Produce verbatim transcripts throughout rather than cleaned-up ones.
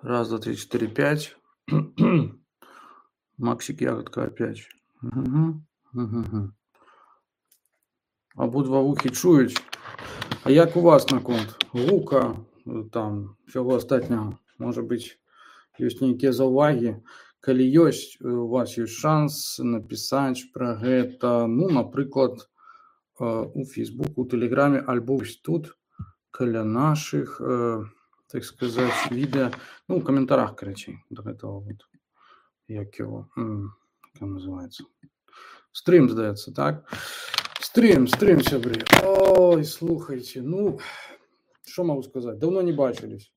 Раз, два, три, четыре, пять. Максик Ягодка опять. Мгм. Мгм. Обидва вухи чують. А як у вас наконт гука, там, всього остатнього? Може бути, є нейкія заўвагі? Калі ёсць, у вас ёсць шанс напісаць пра гэта, ну, напрыклад, у Фейсбуку, у Тэлеграме, альбо вось тут, каля нашых, так сказаць, відэа, ну, у каментарах, карацей, да гэтага вот, як яго, як ён называецца? Стрым, здаецца, так? Стрым, стрым, сябры. Ой, слухайце, ну, што магу сказаць? Даўно не бачылись.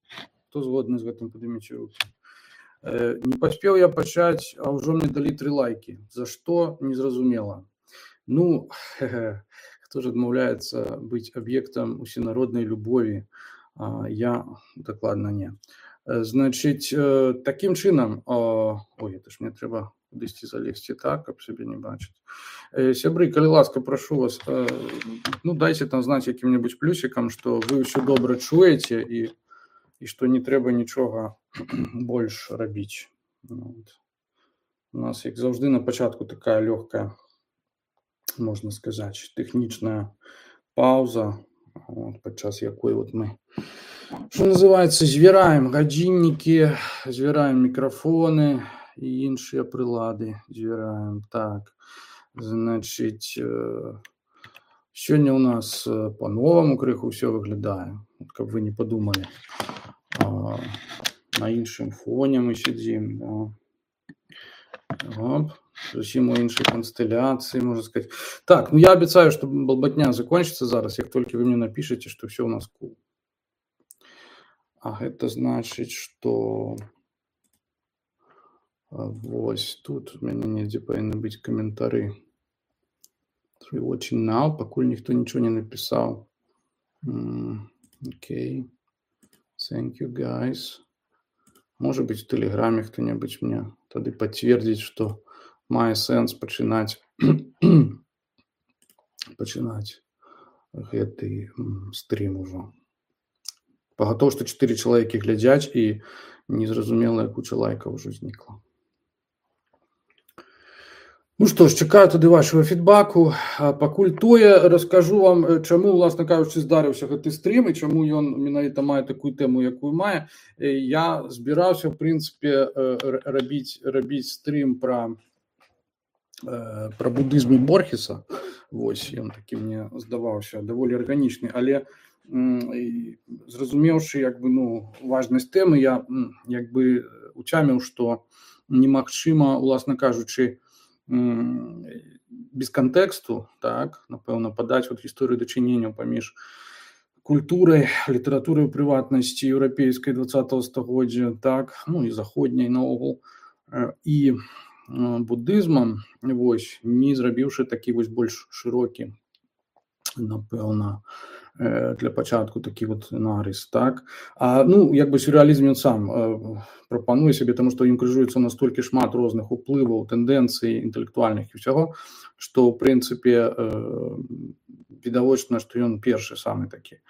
Хто згодны з гэтым, падыміце рукі. Э, не паспеў я пачаць, а ўжо мне далі тры лайкі. За што? Незразумела. Ну, хто ж адмаўляецца быць аб'ектам усенароднай любові? А, я дакладна не. Значыць, такім чынам, ой, это ж мне трэба кудысьці залезці так, каб сябе не бачыць. Сябры, калі ласка, прашу вас, ну, дайце там знаць якім-небудзь плюсікам, што вы ўсё добра чуеце і, і што не трэба нічога больш рабіць. Вот. У нас, як заўжды, на пачатку такая лёгкая, можна сказаць, тэхнічная паўза, вот, падчас якой вот мы, што называецца, звіраем гадзіннікі, звіраем мікрафоны і іншыя прылады, звіраем. Так, значыць, сёння ў нас па-новаму крыху ўсё выглядае, каб вы не падумалі. На іншым фоне мы сядзім, да. Оп, зусім у іншай канстэлляцыі, можна сказаць. Так, ну я абяцаю, што балбатня закончыцца зараз, як толькі вы мне напішаце, што ўсё ў нас кул. А гэта значыць, што вось тут у мяне недзе павінны быць каментары. Three watching now, пакуль ніхто нічого не напісаў. Окей. Thank you, guys. Можа быць, у Тэлеграме хто-небудзь мне тады пацвердзіць, што мае сэнс пачынаць пачынаць гэты стрім ужо. Пагатоў, што чатыры чалавекі глядзяць і незразумелая куча лайкаў ужо знікла. Ну што ж, чакаю тады вашего фідбаку. Пакуль тое, раскажу вам, чаму, уласна кажучы, здарыўся гэты стрім і чаму ён менавіта мае такую тэму, якую мае. Я збіраўся, в прынцыпе, рабіць, рабіць стрім пра, пра будызм і Борхеса. Вось, ён такі мне здаваўся даволі арганічны, але зразумеўшы, як бы, ну, важнасць тэмы, я як бы уцяміў, што немагчыма, уласна кажучы, без кантэксту, так, напэўна, падаць вот гісторыю дачынення паміж культурай, літаратурай у прыватнасці еўрапейскай дваццатага стагоддзя, так, ну і заходняй наогул, і будызмам, вось, не зрабіўшы такі вось больш шырокі, напэўна, для пачатку такі вот нарыс, так. А, ну, як бы сюррэалізм ён сам прапануе сябе, таму што ім крыжуецца настолькі шмат розных уплываў, тэндэнцый інтэлектуальных і ўсяго, што, ў прынцыпе, відавочна, што ён першы самы такі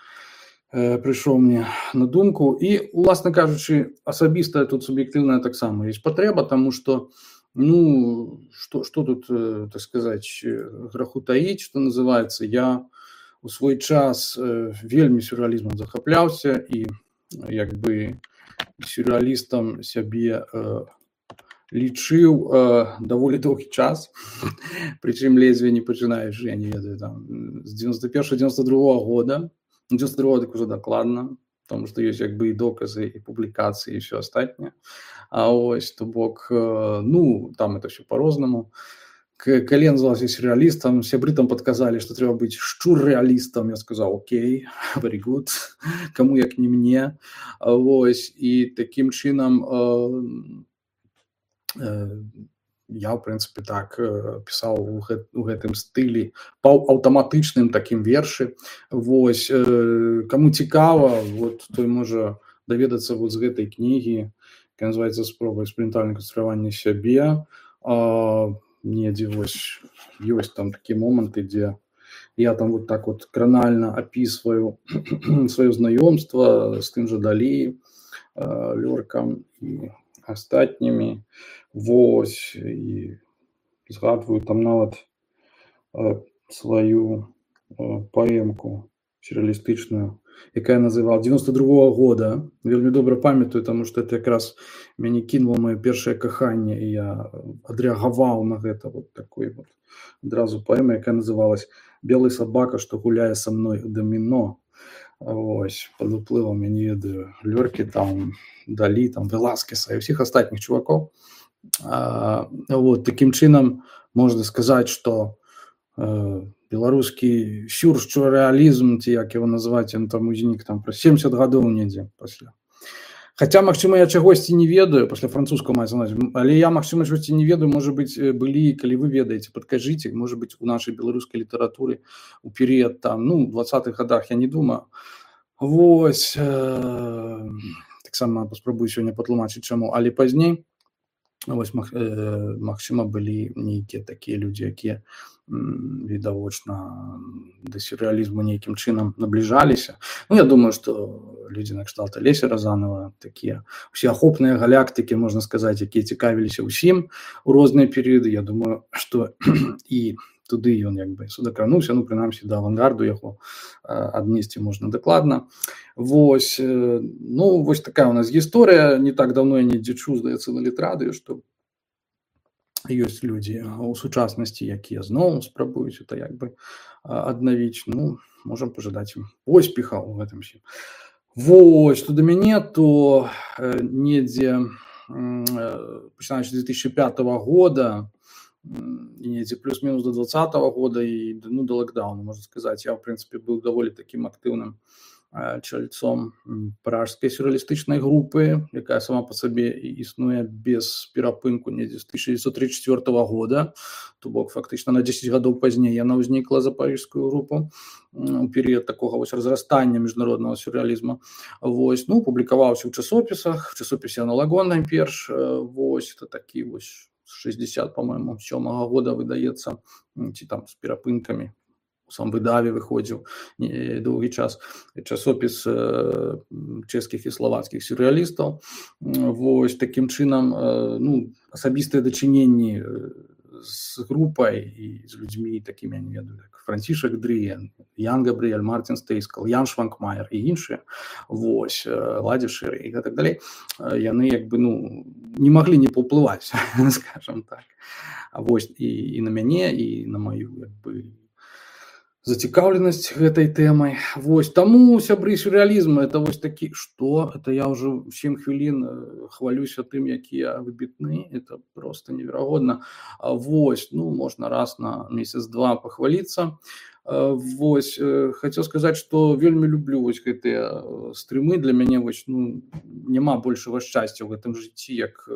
прыйшоў мне на думку. І, уласна кажучы, асабістая тут суб'ектыўная таксама ёсць патрэба, таму што, ну, што, што тут, так сказаць, граху таіць, што называецца, я у свой час вельмі сюррэалізмам захапляўся і як бы сюррэалістам сябе лічыў даволі доўгі час, прычым ледзьве не пачынаючы, я не ведаю, там, з дзевяносто першага дзевяносто другога года, дзевяносто другога так ужо дакладна, тому што ёсць як бы і доказы, і публікацыі, і ўсё астатняе. А ось, то бок, ну, там это все по-рознаму. Калі я назывался сюрреалистом, сябры там подказали, что трэба быць шчур-реалистом. Я сказал, окей, very good, кому як не мне. Вось, і таким чынам э, э, я, в прынцыпе, так пісаў у, гэт, у гэтым стылі, па аўтаматычным такім вершы. Вось, э, кому цікава, вот, той можа даведацца вот з гэтай кнігі, якая называецца «Спроба эксперыментальнага канструявання сябе». Э, недзе вось ёсць там такія моманты, дзе я там вот так вот кранальна апісваю сваё знаёмства з тым жа Далі, Лёркам і астатнімі. Вось, і згадваю там нават сваю паэмку сюррэалістычную, якая называла девяносто другого года. Вельмі добра памятаю, таму што это якраз мяне кінула маё першае каханне, і я адрэагаваў на гэта вот такой вот адразу паэма, якая называлась «Белый собака, што гуляе са мной у даміно». Вось, пад уплывам, я не ведаю, Лёркі, там, Далі, там, Веласкеса і ўсіх астатніх чувакоў. А, вот, такім чынам можна сказаць, што э, беларускі сюррэалізм, ці як яго назваць, ён там узнік там праз семьдесят гадоў недзе пасля. Хаця, магчыма, я чагосьці не ведаю, пасля французскага маецца на ўвазе, але я, магчыма, чагосьці не ведаю, можа быць, былі, калі вы ведаеце, падкажыце, можа быць, у нашай беларускай літаратуры у перыяд там, ну, двадцатых гадах, я не думаю. Вось, э, таксама паспрабую сёння патлумачыць чаму, але пазней, вось, маг, э, магчыма, былі нейкія такія людзі, якія відавочна да сюррэалізму нейкім чынам набліжаліся. Ну, я думаю, што людзі накшталт Алеся Разанова, такія усеахопныя галактыкі, можна сказаць, якія цікавіліся ўсім у розныя перыяды. Я думаю, што і туды ён як бы судакрануўся, ну, прынамсі, да авангарду яго аднесці можна дакладна. Вось, ну, вось такая у нас гісторыя. Не так даўно я недзе чуў, здаецца, на літрадыё, што ёсць людзі ў сучаснасці, якія зноў спрабуюць это як бы аднавіць. Ну, можам пажадаць ім поспеха ў гэтым всім. Вось, што да мяне, то недзе пачынаючы з две тысячи пятого года і недзе плюс-мінус до двадцатого года і ну, до локдауна, можна сказаць, я, в прынцыпе, быў даволі такім актыўным чальцом пражскай сюррэалістычнай групы, якая сама па сабе існуе без перапынку недзе з тысяча девятьсот тридцать четвёртого года, то бок фактычна на десять гадоў пазней яна ўзнікла за парыжскую групу у перыяд такога вось разрастання міжнароднага сюррэалізма. Вось, ну, публікаваўся ў часопісах, в часопісе «Аналагон» найперш, вось, это такі вось шестьдесят, по-моему, сёмага года выдаецца, ці там з перапынкамі. Сам выдаве выходзіў доўгі час часопіс э, чэшскіх і славацкіх сюррэалістаў. Вось, такім чынам, э, ну, асабістыя дачыненні з групай і з людзьмі такімі, я не ведаю, як Францішак Дрыен, Ян Габрыэль, Мартин Стейскал, Ян Шванкмайер і іншыя, вось, Ладзі Шэр і так далей, яны як бы, ну, не маглі не паўплываць, скажам так. Вось, і, і на мяне, і на маю, як бы, зацікаўленасць гэтай тэмай. Вось, таму, сябры, сюррэалізм, это вось такі, што? Это я ўжо сем хвілін хвалюся тым, якія выбітны, это просто неверагодна. Вось, ну, можна раз на месяц-два пахваліцца. Вось, хацеў сказаць, што вельмі люблю вось гэтыя стрымы. Для мяне вось, ну, няма большага шчасця ў гэтым жыцці, як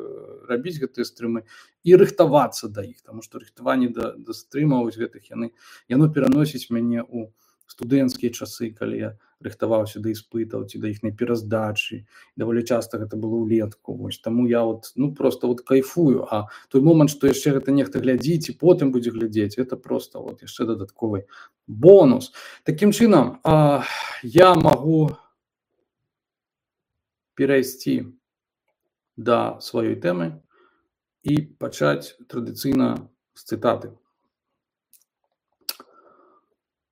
рабіць гэтыя стрымы і рыхтавацца да іх, таму што рыхтаванне да, да стрымаў вось гэтых яны, яно пераносіць мяне ў студэнцкія часы, калі я рыхтаваўся да іспытаў ці да іхняй пераздачы. Даволі часта гэта было ўлетку. Вось, таму я вот, ну, просто вот кайфую. А той момант, што яшчэ гэта нехта глядзіць і потым будзе глядзець, это просто вот яшчэ дадатковы бонус. Такім чынам, а, я магу перайсці да сваёй тэмы і пачаць традыцыйна з цытаты.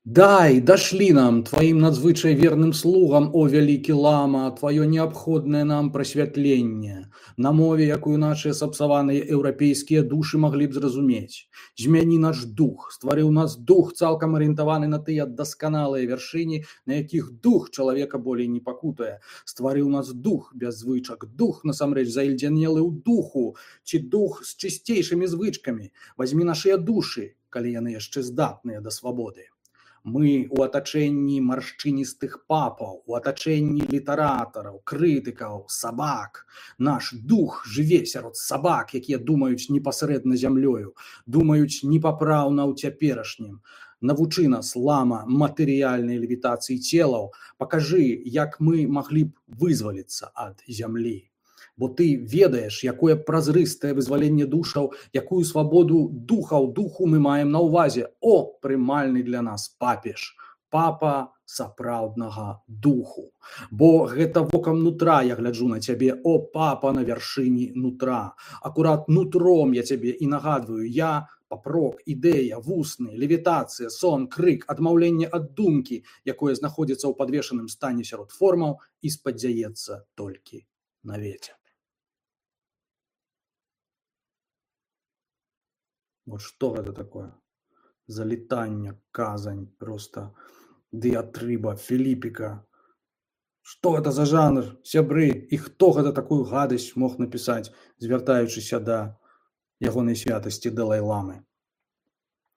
«Дай, дошли нам, твоим надзвычай верным слугам, о вялікі лама, твоё неабходнае нам прасвятленне, на мове, якую нашыя сапсаваныя еўрапейскія душы маглі б зразумець. Змяні наш дух, стварыў нас дух, цалкам арыентаваны на тыя дасканалыя вяршыні, на якіх дух чалавека болей не пакутае. Стварыў нас дух без звычак, дух, насамрэч, заільдзянелы ў духу, ці дух з чысцейшымі звычкамі. Вазьмі нашыя душы, калі яны яшчэ здатныя да свабоды. Мы у атачэнні маршчыністых папаў, у атачэнні літаратараў, крытыкаў, сабак. Наш дух жыве сярод сабак, якія думаюць непасрэдна зямлёю, думаюць непапраўна ў цяперашнім. Навучы нас, лама, матэрыяльнай левітацыі целаў, пакажы, як мы маглі б вызваліцца ад зямлі. Бо ты ведаеш, якое празрыстае вызваленне душаў, якую свабоду духаў духу мы маем на ўвазе. О, прымальны для нас папеж, папа сапраўднага духу. Бо гэта вокам нутра я гляджу на цябе, о папа на вяршыні нутра. Акурат нутром я цябе і нагадваю, я папрок, ідэя, вусны, левітацыя, сон, крык, адмаўленне ад думкі, якое знаходзіцца ў падвешаным стане сярод формаў і спадзяецца толькі на вецер. Вот што гэта такое? Залетанне, казань, просто дыятрыба, філіпіка. Што гэта за жанр, сябры? І хто гэта такую гадасць мог напісаць, звяртаючыся да ягонай святасці Далай-ламы?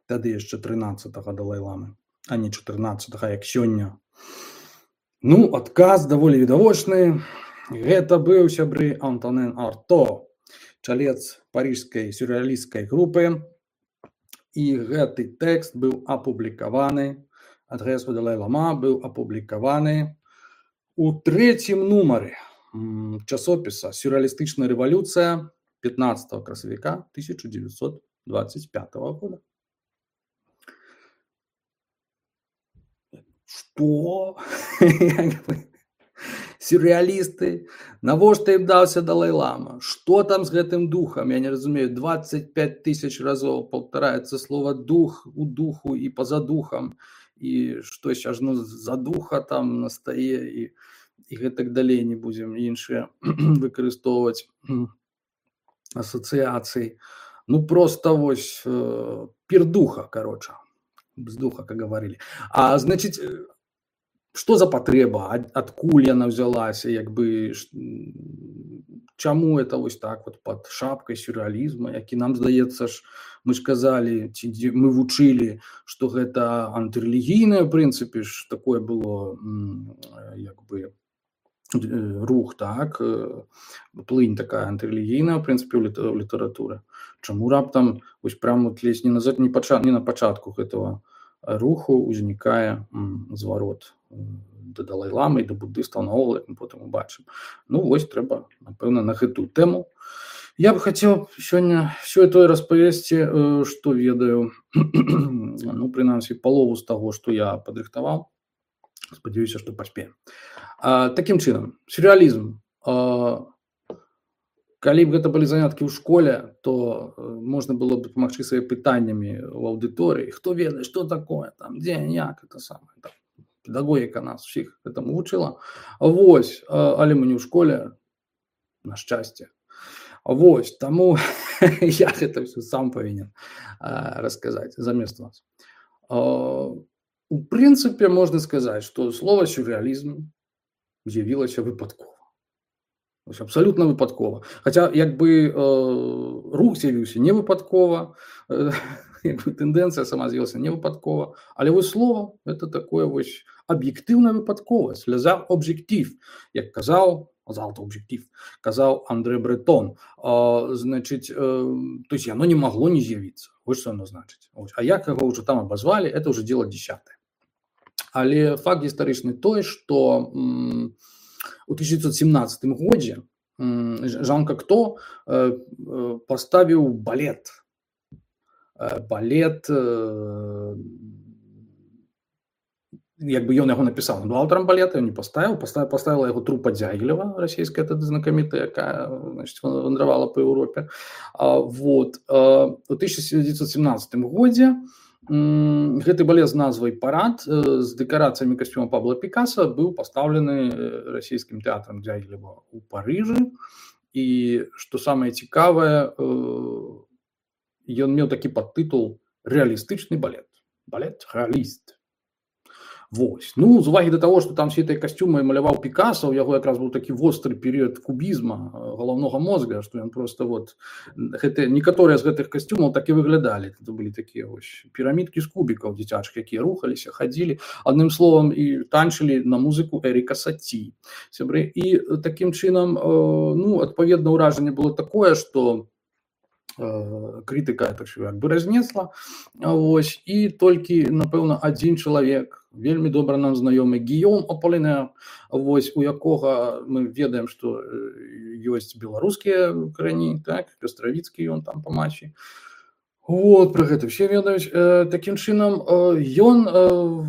Тады яшчэ трынаццатага Далай-ламы, а не чатырнаццатага, як сёння. Ну, адказ даволі відавочны. Гэта быў, сябры, Антонен Арто, чалец парыжскай сюррэалісцкай групы. І гэты тэкст быў апублікаваны, адрес у Далай-лама быў апублікаваны у трэцім нумары часопіса «Сюррэалістычная рэвалюцыя» пятнадцатого красавіка тысяча девятьсот двадцать пятого года. Што? Сюррэалісты? Навошта ім даўся Далай-лама? Што там з гэтым духам? Я не разумею, двадцать пять тысяч разоў паўтараецца слова дух у духу і па-за духам. І што аж ну за духа там настае і, і гэтак далей не будзем іншыя выкарыстоўваць асацыяцыі. Ну просто вось пир духа, короче, без духа, как говорили. А значит, что за потреба, адкуль яна взялася, як бы, чаму это вось так вот под шапкой сюрреализма, які нам здаецца ж, мы ж казали, мы вучылі, что гэта антырэлігійнае, в прынцыпе ж такое было, як бы, рух, так, плынь такая антырэлігійная, в прынцыпе, у літаратуры. Чаму раптам вось прямо вот лезь не на, не, пачат, не на пачатку гэтага руху узнікае зварот да Далай-ламы і да буддыстаў наогул, як мы потым убачым. Ну вось трэба, напэўна, на гэтую тэму. Я бы хацеў сёння ўсё тое распавесці, што ведаю, ну, прынамсі, палову з таго, што я падрыхтаваў. Спадзяюся, што паспеем. А, такім чынам, сюррэалізм. А, калі б гэта былі заняткі ў школе, то можна было б дапамагчы свае пытаннямі ў аўдыторыі. Хто ведае, што такое, там, дзе, як, это самае. Так. Педагогіка нас усіх гэтаму вучыла. Вось, але мы не ў школе, на шчасце. Вось, таму я гэта ўсё сам павінен расказаць замест вас. У прынцыпе, можна сказаць, што слова сюррэалізм з'явілася выпадкова. Абсолютно выпадкова. Хаця, як бы, рух з'явіўся не выпадкова, тэндэнцыя сама з'явілася не выпадкова, але вось слова – это такое вось аб'ектыўная выпадковасць, лязар об'ектив, як казаў, залто об'ектив, казаў Андре Бретон. Значыць, то есть яно не магло не з'явіцца. Вось што яно значыць. А як яго ўжо там абазвалі, это ўжо дело десятое. Але факт гістарычны той, што у тысяча девятьсот семнадцатым годзе Жан Кокто паставіў балет. Балет, як бы ён яго напісаў, он был аўтарам балета, ён не паставіў, паставіла яго трупа Дзягілева, расійская тады знакамітая, якая, значит, вандравала па Еўропе. Вот. У тысяча девятьсот семнадцатым годзе гэты балет з назвай «Парад» з дэкарацыямі касцюма Пабло Пікаса быў пастаўлены расійскім тэатрам Дзягілева ў Парыжы. І, што самае цікавае, ён меў такі падтытул «Рэалістычны балет». Балет-рэаліст. Вось. Ну, з увагі да таго, што там все гэтыя касцюмы маляваў Пікаса, у яго якраз быў такі востры перыяд кубізма галаўнога мозга, што ён просто вот гэты, некаторыя з гэтых касцюмаў так і выглядалі. Гэта былі такія вось пірамідкі з кубікаў дзіцячых, якія рухаліся, хадзілі, адным словам, і танчылі на музыку Эріка Саці. Сябры. І такім чынам, ну, адпаведна ўражанне было такое, што крытыка это ўсё як бы разнесла. Вось. І толькі, напэўна, адзін чалавек, вельмі добра нам знаёмы Гійом Аполінер, вось, у якога мы ведаем, што ёсць беларускія карані, так, Пёстравіцкі ён там па маці. Вот пра гэта ўсе ведаюць. Э, такім чынам, э, ён э,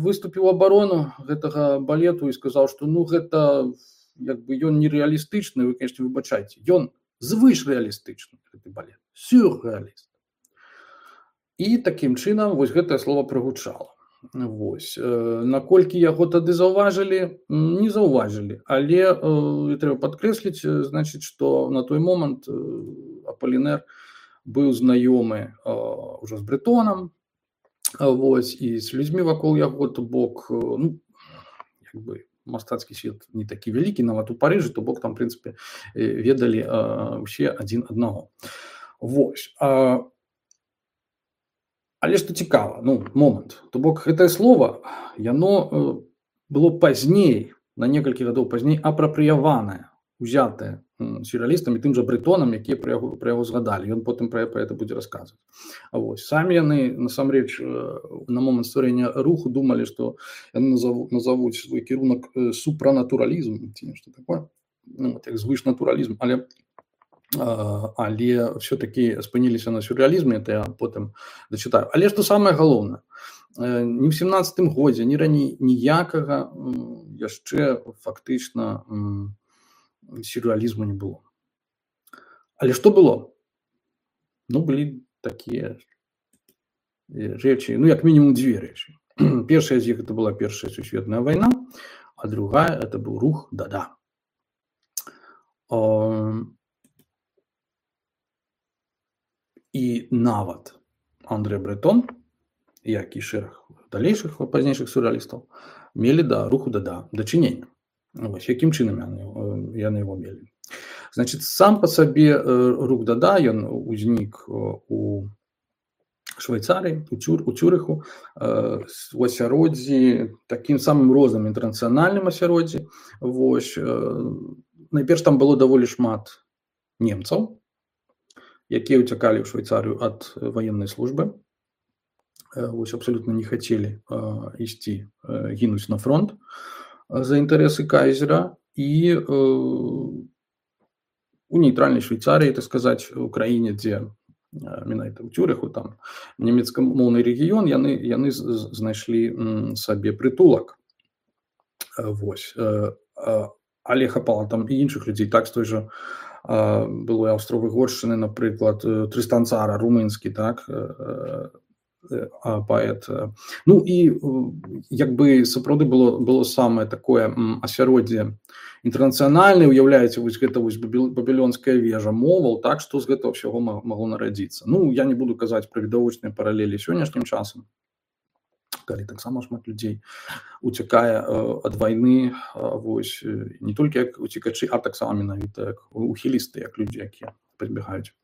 выступіў у абарону гэтага балету і сказаў, што ну гэта як бы ён нерэалістычны, вы, конечно, выбачайце. Ён звышрэалістычны, гэты балет, сюррэаліст. І такім чынам вось гэтае слово прагучала. Вось. Э, наколькі яго тады заўважылі, м, не заўважылі, але э, трэба падкрэсліць, э, значыць, што на той момант э, Аполінер быў знаёмы э, ўжо з Брэтонам, а, вось, і з людзьмі вакол яго, то бок, э, ну, як бы мастацкі свет не такі вялікі, нават у Парыжы, то бок там, в прынцыпе, э, ведалі э, ўсе адзін аднаго. Вось. А, але што цікава, ну, момант, то бок гэтае слово, яно э, было пазней, на некалькі гадоў пазней апрапрыяванае, узятае м, сюррэалістамі, тым жа Брэтонам, якія пра яго, пра яго згадалі. Ён потым пра, пра гэта будзе расказваць. А вось, самі яны, насамрэч, э, на момант стварэння руху думалі, што яны назаву, назавуць свой кірунак э, супранатуралізм, ці нешта такое, ну, вот, як звышнатуралізм, але але все-таки спыніліся на сюррэалізме, это я потым дачытаю. Але што самае галоўнае, ні ў сямнаццатым годзе, ні раней ніякага яшчэ фактычна сюррэалізму не было. Але што было? Ну, былі такія рэчы, ну, як мінімум дзве рэчы. Першая з іх это была Першая сусветная вайна, а другая это быў рух Дада. І нават Андре Бретон, як і шэраг далейшых пазнейшых сюррэалістаў, мелі да руху Дада дачынення. Вось, якім чынам яны, яны яго мелі. Значыць, сам па сабе рух Дада, ён узнік у Швейцарыі, у, Цюр, у Цюрыху, у асяроддзі, такім самым розным інтэрнацыянальным асяроддзі. Вось, найперш там было даволі шмат немцаў, якія ўцякалі ў Швейцарыю ад ваеннай службы. Вось, абсалютна не хацелі ісці гінуць на фронт за інтарэсы кайзера. І э, у нейтральнай Швейцарыі, так сказаць, у краіне, дзе менавіта ў Цюрыху, там нямецкамоўны рэгіён, яны, яны знайшлі сабе прытулак. Вось. Але хапала там і іншых людзей, так, з той жа былой Аўстро-Выгоршчыны, напрыклад, Трыстан Цара, румынскі, так, паэт. Ну і як бы сапраўды было, было самае такое асяроддзе інтэрнацыянальнае, уяўляеце, вось гэта вось бабілёнская вежа моваў, так, што з гэтага ўсяго магло нарадзіцца. Ну, я не буду казаць пра відавочныя паралелі сённяшнім часам, калі таксама шмат людзей уцякае ад вайны, вось, не толькі як уцекачы, а таксама менавіта як ухілісты, як людзі, якія прыбегаюць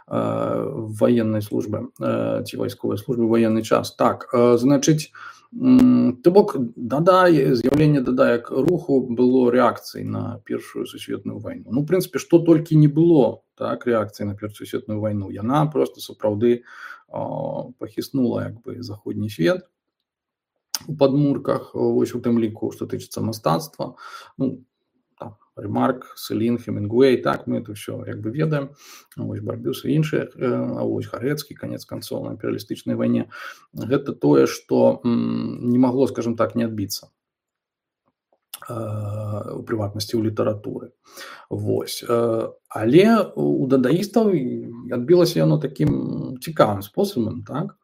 военной службы ці вайсковай службы военный час. Так, значыць, то бок Дада, з'яўленне Дада як руху было рэакцыяй на Першую сусветную вайну. Ну, в прынцыпе, што толькі не было, так, рэакцыяй на Першую сусветную вайну. Яна просто сапраўды пахіснула як бы заходні свет у падмурках, вось у тым ліку, што тычыцца мастацтва. Ну, там, Ремарк, Селін, Хемінгуэй, так, мы это все як бы ведаем, вось Барбюс і іншыя, а вось Харэцкі, канец канцоў на імперыялістычнай вайне. Гэта тое, што не магло, скажем так, не адбіцца у прыватнасці ў літаратуры. Вось. Але у дадаістаў адбілася яно такім цікавым спосабам, так.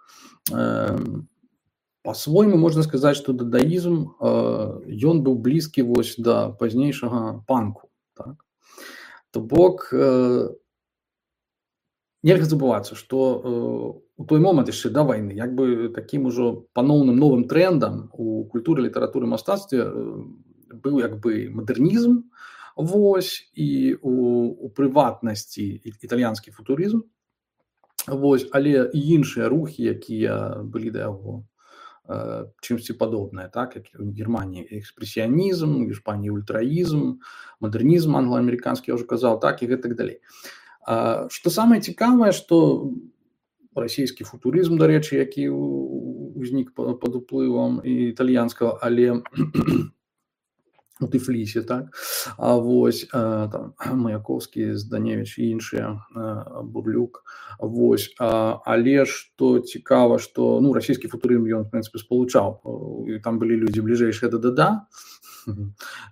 По-свойму можна сказаць, што дадаізм, ён быў блізкі вось да пазнейшага панку, так. То бок, нельга забывацца, што у той момант яшчэ да вайны як бы такім ужо паноўным новым трендам у культуры, літаратуры, мастацтве быў як бы мадэрнізм, вось, і у, у прыватнасці італьянскі футурызм, вось, але і іншыя рухі, якія былі да яго чымсьці падобнае, так, як у Германіі экспрэсіянізм, у Іспаніі ультраізм, мадэрнізм англа-амерыканскі, я ўжо казаў, так, і гэтак далей. Што самае цікавае, што расійскі футурызм, дарэчы, які ўзнік пад уплывам італьянскага, але у Тыфлісе, так? А вось а, там Маяковскі, Зданевич і іншыя, Бурлюк. Вось, а, але што цікава, што ну, расійскі футурызм ён, в прынцыпе, спалучаў. І там былі людзі бліжэйшыя да ДДА,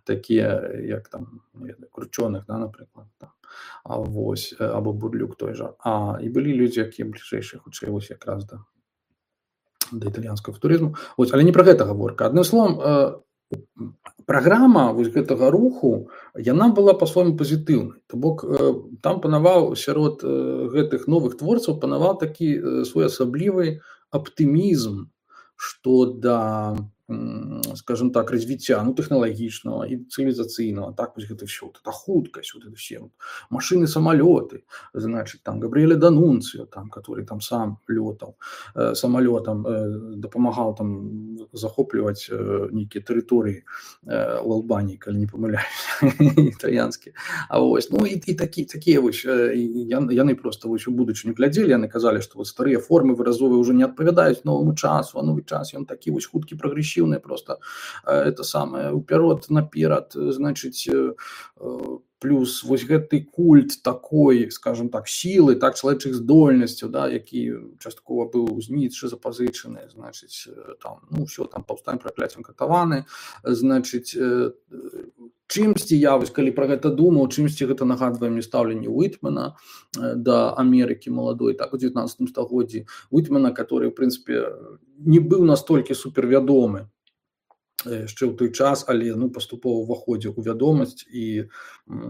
такія, як там, Кручоных, да, напрыклад, там. А вось, або Бурлюк той жа. А, і былі людзі, якія бліжэйшыя, хутчэй, вось якраз да, да італьянскага футурызму. Вось, але не пра гэта гаворка. Адным словам, праграма вось гэтага руху, яна была па-свойму пазітыўнай. То бок там панаваў сярод гэтых новых творцаў панаваў такі своеасаблівы аптымізм, што да, скажем так, развіцця ну, тэхналагічнага і цывілізацыйнага, так вось гэта ўсё, вот это хуткасць, вот это все вот, машины, самолеты, значит, там Габріэле Данунцио, там, который там сам лётаў э, самолетом, э, дапамагаў там захопліваць э, нейкія тэрыторыі э, ў Албаніі, калі не памыляюсь, італьянскія. А вось, ну і, і такі, такія вось, э, яны просто вось у будучыню глядзелі, яны казалі, што вот старыя формы выразовыя ўжо не адпавядаюць новаму часу, а новы час ён такі вось хуткі, прагрэсіўны, просто это самое уперед наперад, значит, плюс вось гэты культ такой, скажем так, силы, так, чалавечых здольнасцяў, да, які часткова быў з Ніцшэ запазычаны, значит, там, ну, все, там, паўстанне пракляццем катаваны, значит, чымсьці я, вось, калі пра гэта думаў, чымсьці гэта нагадвае мне стаўленне Уітмена да Амерыкі маладой, так, у дзевятнаццатым стагоддзі, Уітмена, который, в прынцыпе, не быў настолькі супервядомы яшчэ ў той час, але ну, паступова ўваходзіў у вядомасць і,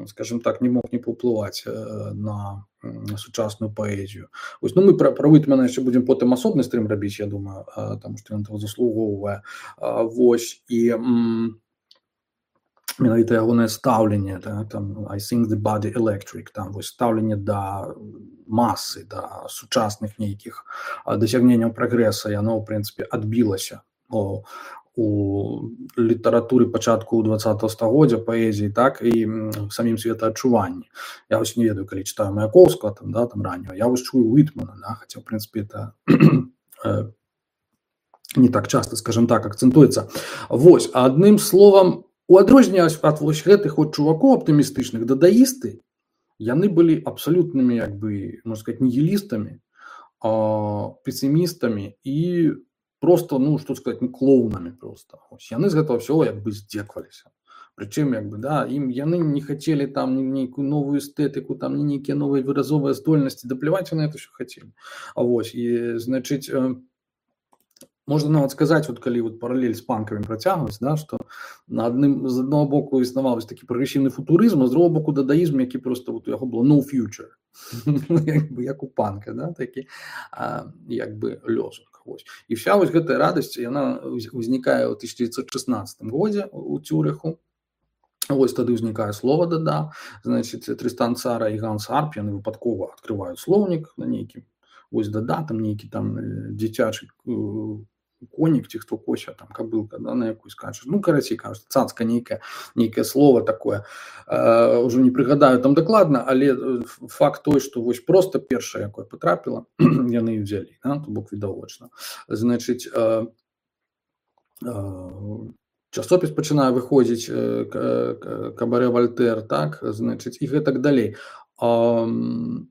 скажем так, не мог не паўплываць на сучасную паэзію. Вось, ну, мы пра, пра Уітмена яшчэ будзем потым асобны стрым рабіць, я думаю, таму што ён таго заслугоўвае. Вось, і менавіта ягонае стаўленне, да, там, I think the body electric, там, вось, стаўленне да масы, да сучасных нейкіх дасягненняў прагрэса, яно, ў прынцыпе, адбілася о, у літаратуры пачатку двадцатага стагоддзя, паэзіі, так, і самім светаадчуванні. Я вось не ведаю, калі чытаю Маяковскага, там, да, там, раннего, я вось чую Уітмена, да, хаця, в прынцыпе, это не так часто, скажем так, акцэнтуецца. Вось, адным словам, у адрозненне ад вось гэтых вот чувакоў аптымістычных, дадаісты, яны былі абсалютнымі, як бы, можна сказаць, нігілістамі, песімістамі і просто, ну, што сказаць, ну, клоунамі просто. Ось, яны з гэтага ўсё як бы здзекваліся. Прычым, як бы, да, ім яны не хацелі там нейкую новую эстэтыку, там нейкія новыя выразовыя здольнасці, дапліваць яны это ўсё хацелі. А вось, і, значыць, можна нават сказаць, вот, калі вот паралель з панкамі працягваць, да, што на адным, з аднаго боку існаваў такі прагрэсіўны футурызм, а з другого боку дадаізм, які просто вот, у яго было no future, як бы, як у панка, да, такі, а, як бы, лёзунг. Вось. І вся вось гэтая радасць, яна ўзнікае ў тысяча дзевятьсот шестнадцатым годзе у Цюрыху. Вось тады ўзнікае слова дада, значит, Трыстан Цара і Ганс Арп, яны выпадкова адкрываюць слоўнік на нейкім, вось дада, там нейкі там дзіцячы конік, ці хто кося, там кабылка, да, на якую скачаш. Ну, карацей, кажуць, цацка нейкае, нейкае слово такое. Э, ўжо не прыгадаю там дакладна, але факт той, што вось проста першае, якое патрапіла, яны і ўзялі, да, то бок відавочна. Значыць, э, э, часопіс пачынае выходзіць э, кабарэ Вальтэр, так, значыць, і гэтак далей. Э,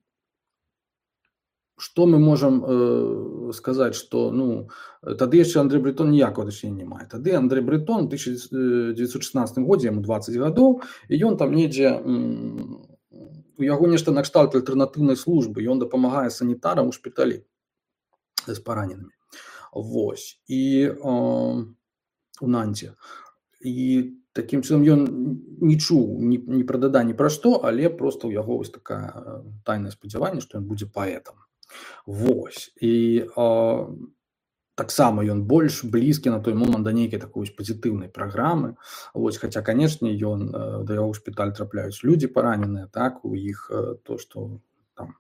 Што мы можам э, сказаць, што ну, тады яшчэ Андрэй Брэтон ніякага дачынення не мае. Тады Андрэй Брэтон у тысяча дзевятьсот шестнадцатым годзе, яму дваццаць гадоў, і ён там недзе, у яго нешта накшталт альтэрнатыўнай службы, ён дапамагае санітарам у шпіталі з параненымі. Вось. І э, у Нанце. І такім чынам ён не чуў ні, ні пра дада, ні пра што, але проста ў яго вось такая тайнае спадзяванне, што ён будзе паэтам. Вось. І э, таксама ён больш блізкі на той момант да нейкай такой пазітыўнай праграмы. Вось, хаця, канешне, ён э, да яго ў шпіталь трапляюць людзі параненыя, так, у іх э, то, што там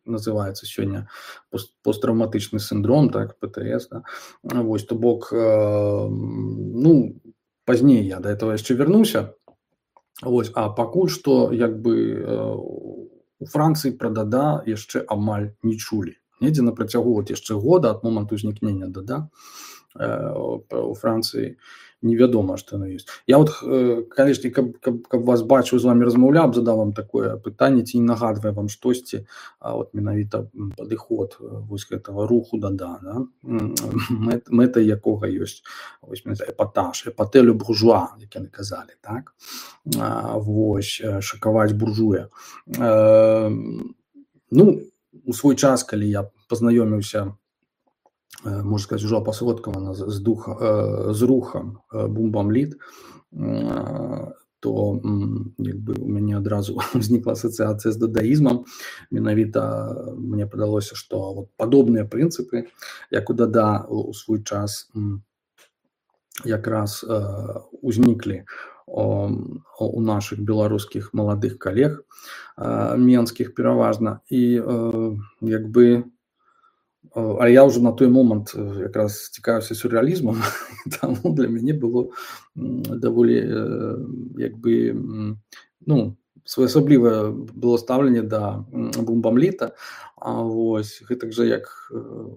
называецца сёння пост, посттравматычны синдром, так, Пэ Тэ Эс, да. Вось, то бок, э, ну, пазней я да этого яшчэ вярнуся. Вось, а пакуль што, як бы, э, у Францыі пра дада яшчэ амаль не чулі. Недзе на працягу вот яшчэ года ад моманту ўзнікнення дада э, у Францыі невядома, што яно ёсць. Я вот, канешне, каб, каб, каб вас бачыў, з вами размаўляў, задаў вам такое пытанне, ці не нагадвае вам штосьці, а вот менавіта падыход вось гэтага руху да-да, да? Мэт, мэтай якога ёсць вось эпатаж, эпатэ ле буржуа, як яны казалі, так? А, вось, шакаваць буржуя. А, ну, у свой час, калі я пазнаёміўся, можна сказаць, ужо апасводкавана з, дух, з рухам бумбамліт, то як бы у мяне адразу ўзнікла асацыяцыя з дадаізмам. Менавіта мне падалося, што вот падобныя прынцыпы, як у дада у свой час якраз узніклі у наших беларускіх маладых калег, менскіх пераважна, і як бы, а я ўжо на той момант якраз цікавіўся сюррэалізмам, таму для мяне было даволі як бы, ну, своеасаблівае было стаўленне да бумбамліта. А вось гэтак жа, як,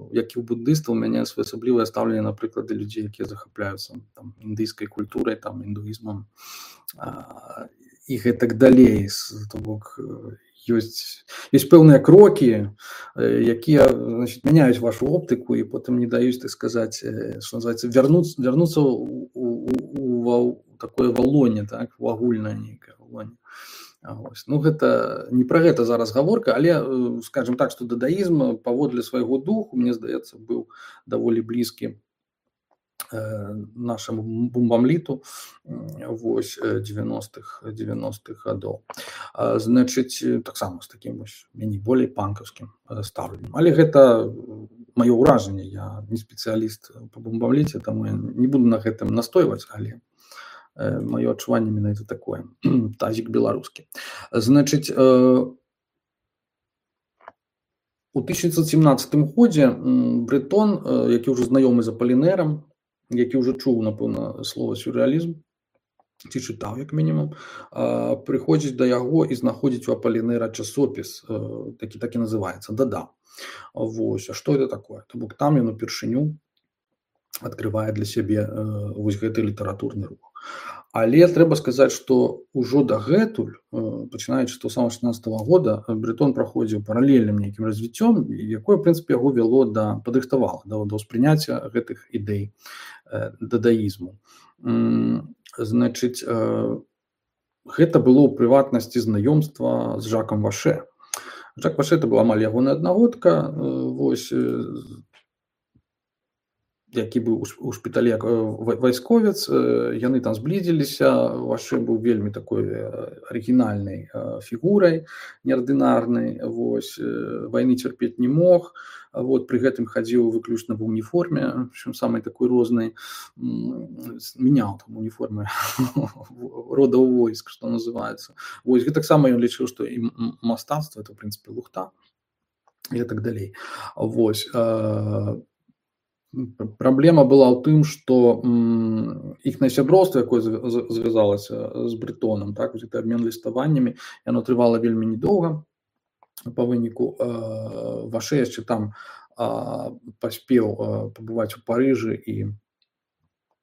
як і ў буддыстаў, у мяне своеасаблівае стаўленне, напрыклад, да людзей, якія захапляюцца там індыйскай культурай, там індуізмам і гэтак далей. То бок ёсць, ёсць пэўныя крокі, якія, значит, мяняюць вашу оптыку і потым не даюць, так сказаць, што называецца, вярнуцца, вярнуцца у, у, у, у такое валонне, так, у агульнае нейкае валонне. Ось. Ну, гэта не пра гэта зараз гаворка, але, скажем так, што дадаізм паводле свайго духу, мне здаецца, быў даволі блізкі нашаму бумбамліту вось девяностых гадоў. Значыць, таксама з такім вось меней болей панкаўскім стаўленнем. Але гэта маё ўражанне, я не спецыяліст па бумбамліце, таму я не буду на гэтым настойваць, але маё адчуванне менавіта такое. Тазік беларускі. Значыць, у тысяча дзевяцьсот семнаццатым годзе Брэтон, які ўжо знаёмы з Апалінэрам, які ўжо чуў, напэўна, слова сюррэалізм, ці чытаў, як мінімум, прыходзіць да яго і знаходзіць у Апалінэра часопіс, такі, так і называецца, дада. Вось, а што гэта такое? То бок там ён упершыню адкрывае для сябе вось гэты літаратурны рух. Але трэба сказаць, што ўжо дагэтуль, пачынаючы з самого шаснаццатага года, Брэтон праходзіў паралельным нейкім развіццём, якое, в прынцыпе, яго вяло да, падрыхтавала да, да ўспрыняцця гэтых ідэй дадаізму. Значыць, гэта было ў прыватнасці знаёмства з Жакам Ваше. Жак Ваше это быў амаль ягоная аднагодка, вось, які быў у шпіталі вайсковец, яны там зблізіліся, Ваше быў вельмі такой арыгінальнай фігурай, неардынарнай, вось, вайны цярпець не мог, вот, пры гэтым хадзіў выключна в уніформе, причем самай такой рознай, меняў там уніформы родаў войск, што называецца. Вось, гэтаксама ён лічыў, што і мастацтва это, в прынцыпе, лухта, і так далей. Вось, праблема была ў тым, што іхнае сяброўства, якое звязалася з Брэтонам, так, гэты абмен ліставаннямі, яно трывала вельмі недоўга. Па выніку Ваше яшчэ там паспеў пабываць у Парыжы і,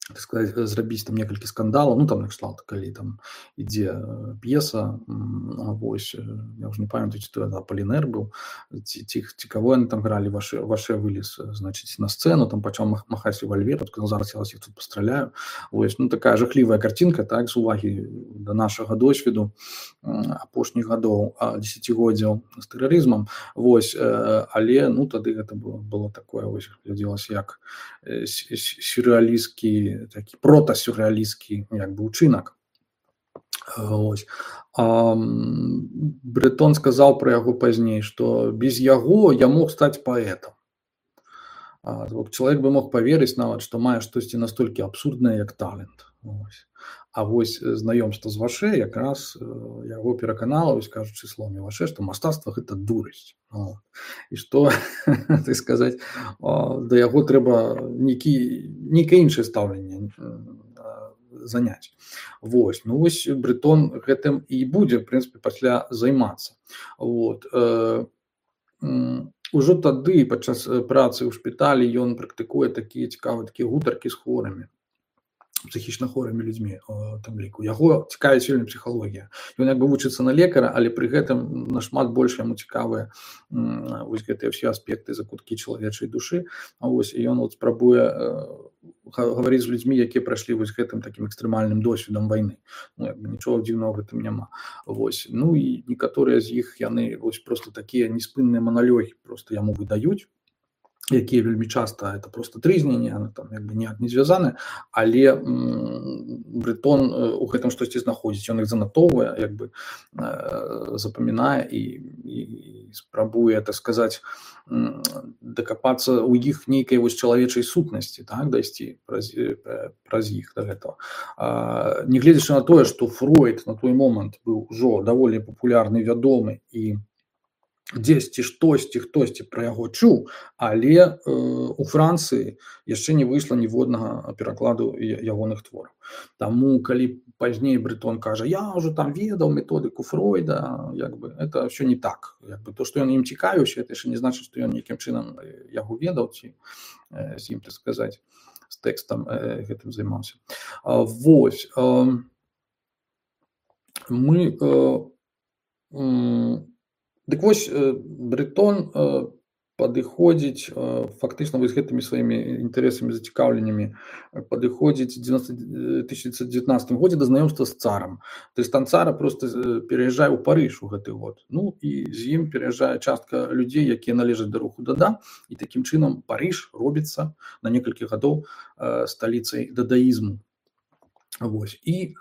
так сказаць, зрабіць там некалькі скандалаў, ну там накшталт, калі там ідзе п'еса, вось, я ўжо не памятаю, ці то Апалінэр быў, ці, ці, ці каго яны там гралі, Ваше, Ваше вылез, значыць, на сцэну, там пачаў махаць рэвальверам, сказаў, зараз я вас тут пастраляю. Вось, ну такая жахлівая карцінка, так, з увагі да нашага досведу апошніх гадоў, дзесяцігоддзяў з тэрарызмам, вось, але, ну, тады гэта было, было такое, вось, глядзелася як сюррэалістскі, такі протасюррэалістскі, як бы, учынак. Ось. А Брэтон сказаў пра яго пазней, што без яго я мог стаць паэтам. А, чалавек бы мог паверыць нават, што мае штосьці настолькі абсурднае, як талент. Ось. А вось знаёмства з Ваше якраз яго пераканала, вось, кажучы словамі Ваше, што мастацтва гэта дурасць. І што, так сказаць, да яго трэба нейкае іншае стаўленне заняць. Вось, ну вось Брэтон гэтым і будзе, в прынцыпе, пасля займацца. Вот. Ужо тады, падчас працы ў шпіталі, ён практыкуе такія цікавыя такія гутаркі з хворымі. псіхічна хворымі людзьмі у тым ліку. Яго цікавіць вельмі псіхалогія. Ён як бы вучыцца на лекара, але пры гэтым нашмат больш яму цікавыя вось гэтыя ўсе аспекты, закуткі чалавечай душы. Вось, і ён вот спрабуе гаварыць з людзьмі, якія прайшлі вось гэтым такім экстрэмальным досведам вайны. Ну, як бы нічога дзіўнага ў гэтым няма. Вось. Ну і некаторыя з іх яны вось просто такія неспынныя маналёгі просто яму выдаюць, якія вельмі часта это просто трызненне, там як бы ніяк не звязаны, але Брытон у гэтым штосьці знаходзіць, ён іх занатоўвае, як бы запамінае і, і спрабуе, так сказаць, дакапацца ў іх нейкай вось чалавечай сутнасці, так, дайсці праз, праз іх да гэтага. Нягледзячы на тое, што Фройд на той момант быў ужо даволі папулярны, вядомы і дзесьці штосьці, хтосьці пра яго чуў, але э, у Францыі яшчэ не выйшла ніводнага перакладу ягоных твораў. Таму, калі пазней Брытон кажа, я ўжо там ведаў методыку Фройда, як бы, это ўсё не так. Як бы, то, што ён ім цікавіўся, это яшчэ не значыць, што ён нейкім чынам яго ведаў, ці э, з ім, так сказаць, з тэкстам э, гэтым займаўся. А, вось. Э, мы... Э, э, Дык вось Брытон падыходзіць фактычна вось гэтымі сваімі інтарэсамі, зацікаўленнямі, падыходзіць у тысяча дзевяцьсот дзевятнаццатым годзе да знаёмства з царам. Трыстан Цара проста пераязджае ў Парыж у гэты год. Ну і з ім пераязджае частка людзей, якія належаць да руху Дада, і такім чынам Парыж робіцца на некалькі гадоў сталіцай дадаізму. Вось. І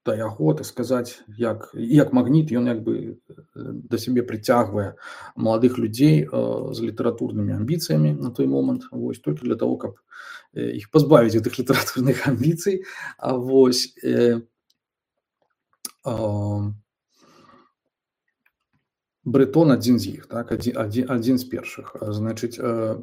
да яго, так сказаць, як, як магніт, ён як бы да сябе прыцягвае маладых людзей з літаратурнымі амбіцыямі на той момант, вось, толькі для того, каб іх пазбавіць гэтых літаратурных амбіцый. А вось э, э, Брытон адзін з іх, так, адзін, адзін, адзін з першых. Значыць, э,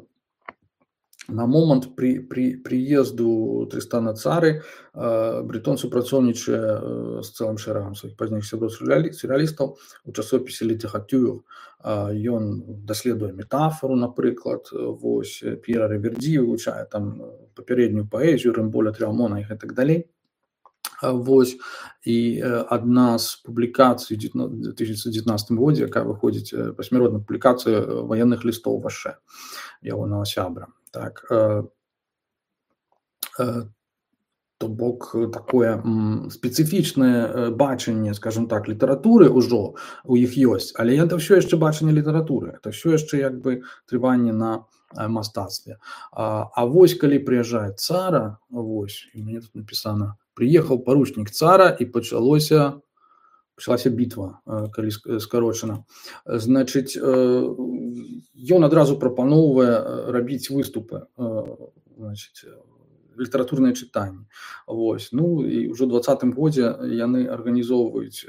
на момант при, при, прыезду Трыстана Цары э, Брытон супрацоўнічае з цэлым шэрагам сваіх пазнейшых сяброў сюррэалістаў у часопісе «Літэратур». Ён даследуе метафору, напрыклад, вось, П'ера Рэвердзі, вывучае там папярэднюю паэзію, Рэмболя, Трыамона і гэтак далей. Вось, і адна з публікацый у две тысячи девятнадцатым годзе, якая выходзіць пасмяротная публікацыя ваенных лістоў Ваше, ягонага сябра. Так, э, э, то бок такое м, спецыфічнае бачанне, скажем так, літаратуры ўжо у іх ёсць, але это ўсё яшчэ бачанне літаратуры, это ўсё яшчэ як бы трыванне на э, мастацтве. А, а вось калі прыязджае Цара, вось, і мне тут напісана, прыехаў паручнік Цара і пачалося пачалася бітва, калі скарочана. Значыць, ён адразу прапаноўвае рабіць выступы, значыць, літаратурныя чытанні. Вось. Ну і ўжо ў дваццатым годзе яны арганізоўваюць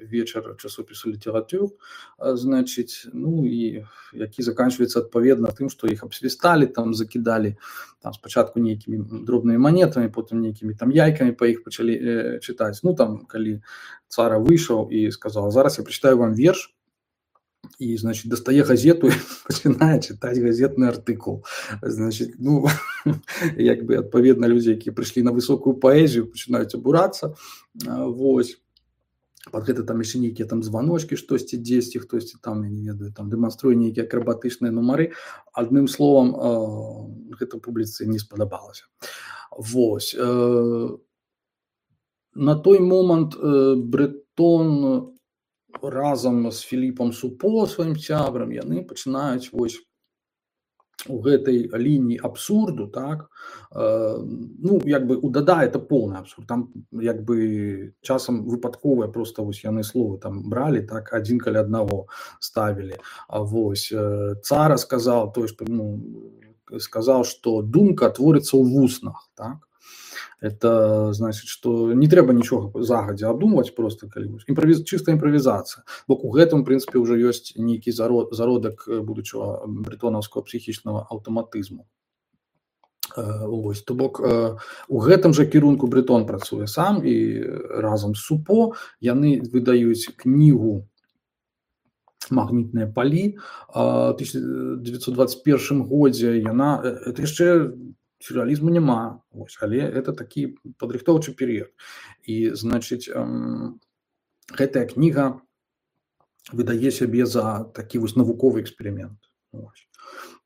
вечар часопісу «Літэратур», значыць, ну і які заканчваецца адпаведна тым, што іх абсвісталі, там закідалі там спачатку нейкімі дробнымі манетамі, потым нейкімі там яйкамі па іх пачалі э, чытаць. Ну там, калі Цара выйшаў і сказаў, зараз я прачытаю вам верш, і, значит, дастае газету і пачынае чытаць газетны артыкул. Значит, ну, як бы, адпаведна, людзі, якія прыйшлі на высокую паэзію, пачынаюць абурацца. Вось. Пад гэта там яшчэ нейкія там званочкі, штосьці дзесьці, хтосьці там, я не ведаю, там дэманструе нейкія акрабатычныя нумары. Адным словам, гэта публіцы не спадабалася. Вось. На той момант Брытон разам з Філіпам Супо, сваім сябрам, яны пачынаюць вось у гэтай лініі абсурду, так, э, ну, як бы у Дада это поўны абсурд, там як бы часам выпадковыя просто вось яны словы там бралі, так, адзін каля аднаго ставілі. А вось э, Цара сказаў, той, што, ну, сказаў, што думка творыцца ў вуснах, так. Это значит, что не трэба нічога загадзя абдумваць, просто калі імправіз... чыстая імправізацыя. Бо у гэтым, в принципе, ўжо ёсць нейкі зарод... зародак будучага брытонаўскага псіхічнага аўтаматызму. Ось, то бок у гэтым жа кірунку Брытон працуе сам і разам з Супо яны выдаюць кнігу «Магнітныя палі». У тысяча дзевятьсот двадцать первым годзе яна, это яшчэ сюррэалізму няма, вось, але это такі падрыхтоўчы перыяд. І значыць, гэтая кніга выдае сябе за такі вось навуковы эксперымент.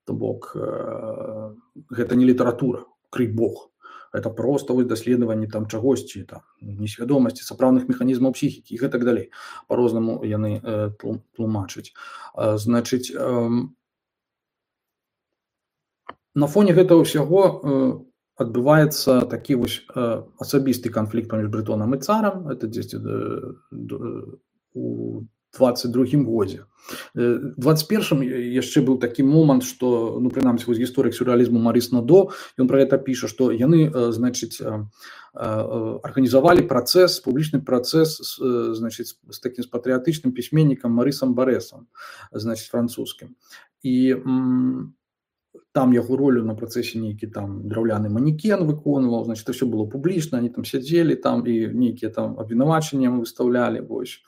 То бок гэта не літаратура, крый Бог. Это просто вось даследаванне там чагосьці, там несвядомасці, сапраўдных механізмаў псіхікі і гэтак далей. Па-рознаму яны тлумачаць. Значыць, на фоне гэтага ўсяго адбываецца такі вось асабісты канфлікт паміж Брэтонам і царам. Это дзесьці у двадцать другім годзе. двадцать першым яшчэ быў такі момант, што, ну, прынамсі, вось гісторык сюррэалізму Марыс Надо, ён пра гэта піша, што яны, значыць, арганізавалі працэс, публічны працэс, значыць, з такім з патрыятычным пісьменнікам Марысам Барэсам, значыць, французскім. І там яго ролю на працэсе нейкі там драўляны манекен выконваў, значит, все было публічна, они там сядзелі там і нейкія там абвінавачанні выстаўлялі, вось,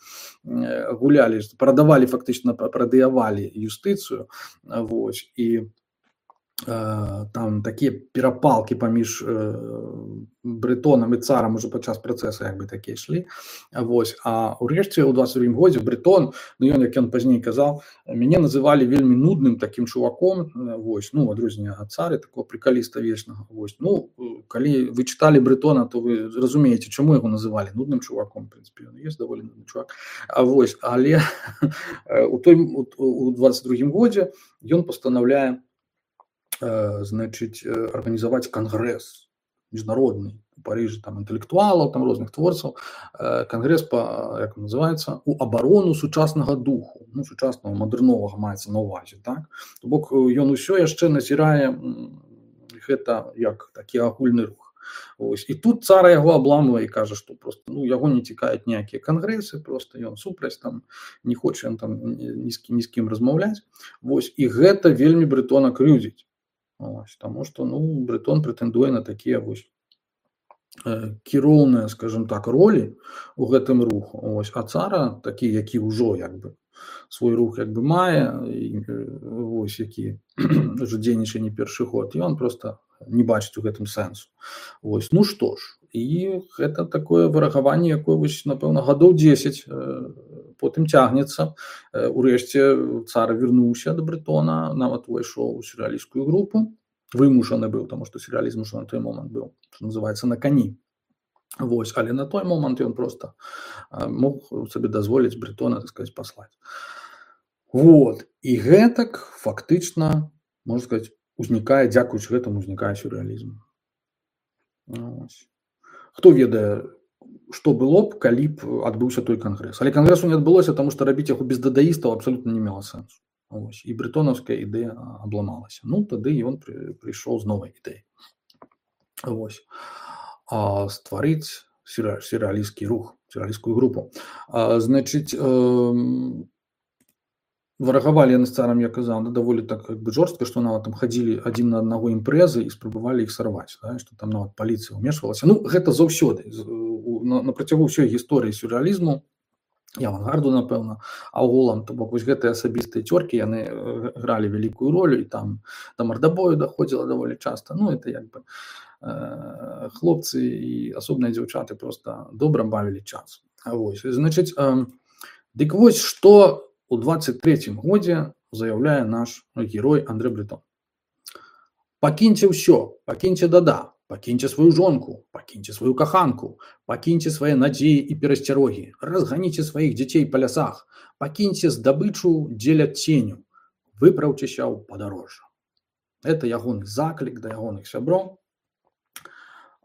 гулялі, прадавалі, фактычна прадыявалі юстыцыю, вось, і э, там такія перапалкі паміж э, Брэтонам і царам уже падчас працэса як бы такія ішлі, вось, а ўрэшце ў двадцать другім годзе Брэтон, ну ён, як ён пазней казаў, мяне называлі вельмі нудным такім чуваком, вось, ну, адрозненне ад цары, такого прикаліста вечнага, вось, ну, калі вы чыталі Брэтона, то вы зразумееце, чаму яго называлі нудным чуваком, в прынцыпе, ён ёсць даволі нудны чувак, а вось, але у той, у двадцать другім годзе ён пастанаўляе, значыць, арганізаваць кангрэс міжнародны у Парыжы, там інтэлектуалаў, там розных творцаў, кангрэс па, як называецца, у абарону сучаснага духу, ну, сучаснага мадэрновага маецца на ўвазе, так? То бок ён усё яшчэ назірае гэта як такі агульны рух. Ось. І тут цара яго абламвае і кажа, што просто, ну, яго не цікавяць ніякія кангрэсы, просто ён супраць, там не хоча ён там ні з кім, ні з кім размаўляць. Вось. І гэта вельмі Брэтона крыўдзіць. Ось, таму што, ну, Брэтон прэтэндуе на такія вось э, кіроўныя, скажем так, ролі у гэтым руху. Ось, а цара такі, які ўжо як бы свой рух як бы мае, і, вось, які ўжо дзейнічае не першы год, і ён просто не бачыць у гэтым сэнсу. Ось, ну што ж, і гэта такое варагаванне, якое вось, напэўна, гадоў дзесяць э, потым цягнецца. Урэшце цар вярнуўся да Брэтона, нават увайшоў у сюррэалісцкую групу, вымушаны быў, таму што сюррэалізм ужо на той момант быў, што называецца, на кані. Вось, але на той момант ён проста мог сабе дазволіць Брэтона, так сказаць, паслаць. Вот, і гэтак фактычна, можна сказаць, узнікае, дзякуючы гэтаму узнікае сюррэалізм. Вось. Хто ведае, што было б, калі б адбыўся той кангрэс. Але кангрэсу не адбылося, таму што рабіць яго без дадаістаў абсалютна не мела сэнсу. Ось. І брэтонаўская ідэя абламалася. Ну, тады ён пры, прыйшоў з новай ідэяй. Вось. А стварыць сюррэалісцкі рух, сюррэалісцкую групу. А, значыць, э, варагавалі яны з царам, я казаў, ну, даволі так як бы жорстка, што нават там хадзілі адзін на аднаго імпрэзы і спрабавалі іх сарваць, да? Што там нават паліцыя ўмешвалася. Ну, гэта заўсёды. На, на працягу ўсёй гісторыі сюррэалізму, і авангарду, напэўна, агулам, то бок вось гэтыя асабістыя цёркі, яны гралі вялікую ролю, і там да мардабою даходзіла даволі часта. Ну, это як бы э, хлопцы і асобныя дзяўчаты проста добра бавілі час. Вось, значыць, э, дык вось, што у двадцать третьем годзе заяўляе наш герой Андрэ Бретон. Пакіньце ўсё, пакіньце дада, пакіньце сваю жонку, пакіньце сваю каханку, пакіньце свае надзеі і перасцярогі, разганіце сваіх дзяцей па лясах, пакіньце здабычу дзеля ценю, выпраўцеся ў падарожжа. Это ягоны заклік да ягоных сяброў,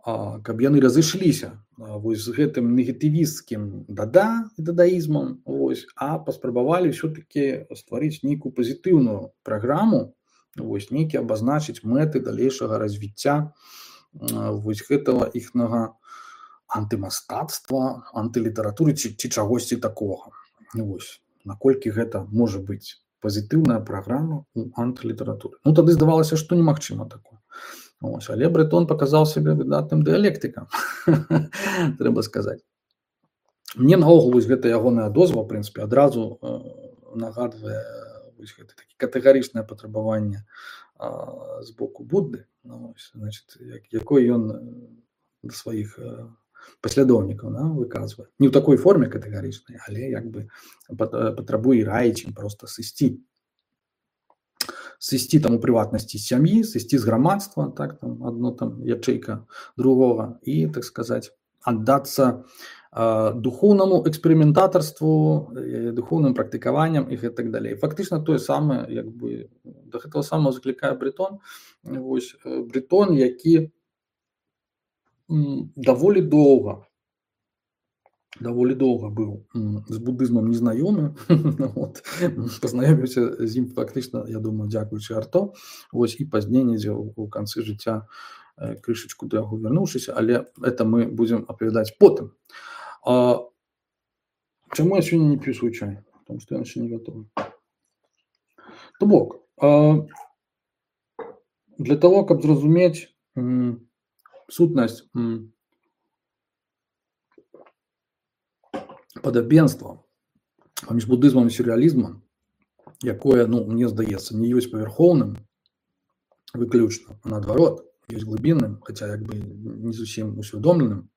каб яны разышліся вось з гэтым негатывісцкім дада і дадаізмам, вось, а паспрабавалі ўсё-такі стварыць нейкую пазітыўную праграму, вось, нейкі абазначыць мэты далейшага развіцця вось гэтага іхнага антымастацтва, антылітаратуры ці, ці чагосьці такога. Вось, наколькі гэта можа быць пазітыўная праграма у антылітаратуры. Ну, тады здавалася, што немагчыма такое. Ось, але Бретон паказаў сябе выдатным дыялектыкам, трэба сказаць. Мне наогул вось гэта ягоная дозва, в прынцыпе, адразу э, нагадвае вось гэта такі катэгарычнае патрабаванне з боку Будды, ну, значит, як, якой ён да сваіх паслядоўнікаў, да, выказвае. Не ў такой форме катэгарычнай, але як бы патрабуе раіць ім проста сысці. Сысці там у прыватнасці з сям'і, сысці з грамадства, так, там адно там ячэйка другога, і, так сказаць, аддацца духоўнаму эксперыментатарству, духоўным практыкаванням і гэтак далей. Фактычна тое самае, як бы, да гэтага самага заклікае Брэтон. Вось Брэтон, які даволі доўга, даволі доўга быў з будызмам незнаёмы, вот, пазнаёміўся з ім фактычна, я думаю, дзякуючы Арто, вось, і пазней недзе ў канцы жыцця крышачку да яго вярнуўшыся, але это мы будзем апавядаць потым. А, чаму я сёння не п'ю свой чай? Потому што ён яшчэ не гатовы. То бок, а, для того, каб зразумець м, сутнасць м, падабенства паміж будызмам і сюррэалізмам, якое, ну, мне здаецца, не ёсць павярхоўным выключна, а наадварот, ёсць глыбінным, хаця як бы не зусім усвядомленым,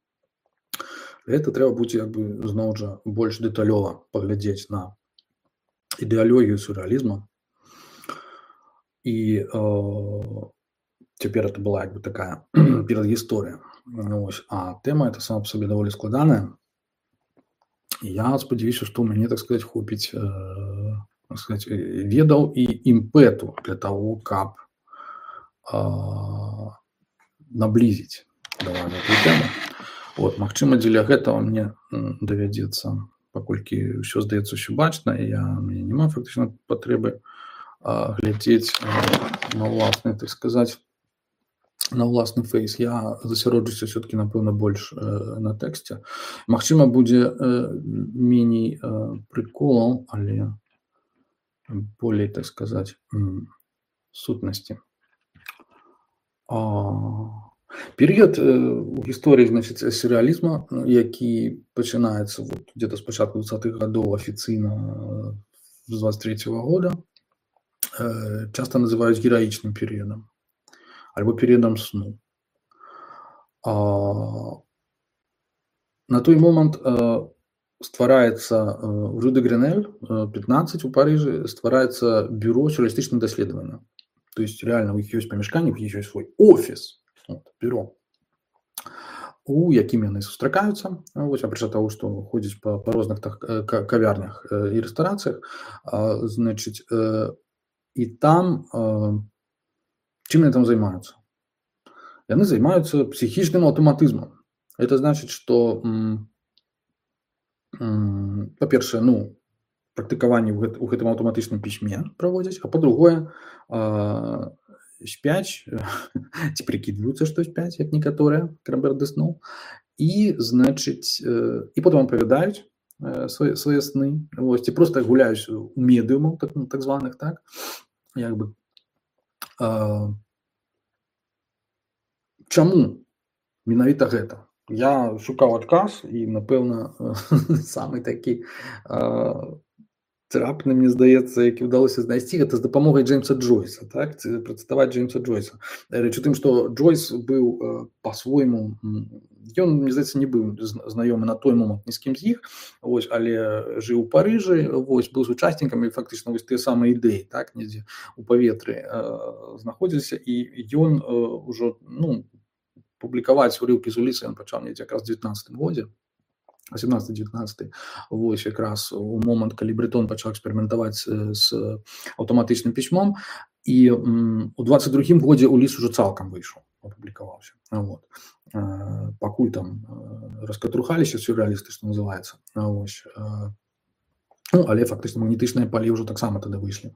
гэта трэба будзе як бы зноў жа больш дэталёва паглядзець на ідэалогію сюррэалізма. І э, цяпер это была як бы такая перадгісторыя. Ось. А тэма эта сама па сабе даволі складаная. І я спадзяюся, што ў мяне, так сказаць, хопіць э, так сказаць, ведаў і імпэту для таго, каб э, наблізіць давай гэтую тэму. Вот, магчыма, дзеля гэтага мне давядзецца, паколькі ўсё здаецца ўсё бачна, і я, мне няма фактычна патрэбы а, глядзець а, на ўласны, так сказаць, на ўласны фейс. Я засяроджуся все-таки, напэўна, больш э, на тэксце. Магчыма, будзе э, меней э, прыколаў, але болей, так сказаць, сутнасці. А... Перыяд у гісторыі, значыць, сюррэалізма, які пачынаецца вот, где-то з пачатку двадцатых гадоў афіцыйна з двадцать третьего года, часта называюць гераічным перыядам альбо перыядам сну. А, на той момант ствараецца в Рю де Гренель пятнадцать у Парыжы ствараецца бюро сюррэалістычных даследаванняў. То есть реально у іх ёсць памяшканне, у іх ёсць свой офіс. Вот, бюро, у якім яны сустракаюцца, вось, апрача таго, што ходзяць па, па розных так, кавярнях і рэстарацыях, значыць, і там чым яны там займаюцца? Яны займаюцца псіхічным аўтаматызмам. Это значыць, што па-першае, ну, практыкаванне ў, гэт, у гэтым аўтаматычным пісьме праводзяць, а па-другое, спяць, ці прыкідваюцца, што спяць, як некаторыя, Крамбер де сну, і, значыць, і потым апавядаюць свае, свае сны, вось, ці проста гуляюць у медыумаў, так, так званых, так, як бы. А, чаму менавіта гэта? Я шукаў адказ, і, напэўна, самы такі а, трапны, мне здаецца, які ўдалося знайсці, гэта з дапамогай Джеймса Джойса, так, працытаваць Джеймса Джойса. Рэч у тым, што Джойс быў па-свойму, ён, мне здаецца, не быў знаёмы на той момант ні з кім з іх, вось, але жыў у Парыжы, вось, быў сучаснікам, і фактычна вось тыя самыя ідэі, так, недзе у паветры э, знаходзіліся, і ён э, ўжо, ну, публікаваць урыўкі з уліцы ён пачаў недзе якраз у дзевятнаццатым годзе, восемнадцаты-дзевятнаццаты, вось якраз у момант, калі Брэтон пачаў эксперыментаваць з аўтаматычным пісьмом, і м, у двадцать другім годзе Уліс ужо цалкам выйшаў, апублікаваўся. Вот. Э, пакуль там э, раскатрухаліся сюррэалісты, што называецца. Вось. Э, ну, але фактычна магнетычныя палі ўжо таксама тады выйшлі.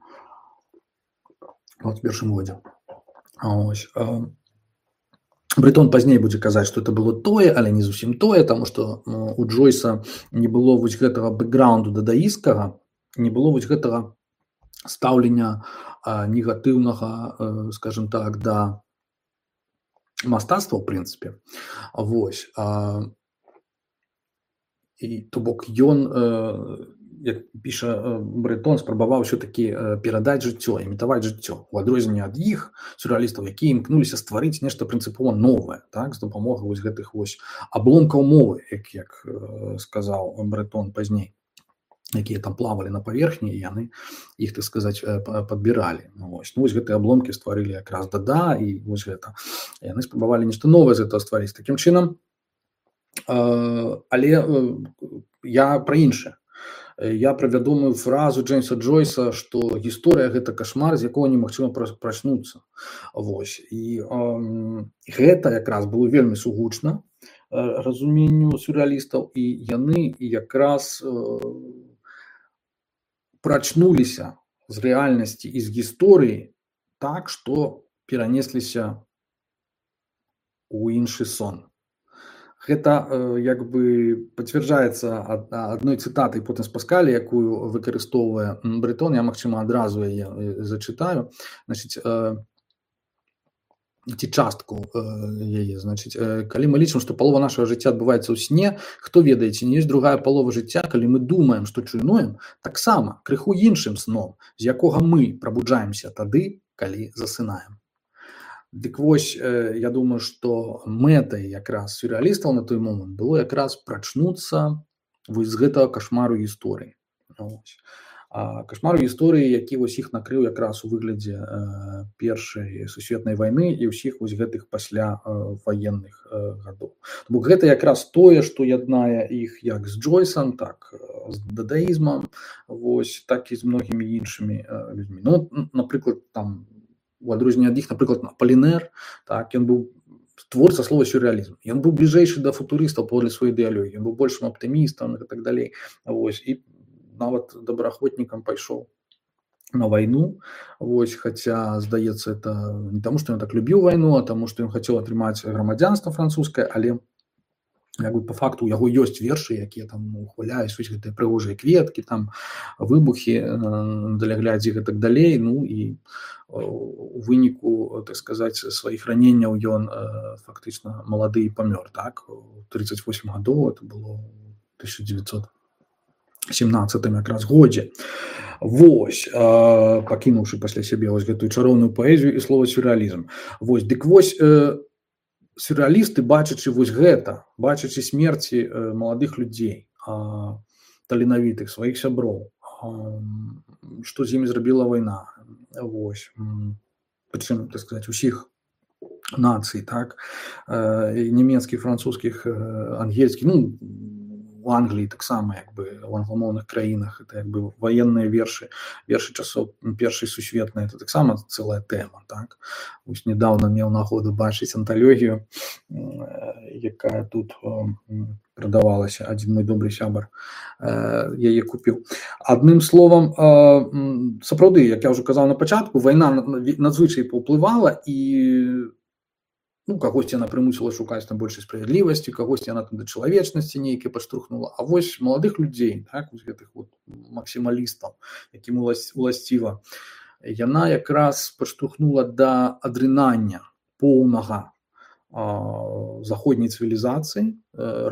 Вот, у першым годзе. Вось. Э, Брэтон пазней будзе казаць, што это было тое, але не зусім тое, таму што у Джойса не было вось гэтага бэкграунду дадаіскага, не было вось гэтага стаўлення а, негатыўнага, а, скажем так, да мастацтва, ў прынцыпе. Вось. А, і, то бок, ён, а, як піша Брэтон, спрабаваў ўсё-такі перадаць жыццё, імітаваць жыццё, у адрозненне ад іх сюррэалістаў, якія імкнуліся стварыць нешта прынцыпова новае, так, з дапамогай вось гэтых вось абломкаў мовы, як, як сказаў Брэтон пазней, якія там плавалі на паверхні, і яны іх, так сказаць, падбіралі. Ну, вось. Ну, вось гэтыя абломкі стварылі якраз Дада, і вось гэта. Яны спрабавалі нешта новае з гэтага стварыць. Такім чынам, але я пра іншае. Я пра вядомую фразу Джеймса Джойса, што гісторыя – гэта кашмар, з якога немагчыма прачнуцца. Вось. І э, гэта якраз было вельмі сугучна разуменню сюррэалістаў, і яны якраз э, прачнуліся з рэальнасці і з гісторыі так, што перанесліся ў іншы сон. Гэта э, як бы пацвярджаецца ад, адной цытатай потым з Паскаля, якую выкарыстоўвае Брэтон, я, магчыма, адразу яе зачытаю. Значыць, э, ці частку э, яе, значыць, э, калі мы лічым, што палова нашага жыцця адбываецца ў сне, хто ведае, ці не ёсць другая палова жыцця, калі мы думаем, што чуйнуем, таксама крыху іншым сном, з якога мы прабуджаемся тады, калі засынаем. Дык вось, я думаю, што мэтай якраз сюррэалістаў на той момант было якраз прачнуцца вось з гэтага кашмару гісторыі. А кашмару гісторыі, які вось іх накрыў якраз у выглядзе першай сусветнай вайны і ўсіх вось гэтых пасля ваенных гадоў. Бо гэта якраз тое, што яднае іх як з Джойсам, так з дадаізмам, вось, так і з многімі іншымі людзьмі. Ну, напрыклад, там у адрозненне ад іх, напрыклад, Аполінер, так, ён быў творца слова сюррэалізм. Ён быў бліжэйшы да футурыстаў паводле сваёй ідэалогіі, ён быў большым аптымістам і так далей. Вось, і нават добраахвотнікам пайшоў на вайну, вось, хаця, здаецца, это не таму, што ён так любіў вайну, а таму, што ён хацеў атрымаць грамадзянства французскае, але як бы, па факту, у яго ёсць вершы, якія там ухваляюць вось гэтыя прыгожыя кветкі, там выбухі на даляглядзе і так далей. Ну і у выніку, так сказаць, сваіх раненняў ён фактычна малады і памёр, так, у трыццаць восем гадоў, это было тысяча дзевяцьсот семнаццатым якраз годзе. Вось, пакінуўшы пасля сябе вось гэтую чароўную паэзію і слова сюррэалізм. Вось, дык вось, сюррэалісты, бачачы вось гэта, бачачы смерці маладых людзей, таленавітых, сваіх сяброў, што з імі зрабіла вайна, вось, прычым, так сказаць, усіх нацый, так, нямецкіх, французскіх, ангельскіх, ну, у Англіі таксама, як бы, у англамоўных краінах, это, як бы, ваенныя вершы, вершы часоў першай сусветнай, это таксама цэлая тэма, так. Вось недаўна меў нагоду бачыць анталогію, якая тут прадавалася, адзін мой добры сябар яе купіў. Адным словам, сапраўды, як я ўжо казаў на пачатку, вайна надзвычай паўплывала, і ну, кагосьці яна прымусіла шукаць там большай справядлівасці, кагосьці яна там да чалавечнасці нейкай падштурхнула. А вось маладых людзей, так, вось гэтых вот максімалістаў, якім уласціва, яна якраз падштурхнула да адрынання поўнага заходняй цывілізацыі,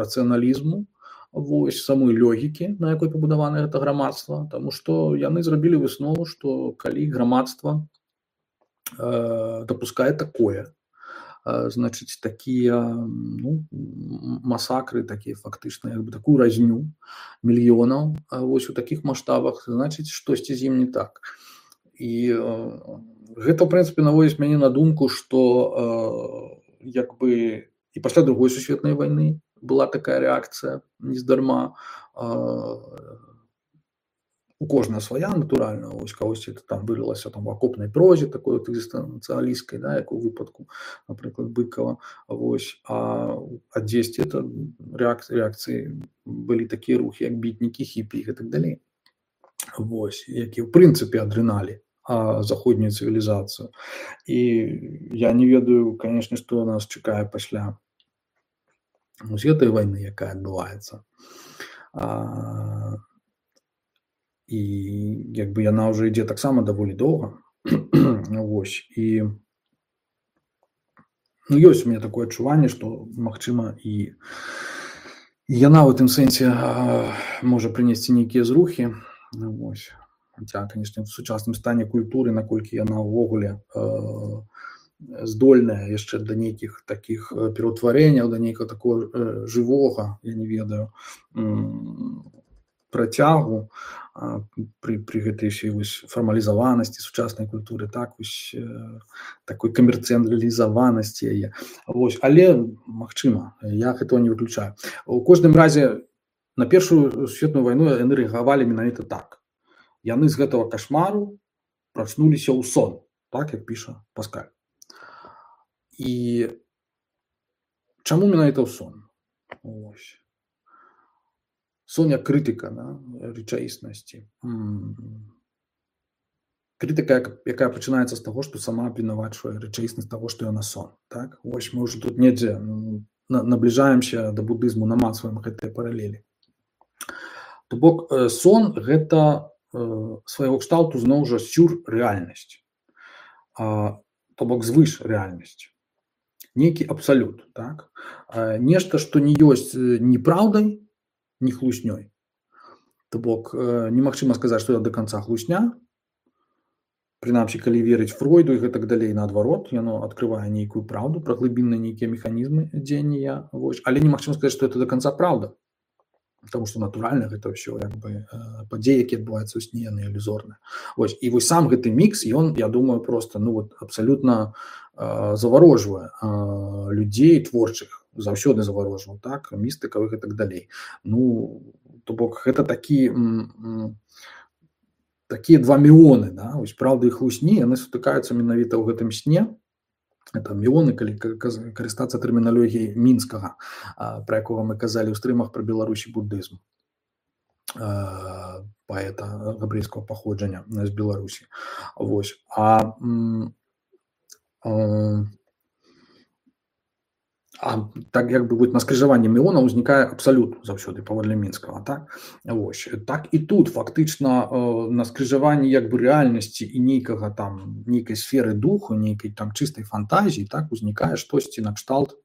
рацыяналізму, вось, самой логікі, на якой пабудавана гэта грамадства, таму што яны зрабілі выснову, што калі грамадства дапускае такое, значыць, такія, ну, масакры, такія фактычна, як бы, такую разню мільёнаў, вось у такіх маштабах, значыць, штосьці з ім не так. І гэта, ў прынцыпе, наводзіць мяне на думку, што як бы і пасля другой сусветнай вайны была такая рэакцыя нездарма. У кожнага свая, натуральна, ось кагосьці там вылілася там в акопнай прозе, такой от экзістэнцыялісцкай, да, як у выпадку, напрыклад, Быкова, вось, а адзесьці это рэакцыі былі такія рухі, як бітнікі, хіпі і так далей. Вось, якія ў прынцыпе адрыналі заходнюю цывілізацыю. І я не ведаю, канешне, што нас чакае пасля вось гэтай вайны, якая адбываецца. І як бы яна ўжо ідзе таксама даволі доўга. Вось, і ну, ёсць у мяне такое адчуванне, што, магчыма, і яна ў гэтым сэнсе можа прынесці нейкія зрухі, Ну, вось. Хаця, канешне, в сучасным стане культуры, наколькі яна ўвогуле э, здольная яшчэ да нейкіх такіх э, пераўтварэнняў, да нейкага такого э, жывога, я не ведаю, м, працягу а, пры, пры гэтай ўсёй вось фармалізаванасці сучаснай культуры, так вось э, такой камерцыялізаванасці яе. Вось, але магчыма, я гэтага не выключаю. У кожным разе на першую сусветную вайну яны рэагавалі менавіта так. Яны з гэтага кашмару прачнуліся ў сон, так як піша Паскаль. І чаму менавіта ў сон? Ось. Сон як крытыка, да, рэчаіснасці. Крытыка, якая пачынаецца з таго, што сама абвінавачвае рэчаіснасць таго, што яна сон. Так? Ось мы ўжо тут недзе набліжаемся да будызму, намацваем гэтыя паралелі. То бок сон гэта свайго кшталту зноў жа сюррэальнасць, то бок звыш рэальнасць, нейкі абсалют, так? Нешта, што не ёсць ні праўдай, ні хлуснёй. То бок немагчыма сказаць, што это да канца хлусня, прынамсі, калі верыць Фройду і гэтак далей, наадварот, яно адкрывае нейкую праўду, пра глыбінныя нейкія механізмы дзеяння, але немагчыма сказаць, што это да канца праўда. Потому что натуральна гэта ўсё як бы падзеі, якія адбываюцца ў сне, яны ілюзорныя. Вось і вось сам гэты мікс, ён, я думаю, просто ну вот абсалютна э, заварожвае э, людзей творчых, заўсёды заварожваў, так, містыкаў і гэтак далей. Ну, то бок гэта такі такія два міоны, да, вось праўда і хлусні, яны сутыкаюцца менавіта ў гэтым сне. Это міоны, калі карыстацца тэрміналогіяй мінскага, пра якога мы казалі ў стрымах пра Беларусь і буддызм, паэта габрэйскага паходжання з Беларусі. Вось. А, а, а так як бы на скрыжаванні міонаў узнікае абсалют заўсёды паводле мінскага, так? Вось. Так і тут фактычна на скрыжаванні як бы рэальнасці і нейкага там нейкай сферы духу, нейкай там чыстай фантазіі, так узнікае штосьці накшталт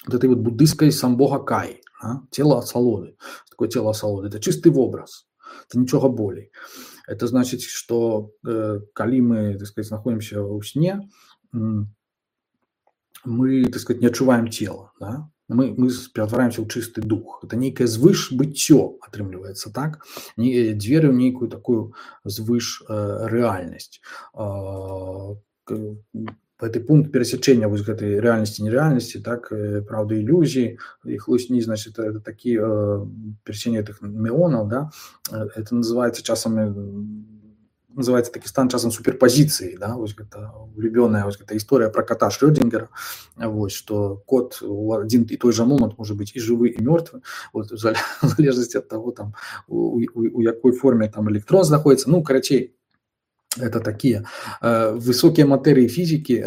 гэтай вот буддыйскай самбога Каі, да? Цела асалоды. Такое цела асалоды, это чысты вобраз, это нічога болей. Это значыць, што э, калі мы, так сказать, знаходзімся ў сне, мы, так сказать, не адчуваем цела, да? мы, мы ператвараемся ў чысты дух. Это нейкае звыш быццё атрымліваецца, так? Дзверы ў нейкую такую звыш э, рэальнасць. Э, гэты пункт перасячэння вось гэтай рэальнасці і нерэальнасці, так, праўда, ілюзіі, і хлусні, значит, это такі э, перасячэнне гэтых міонаў, да? Это называецца часам называется такі стан часам суперпозіцыі, да, вось гэта улюбёная вось гэта гісторыя пра кота Шрёдзінгера, вось што кот у адзін і той жа момант можа быць і жывы і мёртвы, вот у залежнасці ад таго там у, у, у якой форме там электрон знаходзіцца. Ну, карацей, это такія э, высокія матэрыі фізікі,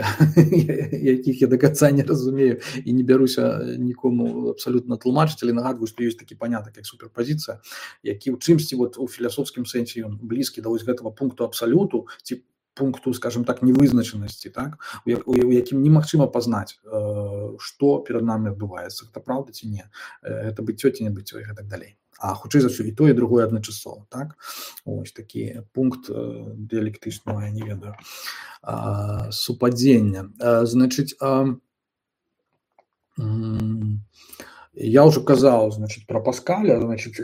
якіх я да канца не разумею і не бяруся нікому абсалютна тлумачыць, але нагадваю, што ёсць такі панятак як суперпазіцыя, які ў чымсьці вот у філасофскім сэнсе ён блізкі да вось гэтага пункту абсалюту ці пункту, скажем так, невызначанасці, так, у, у, у якім немагчыма пазнаць, э, што перад намі адбываецца, гэта праўда ці не, гэта быццё ці не быццё і гэтак далей. А хутчэй за ўсё і тое, і другое адначасова, так? Ось такі пункт э, дыялектычнага, я не ведаю, э, супадзення. Э, значыць, э, э, я ўжо казаў, значыць, пра Паскаля, значыць,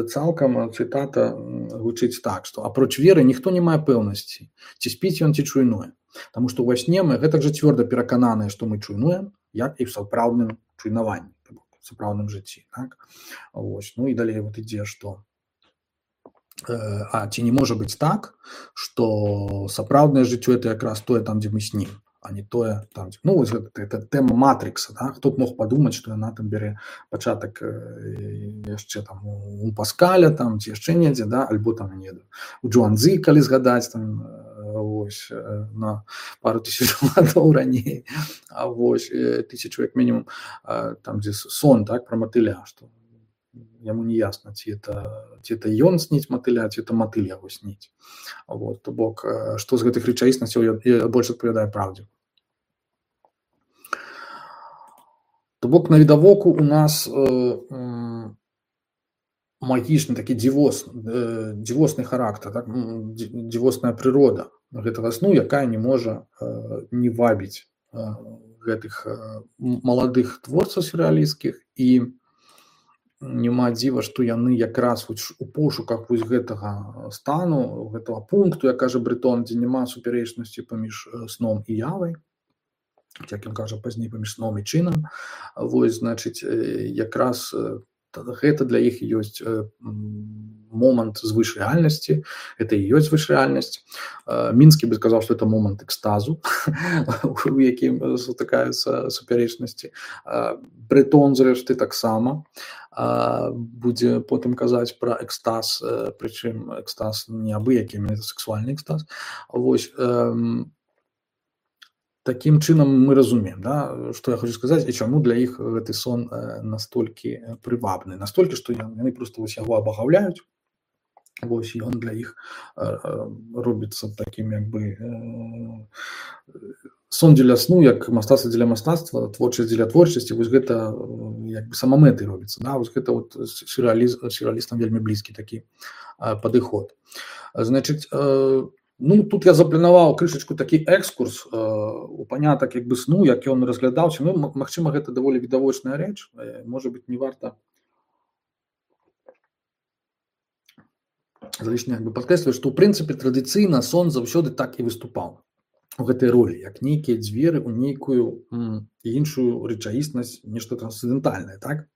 цалкам цытата гучыць так, што апроч веры ніхто не мае пэўнасці, ці спіць ён, ці чуйнуе. Таму што ўва сне мы гэтак жа цвёрда перакананыя, што мы чуйнуем, як і ў сапраўдным чуйнаванні. Сапраўдным жыцці, так? Ось. Ну і далей вот ідзе, што э, а ці не можа быць так, што сапраўднае жыццё это якраз тое там, дзе мы снім, а не тое там, дзе... Ну, вось гэта, гэта тэма матрыкса, да? Хто б мог падумаць, што яна там бярэ пачатак э, яшчэ там у Паскаля, там, ці яшчэ недзе, да? Альбо там, не ведаю, у Джуанзы, калі згадаць, там, ось, на пару тысяч гадоў раней, а вось тысячу як мінімум, там дзе сон, так, пра матыля, што яму не ясна, ці это, ці это ён сніць матыля, ці это матыль яго сніць. Вот, то бок, што з гэтых рэчаіснасцяў больш адпавядае праўдзе. То бок, навідавоку у нас э, э, магічны такі дзівос, дзівосны характар, так? Дзівосная прырода гэтага сну, якая не можа не вабіць гэтых маладых творцаў сюррэалісцкіх, і няма дзіва, што яны якраз у пошуках вось гэтага стану, гэтага пункту, як кажа Брэтон, дзе няма супярэчнасці паміж сном і явай, як ён кажа пазней, паміж сном і чынам, вось, значыць, якраз гэта для іх ёсць момант звышрэальнасці, гэта і ёсць звышрэальнасць. Мінскі бы сказаў, што это момант экстазу, у якім сутыкаюцца супярэчнасці. Брэтон, зрэшты, таксама будзе потым казаць пра экстаз, прычым экстаз не абы-які, это сексуальны экстаз. Вось, такім чынам мы разумеем, да, што я хочу сказаць, і чаму для іх гэты сон настолькі прывабны, настолькі, што яны проста вось яго абагаўляюць, вось, ён для іх робіцца такім, як бы, сон дзеля сну, як мастацтва дзеля мастацтва, творчасць дзеля творчасці, вось гэта як бы самамэтай робіцца, да, вось гэта вот сюррэалістам вельмі блізкі такі падыход. Значыць, ну, тут я запланаваў крышачку такі экскурс у панятак як бы сну, як ён разглядаўся. Ну, магчыма, гэта даволі відавочная рэч, можа быць, не варта залішне як бы падкрэсліваць, што ў прынцыпе традыцыйна сон заўсёды так і выступаў у гэтай ролі, як нейкія дзверы ў нейкую іншую рэчаіснасць, нешта трансцэндэнтальнае, так?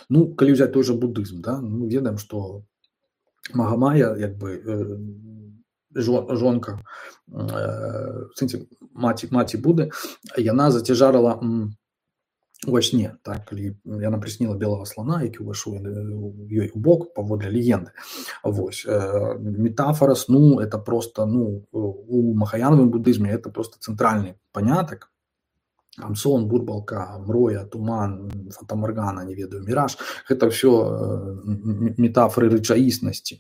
Ну, калі ўзяць той жа будызм, да, мы ведаем, што Магамая, як бы, жонка, маці, маці Буды, яна зацяжарыла во сне, так, калі яна прысніла белага слана, які ўвайшоў ёй у бок паводле легенды. Вось, метафора сну, это просто, ну, у махаянавым будызме это просто цэнтральны панятак. Там сон, бурбалка, мроя, туман, фатамаргана, не ведаю, міраж, гэта ўсё метафоры рэчаіснасці,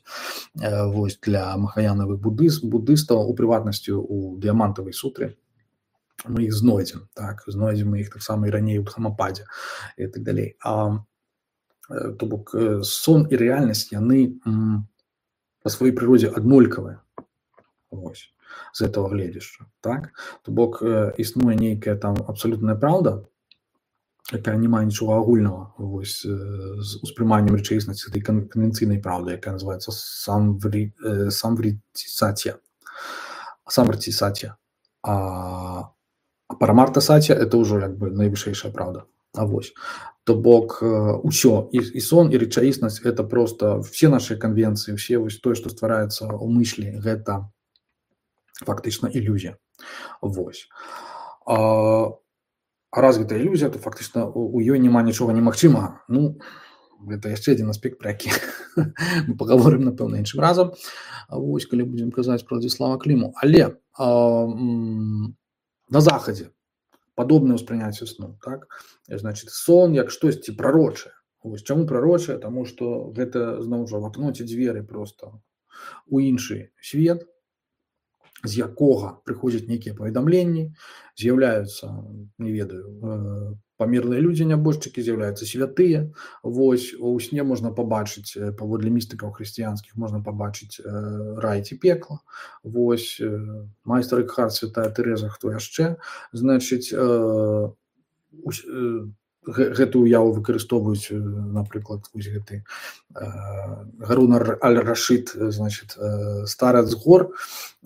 вось, для махаянавых будыстаў, у прыватнасці у дыямантавай сутры. Мы іх знойдзем, так, знойдзем мы іх таксама і раней у Дхамападзе і так далей. А, то бок, сон і рэальнасць, яны па сваёй прыродзе аднолькавыя, вось, з этого гледзяшча, так? То бок, існуе нейкая там абсалютная праўда, якая не мае нічога агульнага, вось, з успрыманнем рэчаіснасці этой канвенцыйнай праўды, якая называецца самвритисатия. Самвритисатия. А А парамарта сатья – это ўжо як бы найвышэйшая праўда. А вось. То бок, усё, і, і сон, і рэчаіснасць – это просто все наши конвенции, все вось тое, што ствараецца ў мыслі, гэта фактычна ілюзія. Вось. А, а раз гэта ілюзія, то фактычна у ёй няма нічога немагчымага. Ну, гэта яшчэ адзін аспект, пра які мы пагаворым, напэўна, іншым разам. Вось, калі будзем казаць пра Владзіслава Кліму. Але а, на захадзе падобнае ўспрыняцце сну, так? Значит, сон як штосьці прарочае. Вось чаму прарочае? Таму што гэта, зноў жа, вакноце дзверы проста у іншы свет, з якога прыходзяць нейкія паведамленні, з'яўляюцца, не ведаю, памерлыя людзі, нябожчыкі, з'яўляюцца святыя. Вось, у сне можна пабачыць, паводле містыкаў хрысціянскіх, можна пабачыць рай ці пекла. Вось, майстар Экхарт, святая Тэрэза, хто яшчэ. Значыць, гэтую уяву выкарыстоўваюць, напрыклад, вось гэты Гарун аль-Рашид, значит, старац гор,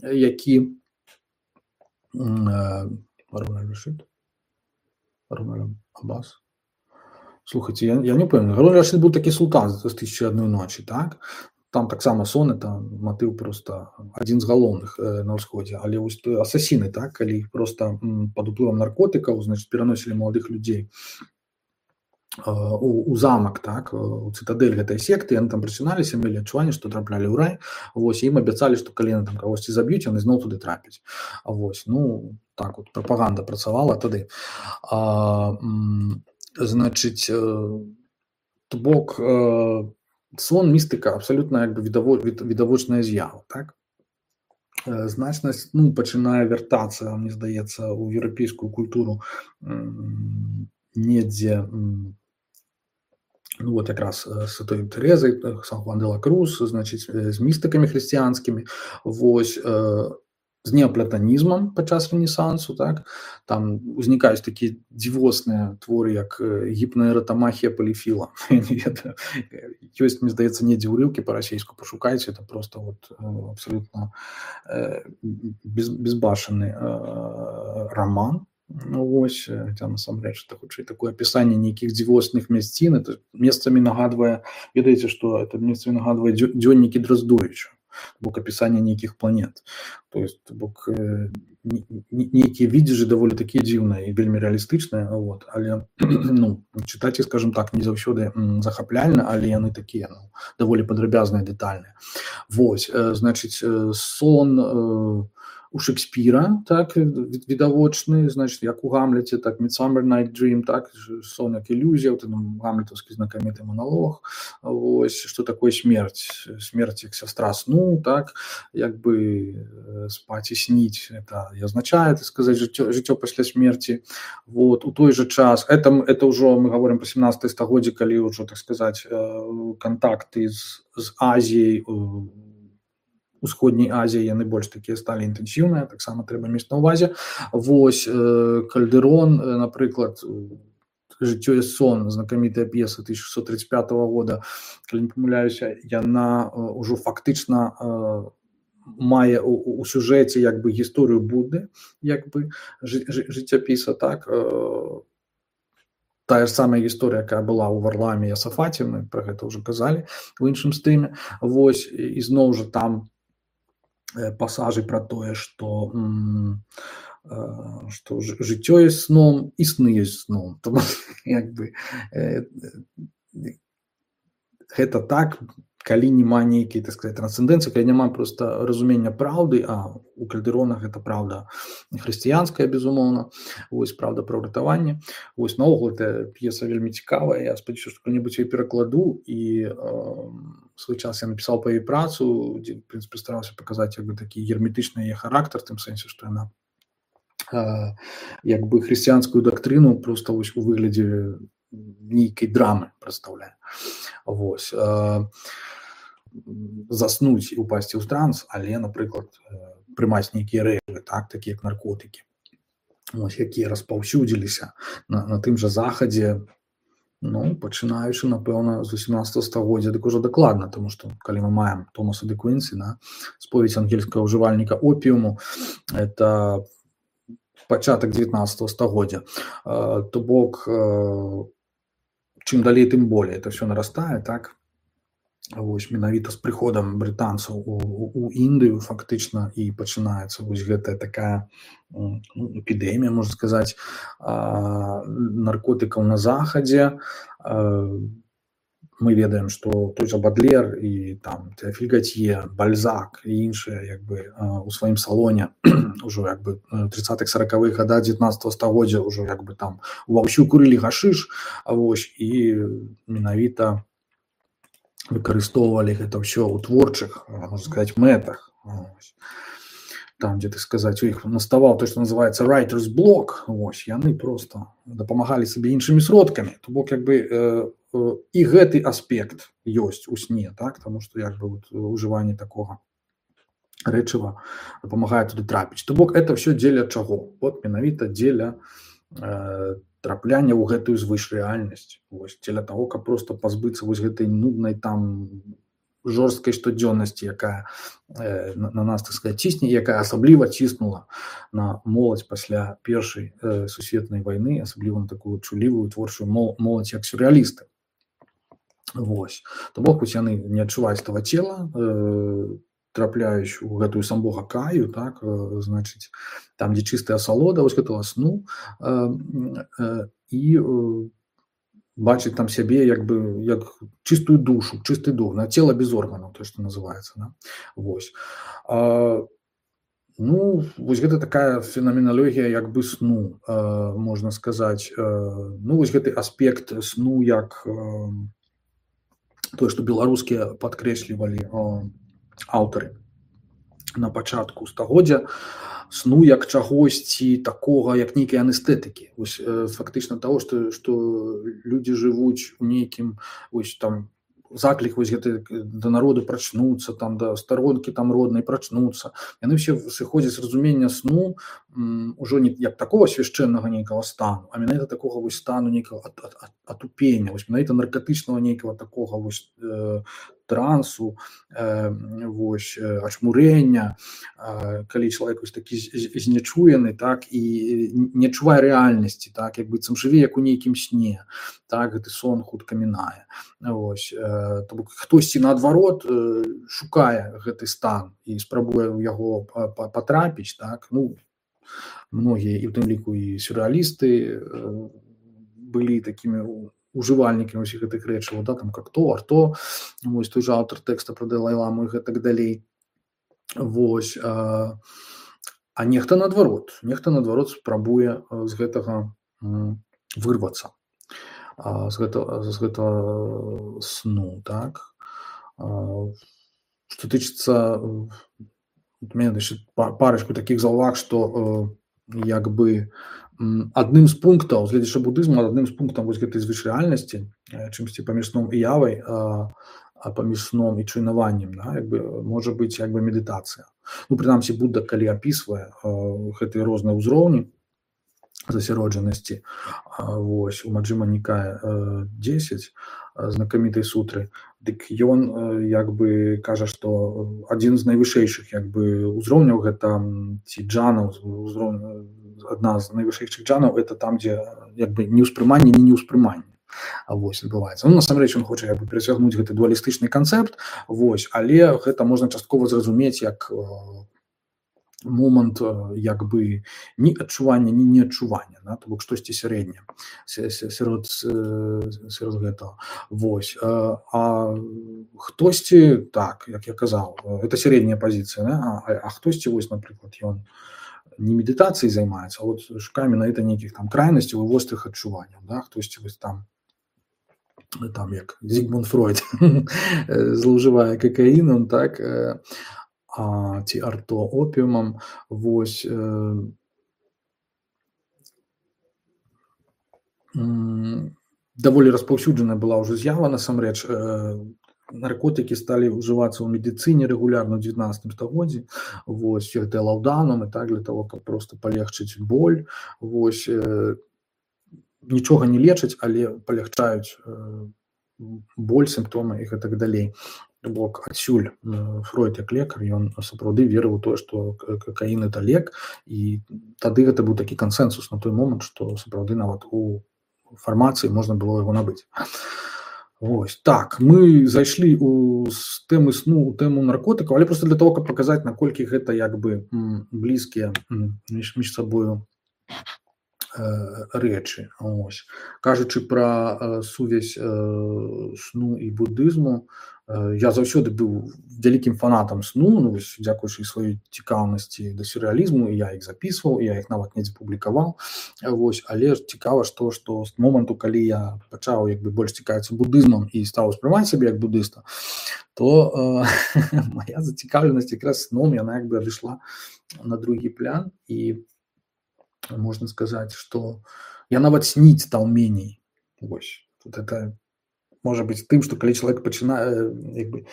які Гарун аль-Рашид, Гарун аль-Аббас. Слухайте, я, я не памятаю. Гарун аль-Рашид быў такі султан з тысячы адной ночі, так? Там таксама сон, это матыў просто адзін з галоўных на ўсходзе, але вось асасіны, так, калі іх просто пад уплывам наркотыкаў, значит, пераносілі маладых людзей У, у замак, так, у цытадэль гэтай секты, яны там прачыналіся, мелі адчуванне, што траплялі ў рай, вось, ім абяцалі, што калі яны там кагосьці заб'юць, яны зноў туды трапяць. Вось, ну, так от, прапаганда працавала тады. А, значыць, то бок, сон, містыка, абсалютна як бы відавочная з'ява, так? Значнасць, ну, пачынае вяртацца, мне здаецца, у еўрапейскую культуру недзе Ну вот якраз э, Святой Терезай, э, Сан Хуан де ла Круз, значыць э, з містыкамі хрысціянскімі, вось э, з неаплатанізмам падчас рэнесансу, так там узнікаюць такія дзівосныя творы, як э, гіпнаэратамахія паліфіла. Я не ведаю. Ёсць, мне здаецца, недзе ўрыўкі па-расейску, пашукайце, это просто вот э, абсалютна э, без, безбашаны э, роман. Ну, вось там насамрэч это хутчэй такое апісанне нейкіх дзівосных мясцін, это месцамі нагадвае, ведаеце, што это месцамі нагадвае дзё- дзённікі Дроздовіча, бок апісанне нейкіх планет. То есть бок э, не- не- нейкія відзежы даволі такія дзіўныя і вельмі рэалістычныя, вот, але ну, чытаць іх, скажем так, не заўсёды м, захапляльна, але яны такія ну, даволі падрабязныя, дэтальныя. Вось, э, значыць, э, сон э, у Шекспіра, так, від- відавочны, значыць, як у Гамлеце, так, Midsummer Night Dream, так, ж- сон як ілюзія, вот там гамлетаўскі знакаміты монолог, вось, што такое смерць, смерць як сястра сну, так, як бы э, спаць і сніць, это і азначае, так сказаць, жыццё, жыццё пасля смерці, вот, у той же час, это, м- это ўжо, мы говорим про семнадцатае стагоддзе, калі ўжо, так сказаць, э, кантакты з, з Азіяй, э, Усходняй Азіі яны больш такія сталі інтэнсіўныя, таксама трэба мець на ўвазе. Вось э, Кальдэрон, э, напрыклад, э, жыццё і сон, знакамітая п'еса тысяча шестьсот тридцать пятого года, калі не памыляюся, яна э, ўжо фактычна э, мае у, у- у сюжэце як бы гісторыю Будды, як бы жы, жы, жыццяпіса, так, э, тая ж самая гісторыя, якая была ў Варламе і Асафаце, мы пра гэта ўжо казалі у іншым стрыме. Вось і і зноў жа там э, пасажы про тое, што м, э, што ж- жыццё ёсць сном і сны ёсць сном. Тому як бы э, э, гэта так, калі няма нейкай, так сказать, трансцэндэнцыі, калі няма проста разумення праўды, а у Кальдэрона гэта праўда хрысціянская, безумоўна, вось праўда пра ўратаванне. Вось наогул эта п'еса вельмі цікавая, я спадзяюся, што калі-небудзь яе перакладу, і э, свой час я напісаў па яе працу, дзе, в прынцыпе, стараўся паказаць як бы такі герметычны яе характар, в тым сэнсе, што яна э, як бы хрысціянскую дактрыну проста вось у выглядзе нейкай драмы прадстаўляе. Вось. Э, заснуць і упасці ў транс, але, напрыклад, э, прымаць нейкія рэчы, так, такія як наркотыкі, ось, якія распаўсюдзіліся на, на тым жа захадзе, ну, пачынаючы, напэўна, з восемнадцатого стагоддзя, дык ужо дакладна, тому што калі мы маем Томаса де Квінсі, на споведь ангельскага ўжывальніка опіуму, это пачатак дзевятнадцатого стагоддзя. Э, то бок, э, чым далей, тым болей это все нарастае, так. Вось менавіта з прыходам брытанцаў у, у, у Індыю фактычна і пачынаецца вось гэтая такая м, ну, эпідэмія, можна сказаць, а, наркотыкаў на захадзе. А, мы ведаем, што той жа Бадлер і там Тэафіль Гатье, Бальзак і іншыя як бы а, у сваім салоне ўжо як бы тридцатых сороковых гадах дзевятнадцатого стагоддзя ўжо як бы там уваўсю курылі гашыш, а вось і менавіта выкарыстоўвалі гэта ўсё ў творчых, можна сказаць, мэтах. Вось. Там, дзе, так сказаць, у іх наставаў то, што называецца writer's block, вось, яны проста дапамагалі сабе іншымі сродкамі. То бок, як бы, э, э, і гэты аспект ёсць у сне, так, таму што, як бы, вот, ужыванне такога рэчыва дапамагае туды трапіць. То бок, это ўсё дзеля чаго? Вот, менавіта дзеля э, трапляния ў гэтую звышрэальнасць, вось, дзеля таго, каб проста пазбыцца вось гэтай нуднай там жорсткай штодзённасці, якая э, на, на нас, так сказать, цісне, якая асабліва ціснула на моладзь пасля першай э, сусветнай вайны, асабліва на такую чулівую творчую мол, моладзь, як сюррэалісты. Вось. То бок, вось яны не адчуваюць того цела, э, трапляюць у гэтую самбога каю, так, э, значыць, там, дзе чыстая асалода, вось гэтага сну, э, э, і э, бачыць там сябе як бы як чыстую душу, чысты дух, на цела без органаў, то, што называецца, да? Вось. А, ну, вось гэта такая фенаменалогія як бы сну, э, можна сказаць. Э, ну, вось гэты аспект сну як э, тое, што беларускія падкрэслівалі э, аўтары на пачатку стагоддзя, сну як чагосьці такога, як нейкай анестэтыкі. Вось фактычна таго, што, што людзі жывуць у нейкім вось там заклік вось гэты да народу прачнуцца, там да старонкі там роднай прачнуцца. Яны ўсе сыходзяць з разумення сну м, ужо не як такого свяшчэннага нейкага стану, а менавіта такога вось стану нейкага ат, ат, ат, атупення, вось менавіта наркатычнага нейкага такога вось э, трансу, э, вось э, ачмурэння, э, калі чалавек вось такі знечуены, так, і не адчувае рэальнасці, так, як быццам жыве як у нейкім сне, так, гэты сон хутка мінае. Вось, э, то бок хтосьці наадварот э, шукае гэты стан і спрабуе ў яго патрапіць, так, ну, многія і ў тым ліку і сюррэалісты э, былі такімі ужывальнікамі ўсіх гэтых рэчаў, да, там как то, арто, вось той жа аўтар тэкста пра Далай-ламу і гэтак далей. Вось, а, а нехта наадварот, нехта наадварот спрабуе з гэтага вырвацца, а, з гэтага, з гэтага сну, так. А, што тычыцца, у мяне яшчэ парачку такіх заўваг, што як бы адным з пунктаў, гледзячы будызму, адным з пунктаў вось гэтай звычайнасці, чымсьці паміж сном і явай, а, а паміж сном і чуйнаваннем, да, як бы, можа быць як бы медытацыя. Ну, прынамсі, Будда, калі апісвае гэтыя розныя ўзроўні засяроджанасці, вось, у Маджхіма Нікая дзесяць, знакамітай сутры, дык ён як бы кажа, што адзін з найвышэйшых як бы ўзроўняў гэта ці джанаў, адна з найвышэйшых джанаў, это там, дзе як бы неўспрыманне, не неўспрыманне. Вось адбываецца. Ну, насамрэч ён хоча як бы перацягнуць гэты дуалістычны канцэпт, вось, але гэта можна часткова зразумець як момант як бы ні адчування, ні неадчування, да? То бок штосьці сярэдняе сярод, сярод гэтага. Вось. А, а хтосьці, так, як я казаў, это сярэдняя пазіцыя, да? а, а хтосьці, вось, напрыклад, ён не медытацыяй займаецца, а вот шукае менавіта нейкіх там крайнасцяў і вострых адчуванняў, да? Хтосьці вось там там як Зігмунд Фройд злоўжывае какаінам, так, а ці арто опіумам, вось, э, даволі распаўсюджаная была ўжо з'ява, насамрэч, э, наркотыкі сталі ўжывацца ў медыцыне рэгулярна ў дзевятнаццатым стагоддзі, вось, гэтыя лаўданум і так, для того, каб проста палегчыць боль, вось, э, нічога не лечаць, але палягчаюць э, боль, сімптомы і гэтак далей. Бок адсюль Фройд як лекар, ён сапраўды верыў у тое, што какаін это лек, і тады гэта быў такі кансэнсус на той момант, што сапраўды нават у фармацыі можна было яго набыць. Вось, так, мы зайшлі у з тэмы сну у тэму наркотыкаў, але проста для того, каб паказаць, наколькі гэта як бы блізкія між, між сабою рэчы. Ось. Кажучы пра сувязь сну і будызму, я заўсёды быў вялікім фанатам сну, ну, вось, дзякуючы сваёй цікаўнасці да сюррэалізму, і я іх запісваў, я іх нават недзе публікаваў. Вось, але цікава, што, што з моманту, калі я пачаў як бы больш цікавіцца будызмам і стаў успрымаць сябе як будыста, то э, моя зацікаўленасць якраз сном, яна як бы адышла на другі план, і можна сказаць, што я нават сніць стаў меней. Вось, тут это можа быць тым, што калі чалавек пачынае, як бы,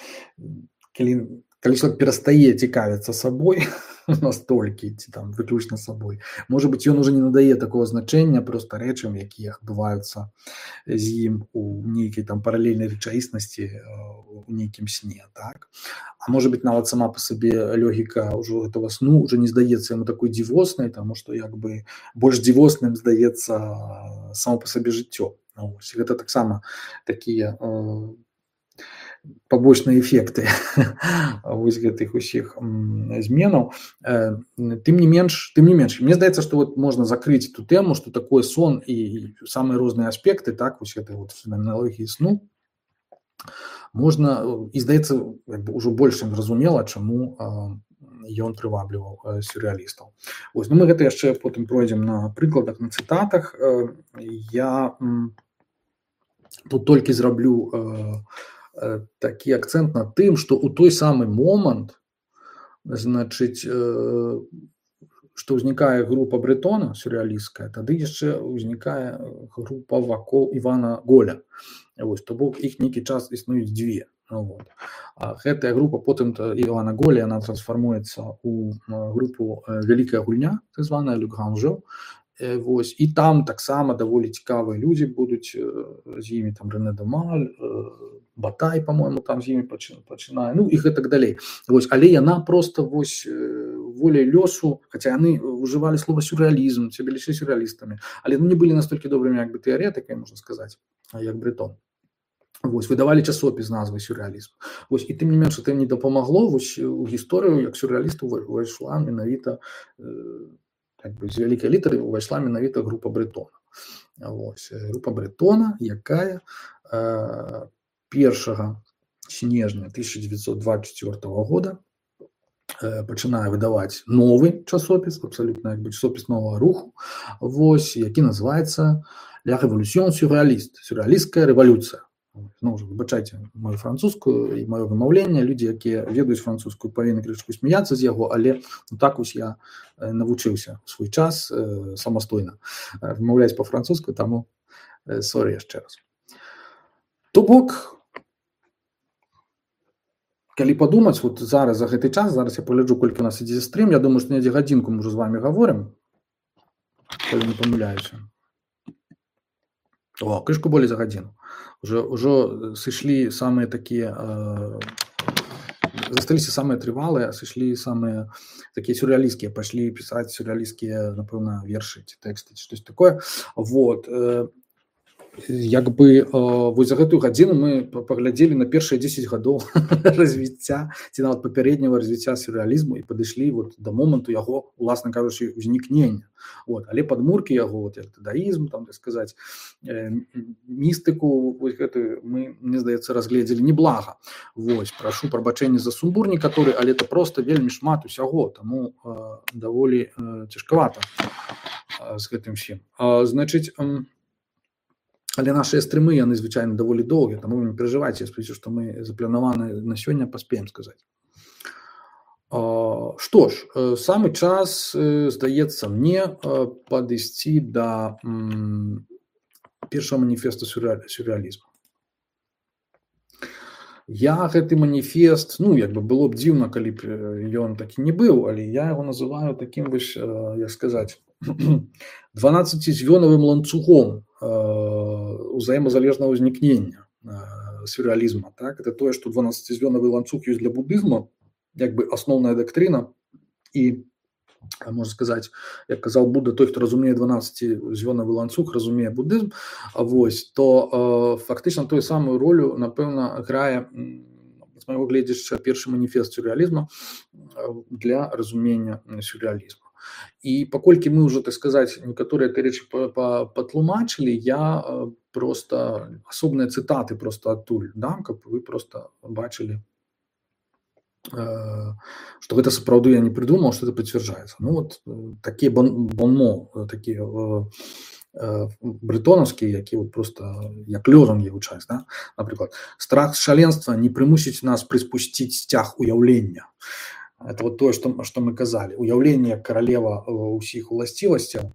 калі, калі чалавек перастае цікавіцца сабой настолькі, ці там выключна сабой, можа быць, ён уже не надае такого значэння проста рэчам, якія адбываюцца з ім у нейкай там паралельнай рэчаіснасці, у нейкім сне, так? А можа быць, нават сама па сабе логіка ўжо гэтага сну уже не здаецца яму такой дзівоснай, таму што як бы больш дзівосным здаецца само па сабе жыццё. Ось, гэта таксама такія э, пабочныя эфекты вось гэтых усіх зменаў. Э, тым не менш, тым не менш, мне здаецца, што вот можна закрыць ту тэму, што такое сон і самыя розныя аспекты, так, вось гэтай вот фенаменалогіі сну, можна, і здаецца, як бы ўжо больш зразумела, чаму э, ён прывабліваў э, сюррэалістаў. Вось, ну мы гэта яшчэ потым пройдзем на прыкладах, на цытатах. Э, я м, тут толькі зраблю э, э, такі акцэнт на тым, што ў той самы момант, значыць, э, што ўзнікае група Брэтона сюррэалісцкая, тады яшчэ ўзнікае група вакол Івана Голя. Вось, то бок іх нейкі час існуюць дзве. Вот. А гэтая група потым Івана Голя, яна трансфармуецца ў групу Вялікая гульня, так званая Le Grand Jeu. Вось, і там таксама даволі цікавыя людзі будуць з імі, там Рэне Дамаль, Батай, по-моему, там з імі пачынае, ну і гэтак далей. Вось, але яна проста вось воляй лёсу, хаця яны ўжывалі слова сюррэалізм, сябе лічылі сюррэалістамі, але ну, не былі настолькі добрымі як бы тэарэтыкамі, можна сказаць, як Брэтон. Вось, выдавалі часопіс з назвай сюррэалізм. Вось, і тым не менш, гэта не дапамагло, вось у гісторыю як сюррэалісту увайшла менавіта как бы, з вялікай літары увайшла менавіта група Брэтона. Вось, група Брэтона, якая э, першага снежня тысяча девятьсот двадцать четвёртого года э, пачынае выдаваць новы часопіс, абсалютна як бы часопіс новага руху, вось, які называецца La Révolution Surréaliste, сюррэалісцкая рэвалюцыя. Ну, уже выбачайце мою французскую і маё вымаўленне, людзі, якія ведаюць французскую, павінны крышку смяяцца з яго, але ну, так вось я э, навучыўся ў свой час э, самастойна э, вымаўляць па-французску, таму э, сорі яшчэ раз. То бок, калі падумаць, вот зараз за гэты час, зараз я пагляджу, колькі у нас ідзе стрым, я думаю, што недзе гадзінку мы ўжо з вами гаворым, калі не памыляюся. О, крышку болей за гадзіну. Уже, уже сышлі самыя такія, э, засталіся самыя трывалыя, сышлі самыя такія сюррэалісцкія, пашлі пісаць сюррэалісцкія, напэўна, вершы ці тэксты, ці штось такое. Вот. Э, як бы э, вось за гэтую гадзіну мы паглядзелі на першыя дзесяць гадоў развіцця, ці нават папярэдняга развіцця сюррэалізму і падышлі вот да моманту яго, уласна кажучы, узнікнення. Вот. Але падмуркі яго, вот, даізм, там, так сказаць, э, містыку, вось гэтую мы, мне здаецца, разгледзелі неблага. Вось, прашу прабачэння за сумбур некаторы, але это проста вельмі шмат усяго, таму э, даволі э, цяжкавата э, з гэтым всім. Э, значыць, э, але нашыя стрымы, яны звычайна даволі доўгія, таму не перажывайце, я спадзяюся, што мы запланаваны на сёння паспеем сказаць. Што ж, самы час, здаецца мне, падысці да першага маніфеста сюррэалізму. Я гэты маніфест, ну, як бы было б дзіўна, калі б ён такі не быў, але я яго называю такім вось, як сказаць, дванаццацізвёнавым ланцугом узаемазалежнага ўзнікнення сюррэалізма. Так? Это тое, што дванаццацізвёнавы ланцуг ёсць для будызма, як бы асноўная дактрына, і, можна сказаць, як казаў Будда, той, хто разумее дванаццацізвёнавы ланцуг, разумее будызм, вось, то э, фактычна тую самую ролю, напэўна, грае, з майго гледзяча, першы маніфест сюррэалізма для разумення сюррэалізму. І паколькі мы ўжо, так сказаць, некаторыя рэчы патлумачылі, я проста асобныя цытаты проста адтуль дам, каб вы проста бачылі, што гэта сапраўды я не прыдумаў, што это пацвярджаецца. Ну вот такія бонмо, такія брэтонаўскія, які вот просто як лёзунгі гучаць, да? Напрыклад, страх шаленства не прымусіць нас прыспусціць сцяг уяўлення. Это вот тое, што, што мы казалі. Уяўленне каралева ўсіх уласцівасцяў,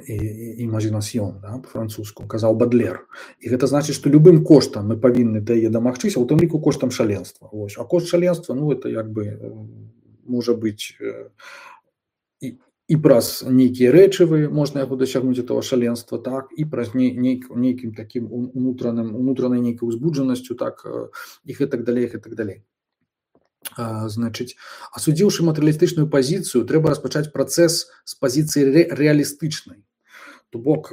імажінасьён, да, па-французску, казаў Бадлер. І гэта значыць, што любым коштам мы павінны да яе дамагчыся, у тым ліку коштам шаленства. Вось. А кошт шаленства, ну, это як бы можа быць і, і праз нейкія рэчывы можна яго дасягнуць этого шаленства, так, і праз нейк, нейкім такім унутраным, унутранай нейкай узбуджанасцю, так, і гэтак далей, гэтак далей. Значыць, асудзіўшы матэрыялістычную пазіцыю, трэба распачаць працэс з пазіцыі ре рэалістычнай. То бок,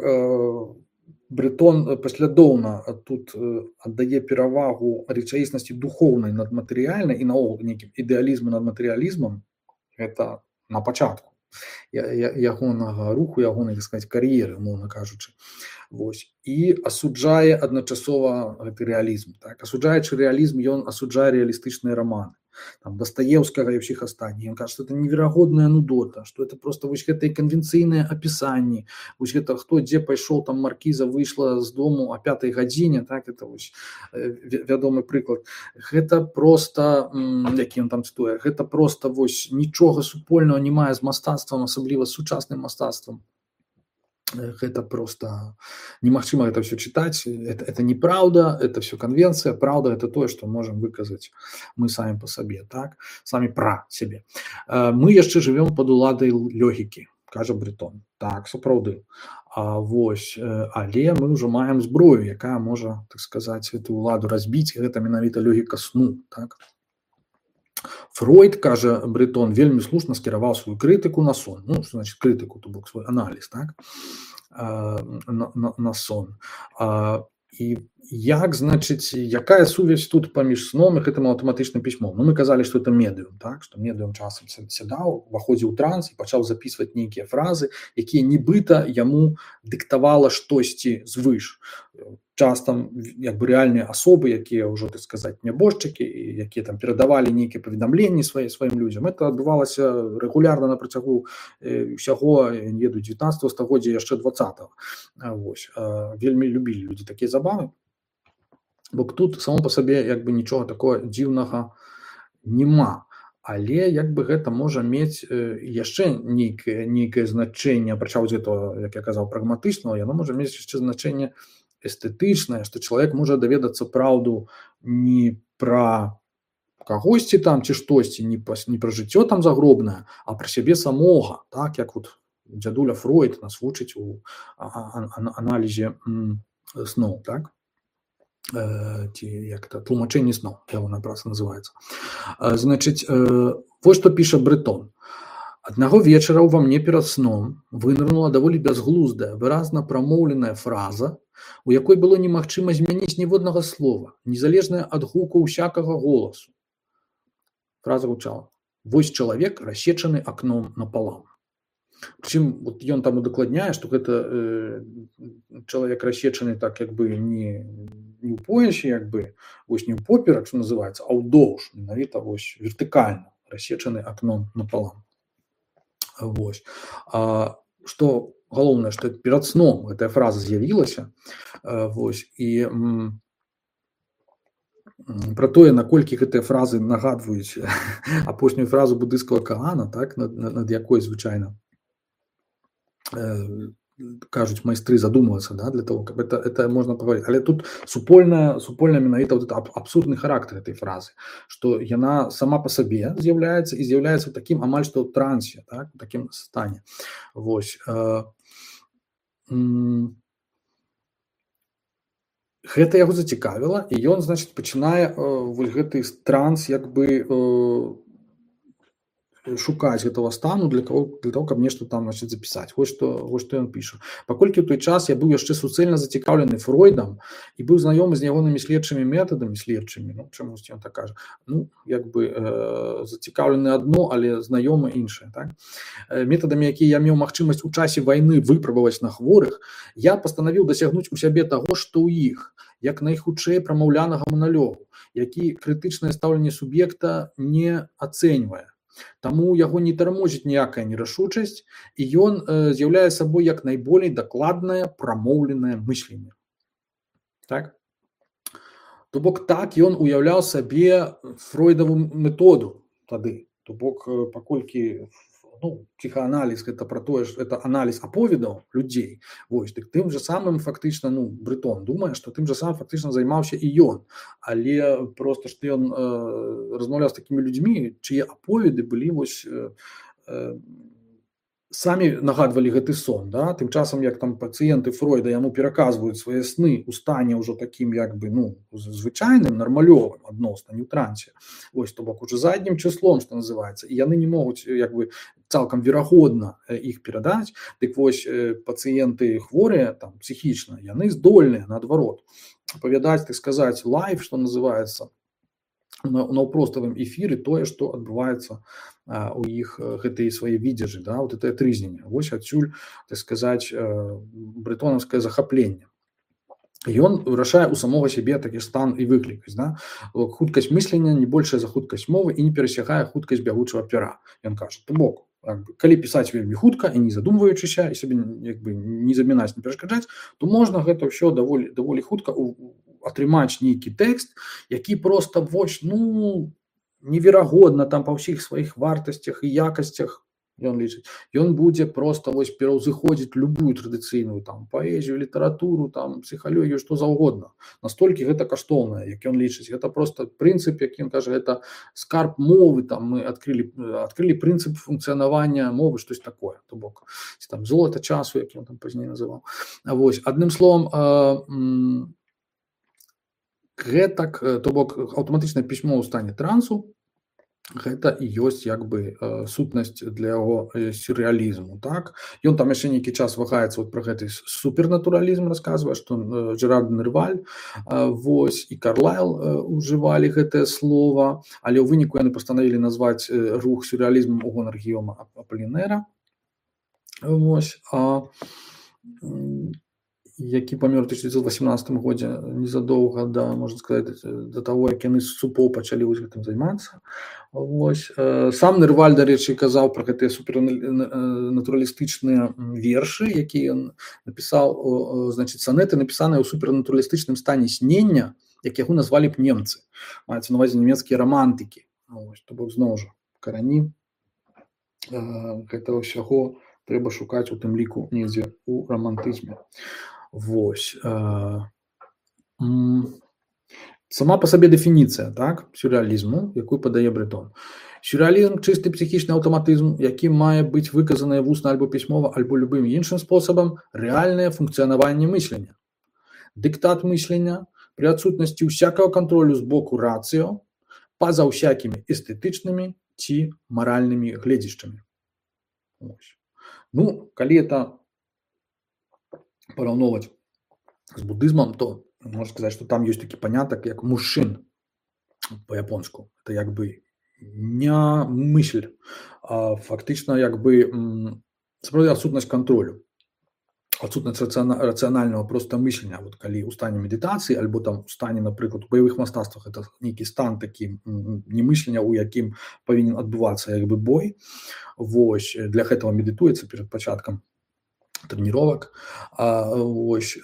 Брэтон паслядоўна тут аддае перавагу рэчаіснасці духоўнай над матэрыяльнай і наогул нейкім ідэалізму над матэрыялізмам, гэта на пачатку ягонага руху, ягонай, так сказаць, кар'еры, мовна кажучы. Вось. І асуджае адначасова гэты рэалізм. Так? Асуджаючы рэалізм, ён асуджае рэалістычныя раманы. там, Достоевскага и всех остальных. Он кажет, что это неверагодная нудота, что это просто вот это конвенційнае описание, вот это кто где пошел, там маркиза вышла с дому о пятой године, так, это вот вядомый приклад. Это просто, які он там цитуе, это просто вот ничего супольного не мае з мастацтвам, асабліва з сучасным мастацтвам. Это просто немагчыма это все читать, это, это неправда, это все конвенция, правда это то, что можем выказать мы сами по себе, так, сами про себе. Мы яшчэ живем под уладай логікі, кажа Брытон, так, сапраўды. А вось, але мы ўжо маем зброю, якая можа, так сказать, эту уладу разбіць, гэта менавіта логіка сну, так. Фройд, кажа Брытон, вельмі слушна скіраваў сваю крытыку на сон. Ну, што значит крытыку, то бок свой аналіз, так, на, на, на сон. І як, значыць, якая сувязь тут паміж сном і гэтым аўтаматычным пісьмом? Ну, мы казалі, што это медыум, так, што медыум часам сядаў, уваходзіў у транс і пачаў запісваць нейкія фразы, якія нібыта яму дыктавала штосьці звыш. Часто як бы рэальныя асобы, якія ўжо, так сказаць, нябожчыкі, якія там перадавалі нейкія паведамленні сваім сваім людзям. Это адбывалася рэгулярна на працягу ўсяго, не ведаю, дзевятнаццатага стагоддзя, яшчэ дваццатага. Вось. Вельмі любілі людзі такія забавы. Бо тут само по сабе як бы нічога такого дзіўнага нема. Але як бы гэта можа мець яшчэ нейкае нейкае значэнне, апрача вось гэтага, як я казаў, прагматычнага, яно можа мець яшчэ значэнне эстэтычнае, што чалавек можа даведацца праўду не пра кагосьці там ці штосьці, не пра, не пра жыццё там загробнае, а пра сябе самога, так, як вот дзядуля Фройд нас вучыць у аналізе сноў, так, ці як-то тлумачэнне сноў, ягоная праца называецца. Значыць, вось што піша Брытон. Аднаго вечара ўва мне перад сном вынырнула даволі бязглуздая, выразна прамоўленая фраза, у якой было немагчыма змяніць ніводнага слова, незалежная ад гуку ўсякага голасу. Фраза гучала: «Вось чалавек, рассечаны акном напалам». Прычым вот ён там удакладняе, што гэта э, чалавек рассечаны так як бы не, не ў поясе, як бы, вось не ў поперак, што называецца, а ўдоўж, менавіта вось вертыкальна, рассечаны акном напалам. Вось. А, што галоўнае, што перад сном гэтая фраза з'явілася, вось, і м, пра тое, наколькі гэтыя фразы нагадваюць апошнюю фразу будысцкага Каана, так, над, над якой звычайна э, кажуць майстры задумвацца, да, для того, каб это, это можна паговорыць. Але тут супольная, супольная менавіта вот аб, абсурдны характар этой фразы, што яна сама па сабе з'яўляецца і з'яўляецца такім амаль што ў трансе, так, у такім стане. Вось. Э, м, гэта яго зацікавіла, і ён, значыць, пачынае э, вось гэты транс як бы э, шукаць гэтага стану для того, для того, каб нешта там, значыць, запісаць. Вось што, вось што ён піша. Паколькі ў той час я быў яшчэ суцэльна зацікаўлены Фройдам і быў знаёмы з ягонымі следчымі метадамі, следчымі, ну, чамусьці ён так кажа, ну, як бы э, зацікаўлены адно, але знаёмы іншае, так? Метадамі, якія я меў магчымасць у часе вайны выпрабаваць на хворых, я пастанавіў дасягнуць у сябе таго, што ў іх, як найхутчэй прамаўлянага маналогу, які крытычнае стаўленне суб'екта не ацэньвае. Таму яго не тармозіць ніякая нерашучасць, і ён э, з'яўляе сабой як найболей дакладнае прамоўленае мысленне. Так? То бок так ён уяўляў сабе фройдаву методу тады. То бок э, паколькі ну, псіхааналіз гэта пра тое, што это аналіз аповедаў людзей. Вось, так тым жа самым фактычна, ну, Брытон думае, што тым жа самым фактычна займаўся і ён. Але проста што ён э, размаўляў з такімі людзьмі, чые аповеды былі вось э, э, самі нагадвалі гэты сон, да? Тым часам, як там пацыенты Фройда яму пераказваюць свае сны ў стане ўжо такім як бы, ну, звычайным, нармалёвым адносна, не ў трансе. Вось, то бок уже заднім чыслом, што называецца, і яны не могуць як бы цалкам верагодна іх перадаць. Дык вось пацыенты хворыя там псіхічна, яны здольныя наадварот апавядаць, так сказаць, лайв, што называецца, на наўпроставым эфіры тое, што адбываецца а, у іх гэтыя свае відзежы, да, вот это трызненне. Вось адсюль, так сказаць, брытонаўскае захапленне. Ён вырашае ў самога сябе такі стан і выклікаць, да? Хуткасць мыслення не большая за хуткасць мовы і не перасягае хуткасць бягучага пера. Ён кажа, то бок, калі пісаць вельмі хутка і не задумваючыся і сабе як бы не замінаць, не перашкаджаць, то можна гэта ўсё даволі даволі хутка атрымаць нейкі тэкст, які проста вось, ну, неверагодна там па ўсіх сваіх вартасцях і якасцях, ён лічыць, ён будзе проста вось пераўзыходзіць любую традыцыйную там паэзію, літаратуру, там псіхалогію, што заўгодна. Настолькі гэта каштоўнае, як ён лічыць. Гэта проста прынцып, як ён кажа, гэта скарб мовы, там мы адкрылі адкрылі прынцып функцыянавання мовы, штось такое, то бок там золата часу, як ён там пазней называў. Вось, адным словам, гэтак, то бок аўтаматычнае пісьмо ў стане трансу, гэта і ёсць як бы сутнасць для яго сюррэалізму, так? Ён там яшчэ нейкі час вагаецца вот пра гэты супернатуралізм, расказвае, што Жерар Нерваль вось і Карлайл ужывалі гэтае слова, але ў выніку яны пастанавілі назваць рух сюррэалізмам у гонар Гійома Аполінэра. Вось, а які памёр у тысяча дзевяцьсот васемнадцатым годзе, незадоўга да, можна сказаць, да таго, як яны з супоў пачалі вось гэтым займацца. Вось. Сам Нерваль, дарэчы, казаў пра гэтыя супернатуралістычныя вершы, якія ён напісаў, значыць, санеты, напісаныя ў супернатуралістычным стане снення, як яго назвалі б немцы. Маецца на ўвазе нямецкія рамантыкі. Вось, то бок зноў жа карані гэтага ўсяго трэба шукаць у тым ліку недзе ў рамантызме. Вось. Сама па сабе дэфініцыя, так, сюррэалізму, якую падае Бретон. Сюррэалізм – чысты псіхічны аўтаматызм, які мае быць выказанае вусна альбо пісьмова, альбо любым іншым спосабам рэальнае функцыянаванне мыслення. Дыктат мыслення пры адсутнасці ўсякага кантролю з боку рацыё па-за ўсякімі эстэтычнымі ці маральнымі гледзішчамі. Ну, калі это параўноўваць з будызмам, то можна сказаць, што там ёсць такі панятак, як мушшин па-японску. Это як бы не мысль, а фактычна як бы сапраўды адсутнасць кантролю, адсутнасць рацыянальнага проста мыслення. Вот калі ў стане медытацыі альбо там у стане, напрыклад, у баявых мастацтвах, это нейкі стан такі немыслення, у якім павінен адбывацца як бы бой. Вось, для гэтага медытуецца перад пачаткам трэніровак. Вось,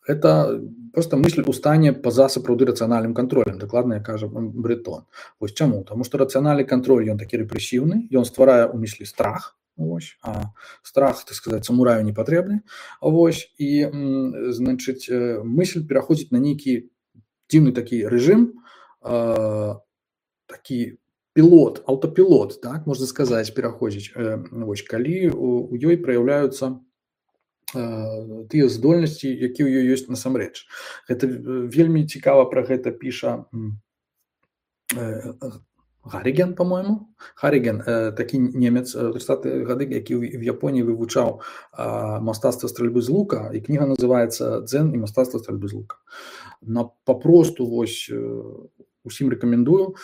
гэта проста мысль у стане па-за сапраўды рацыянальным кантролем, дакладна, як кажа Бретон. Вось чаму? Таму што рацыянальны кантроль, ён такі рэпрэсіўны, ён стварае ў мыслі страх, вось, а страх, так сказаць, самураю не патрэбны. Вось, і, значыць, мысль пераходзіць на нейкі дзіўны такі рэжым, такі пілот, аўтапілот, так, можна сказаць, пераходзіць. Вось, калі у ёй праяўляюцца тыя здольнасці, якія ў ёй ёсць насамрэч. Гэта вельмі цікава пра гэта піша Гарриген, по-моему. Гарриген, такі немец, тридцатыя гады, які в Японіі вывучаў мастацтва стральбы з лука, і кніга называецца «Дзен і мастацтва стральбы з лука». На папросту вось усім рэкамендую.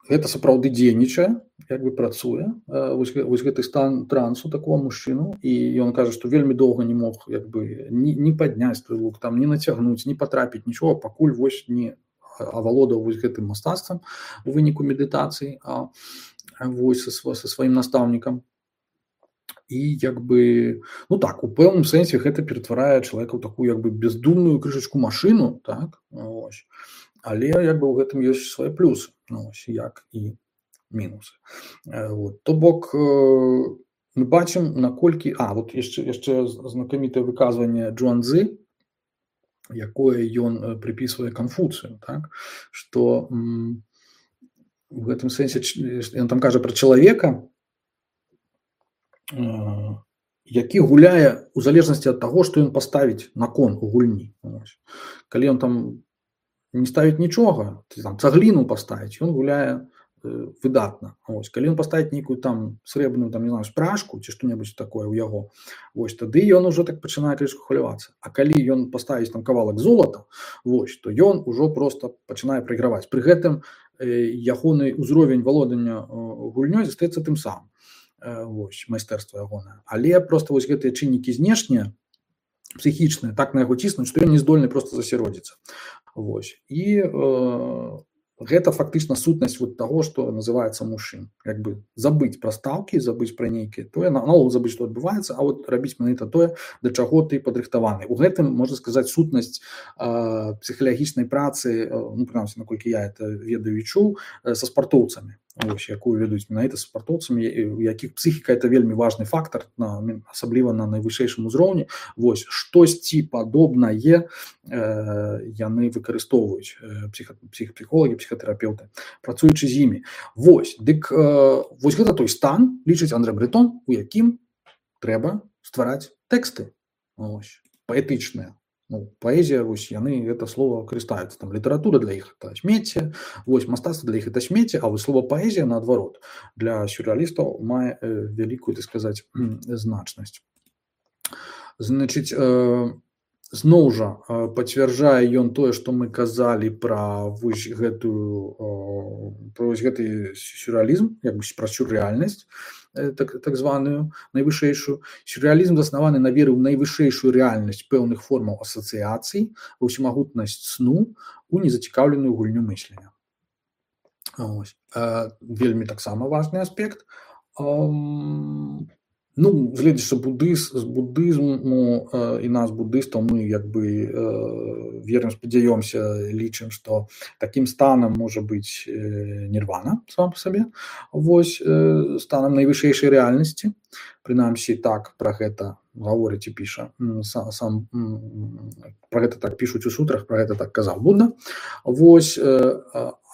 Гэта сапраўды дзейнічае, як бы працуе, вось, вось гэты стан трансу такого мужчыну, і ён кажа, што вельмі доўга не мог як бы ні, ні падняць той лук, там, ні нацягнуць, ні патрапіць, нічого, пакуль вось не авалодаў вось гэтым мастацтвам у выніку медытацыі, а вось са, са сваім настаўнікам. І як бы, ну так, у пэўным сэнсе гэта ператварае чалавека ў такую як бы бездумную крышачку машыну, так, вось. Але як бы ў гэтым ёсць свае плюсы, ну, ось, як і мінусы. Вот. То бок мы бачым, наколькі... А, вот яшчэ, яшчэ знакамітае выказванне Джуанзы, якое ён прыпісвае Канфуцыю, так? Што м, у гэтым сэнсе ён там кажа пра чалавека, э, які гуляе у залежнасці ад таго, што ён паставіць на кон у гульні. Ось. Калі ён там не ставіць нічога, там, цагліну паставіць, ён гуляе э, выдатна. Ось. Калі ён паставіць нейкую там срэбную, там, не знаю, спражку ці што-небудзь такое ў яго, вось, тады ён ужо так пачынае крышку хвалявацца. А калі ён паставіць там кавалак золата, вось, то ён ужо проста пачынае прайграваць. Пры гэтым э, ягоны ўзровень валодання э, гульнёй застаецца тым самым. Э, вось, майстэрства ягонае. Але проста вось гэтыя чыннікі знешнія, псіхічныя так на яго ціснуць, што ён не здольны проста засяродзіцца. Вось. І э, гэта фактычна сутнасць вот таго, што называецца мужчын. Як бы забыць пра стаўкі, забыць пра нейкія тое, наогул забыць, што адбываецца, а вот рабіць менавіта тое, да чаго ты падрыхтаваны. У гэтым, можна сказаць, сутнасць э, псіхалагічнай працы, э, ну, прынамсі, наколькі я это ведаю і чуў, э, са спартоўцамі. Ось, якую ведуць менавіта з спартоўцамі, у якіх псіхіка это вельмі важны фактар, на, асабліва на найвышэйшым узроўні. Вось, штосьці падобнае э, яны выкарыстоўваюць э, псіх, псіхолагі, псіхатэрапеўты, працуючы з імі. Вось, дык э, вось гэта той стан, лічыць Андрэ Бретон, у якім трэба ствараць тэксты, ось, паэтычныя. Ну, паэзія, вось, яны гэта слова карыстаюцца. Там літаратура для іх это смецце, вось, мастацтва для іх это смецце, а вось слова паэзія, наадварот, для сюррэалістаў мае э, вялікую, так сказаць, значнасць. Значыць, э, зноў жа э, пацвярджае ён тое, што мы казалі пра вось гэтую э, пра вось гэты сюррэалізм, як бы пра сюррэальнасць, Так, так званую найвышэйшую. Сюррэалізм заснаваны на веры ў найвышэйшую рэальнасць пэўных формаў асацыяцый, ва ўсемагутнасць сну, у незацікаўленую гульню мыслення. Ось. Э, вельмі таксама важны аспект. Эм, ну, гледзячы будыз, з будызму э, і нас, будыстаў, мы як бы э, верым, спадзяёмся, лічым, што такім станам можа быць э, нірвана сам па сабе, вось, э, станам найвышэйшай рэальнасці. Прынамсі, так пра гэта гаворыць і піша сам, сам пра гэта так пішуць у сутрах, пра гэта так казаў Будда. Вось, э,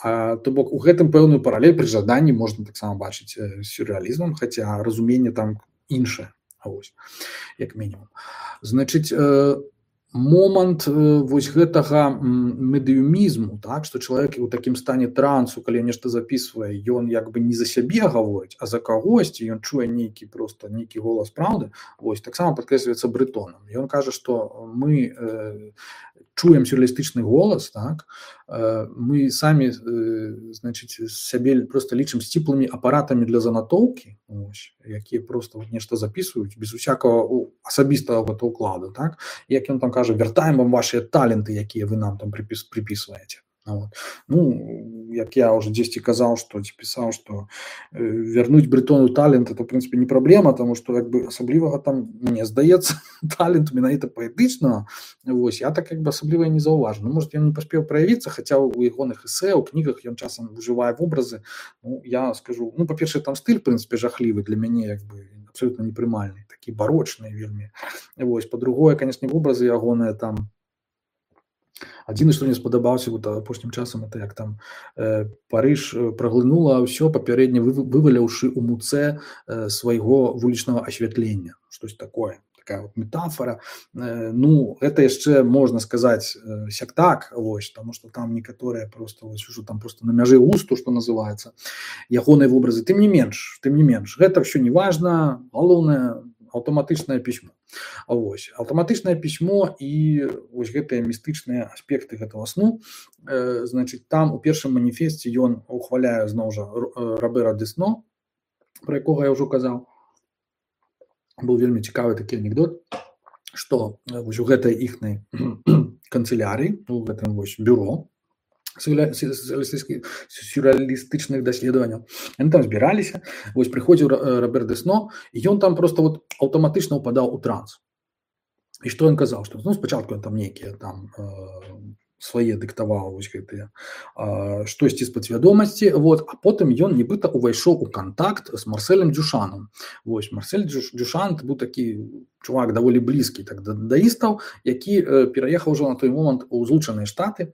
а, то бок у гэтым пэўную паралель пры жаданні можна таксама бачыць з сюррэалізмам, хаця разуменне там іншае, вось, як мінімум. Значыць, э, момант э, вось гэтага медыумізму, так, што чалавек у такім стане трансу, калі нешта запісвае, ён як бы не за сябе гаворыць, а за кагосьці, ён чуе нейкі проста нейкі голас праўды, вось, таксама падкрэсліваецца Бретонам. Ён кажа, што мы э, чуем сюррэалістычны голас, так, э, мы самі, э, значыць, сябе проста лічым сціплымі апаратамі для занатоўкі, ось, якія проста вот нешта запісваюць без усякага асабістага гэта ўкладу, так, як ён там кажа, вяртаем вам вашыя таленты, якія вы нам там припіс, припісваеце. Вот. Ну, як я уже дзесьці казаў, што ці пісаў, што э, вярнуць Бретону талент, это, в прынцыпе, не праблема, таму што, як бы, асаблівага там, мне здаецца, талент менавіта паэтычнага, вось, я так, як бы, асабліва не заўважу. Ну, можа, ён не паспеў праявіцца, хаця ў ягоных эсэ, у кнігах ён часам ужывае вобразы. Ну, я скажу, ну, па-першае, там стыль, в прынцыпе, жахлівы для мяне, як бы, абсолютно непрымальны, такі барочны вельмі. Вось, па-другое, канешне, вобразы ягоныя там. Адзіны, што мне спадабаўся вот апошнім часам, это як там э, Парыж праглынула ўсё, папярэдне вываляўшы ў муцэ э, свайго вулічнага асвятлення. Штось такое, такая вот метафора. Э, ну, гэта яшчэ можна сказаць э, сяк-так, вось, таму што там некаторыя просто, вось, ужо там просто на мяжы густу, што называецца, ягоныя вобразы. Тым не менш, тым не менш, гэта ўсё не важна, галоўнае аўтаматычнае пісьмо. Вось, аўтаматычнае пісьмо і вось гэтыя містычныя аспекты гэтага сну, э, значыць, там у першым маніфесце ён ухваляе зноў жа Робера Десно, пра якога я ўжо казаў. Быў вельмі цікавы такі анекдот, што вось у гэтай іхнай канцылярыі, у гэтым вось бюро сюрреалістычных даследаванняў. Яны там збіраліся, вось прыходзіў Робер Десно, і ён там просто вот аўтаматычна ўпадаў у транс. І што ён казаў, што ну, спачатку ён там нейкія там э, свае дыктаваў вось гэтыя э, штосьці з падсвядомасці, вот, а потым ён нібыта увайшоў у кантакт з Марселем Дюшанам. Вось, Марсель Дюшан быў такі чувак даволі блізкі так да даістаў, які э, пераехаў ужо на той момант у Злучаныя Штаты,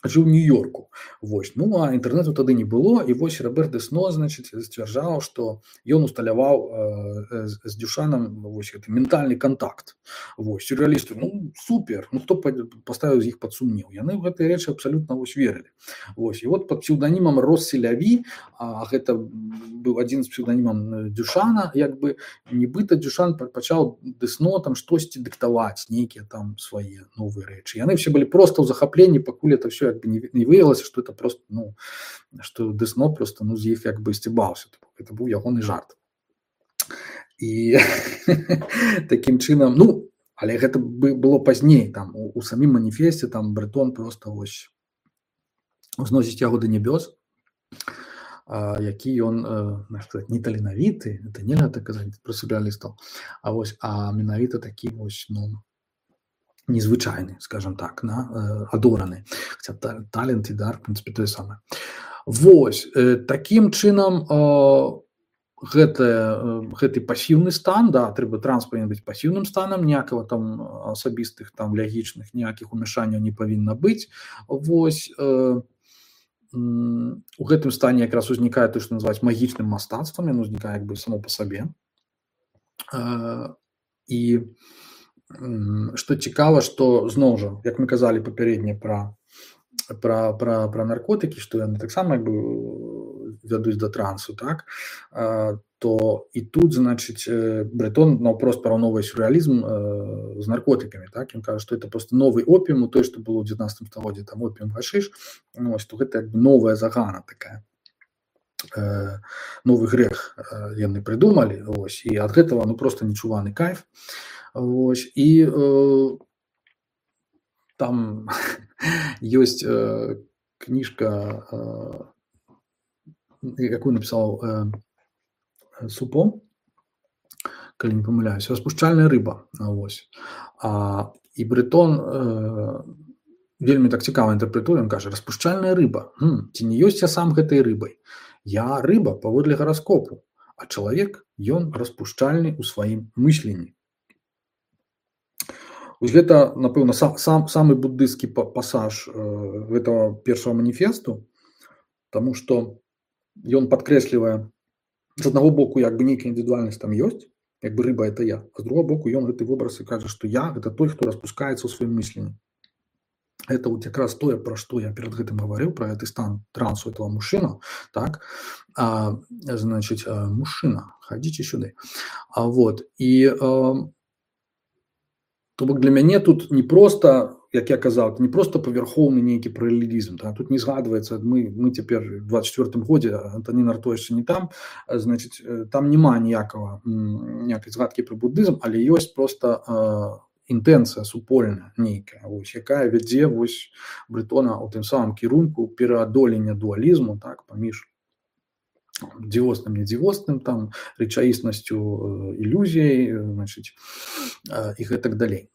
жыў у Нью-Йорку. Вось. Ну, а інтэрнэту тады не было, і вось Робер Десно, значыць, сцвярджаў, што ён усталяваў э, з, з Дюшанам вось гэты ментальны кантакт. Вось, сюррэалісты, ну, супер, ну, хто паставіў з іх пад сумнеў? Яны ў гэтыя рэчы абсалютна вось верылі. Вось, і вот пад псеўданімам Росселяві, а гэта быў адзін з псеўданімам Дюшана, як бы, нібыта Дюшан пачаў Десно там штосьці дыктаваць, нейкія там свае новыя рэчы. Яны все былі проста ў захапленні, пакуль это все как бы не, не выявилось, что это просто, ну, что Десно просто, ну, з іх як бы сцібаўся. Это быў ягоны жарт. І такім чынам, ну, Але гэта было пазней там у, у самім маніфесце там Брэтон просто вось узносіць яго да нябёс, а, які ён э, не таленавіты, это нельга так казаць пра сюррэалістаў, а вось а менавіта такі вось ну незвычайны, скажем так, на э, адораны, хаця та, талент і дар, в прынцыпе, тое самае. Вось э, такім чынам э, Гэта, гэты пасіўны стан, да, трэба транс павінен быць пасіўным станам, ніякага там асабістых там лягічных ніякіх умяшанняў не павінна быць. Вось э, у гэтым стане якраз узнікае тое, што называюць магічным мастацтвам, яно узнікае як бы само па сабе. Э, і што цікава, што зноў жа, як мы казалі папярэдне пра пра пра пра наркотыкі, што яны таксама як бы вядуць да трансу, так, то і тут, значыць, Брэтон наўпрост параўноўвае сюррэалізм з наркотыкамі, так, ён кажа, што это просто новы опіум, у той, што было ў дзевятнаццатым стагоддзі, там опіум, гашыш, ну, вось, то гэта як бы новая загана такая, новы грэх яны прыдумалі, вось, і ад гэтага, ну, просто нечуваны кайф, вось, і там ёсць кніжка, якую напісаў Супо, калі не памыляюсь, распушчальная рыба, вось. А, і Брэтон э, вельмі так цікава інтэрпрэтуе, ён кажа, распушчальная рыба, хм, ці не ёсць я сам гэтай рыбай? Я рыба паводле гараскопу, а чалавек, ён распушчальны ў сваім мысленні. Вось гэта, напэўна, сам, сам, самы буддысцкі пасаж э, гэтага першага маніфесту, таму што ён падкрэслівае, з аднаго боку, як бы нейкая індывідуальнасць там ёсць, як бы рыба это я, а з другого боку ён гэты вобраз і кажа, што я гэта той, хто распускаецца ў сваім мысленні. Это вот якраз тое, пра што я перад гэтым гаварыў, пра гэты стан трансу этого мужчына, так, а, значыць, мужчына, хадзіце сюды. А вот, і а, то бок для мяне тут не проста, як я казаў, не проста павярхоўны нейкі паралелізм, да? Тут не згадваецца, мы, мы цяпер у двадцать четвёртым годзе, Антонін Артур яшчэ не там, значыць, там няма ніякага, ніякай згадкі пра буддызм, але ёсць проста э, інтэнцыя супольная нейкая, вось, якая вядзе вось Брэтона ў тым самым кірунку пераадолення дуалізму, так, паміж дзівосным, недзівосным, там, рэчаіснасцю, э, ілюзіяй, значыць, э, і гэтак далей.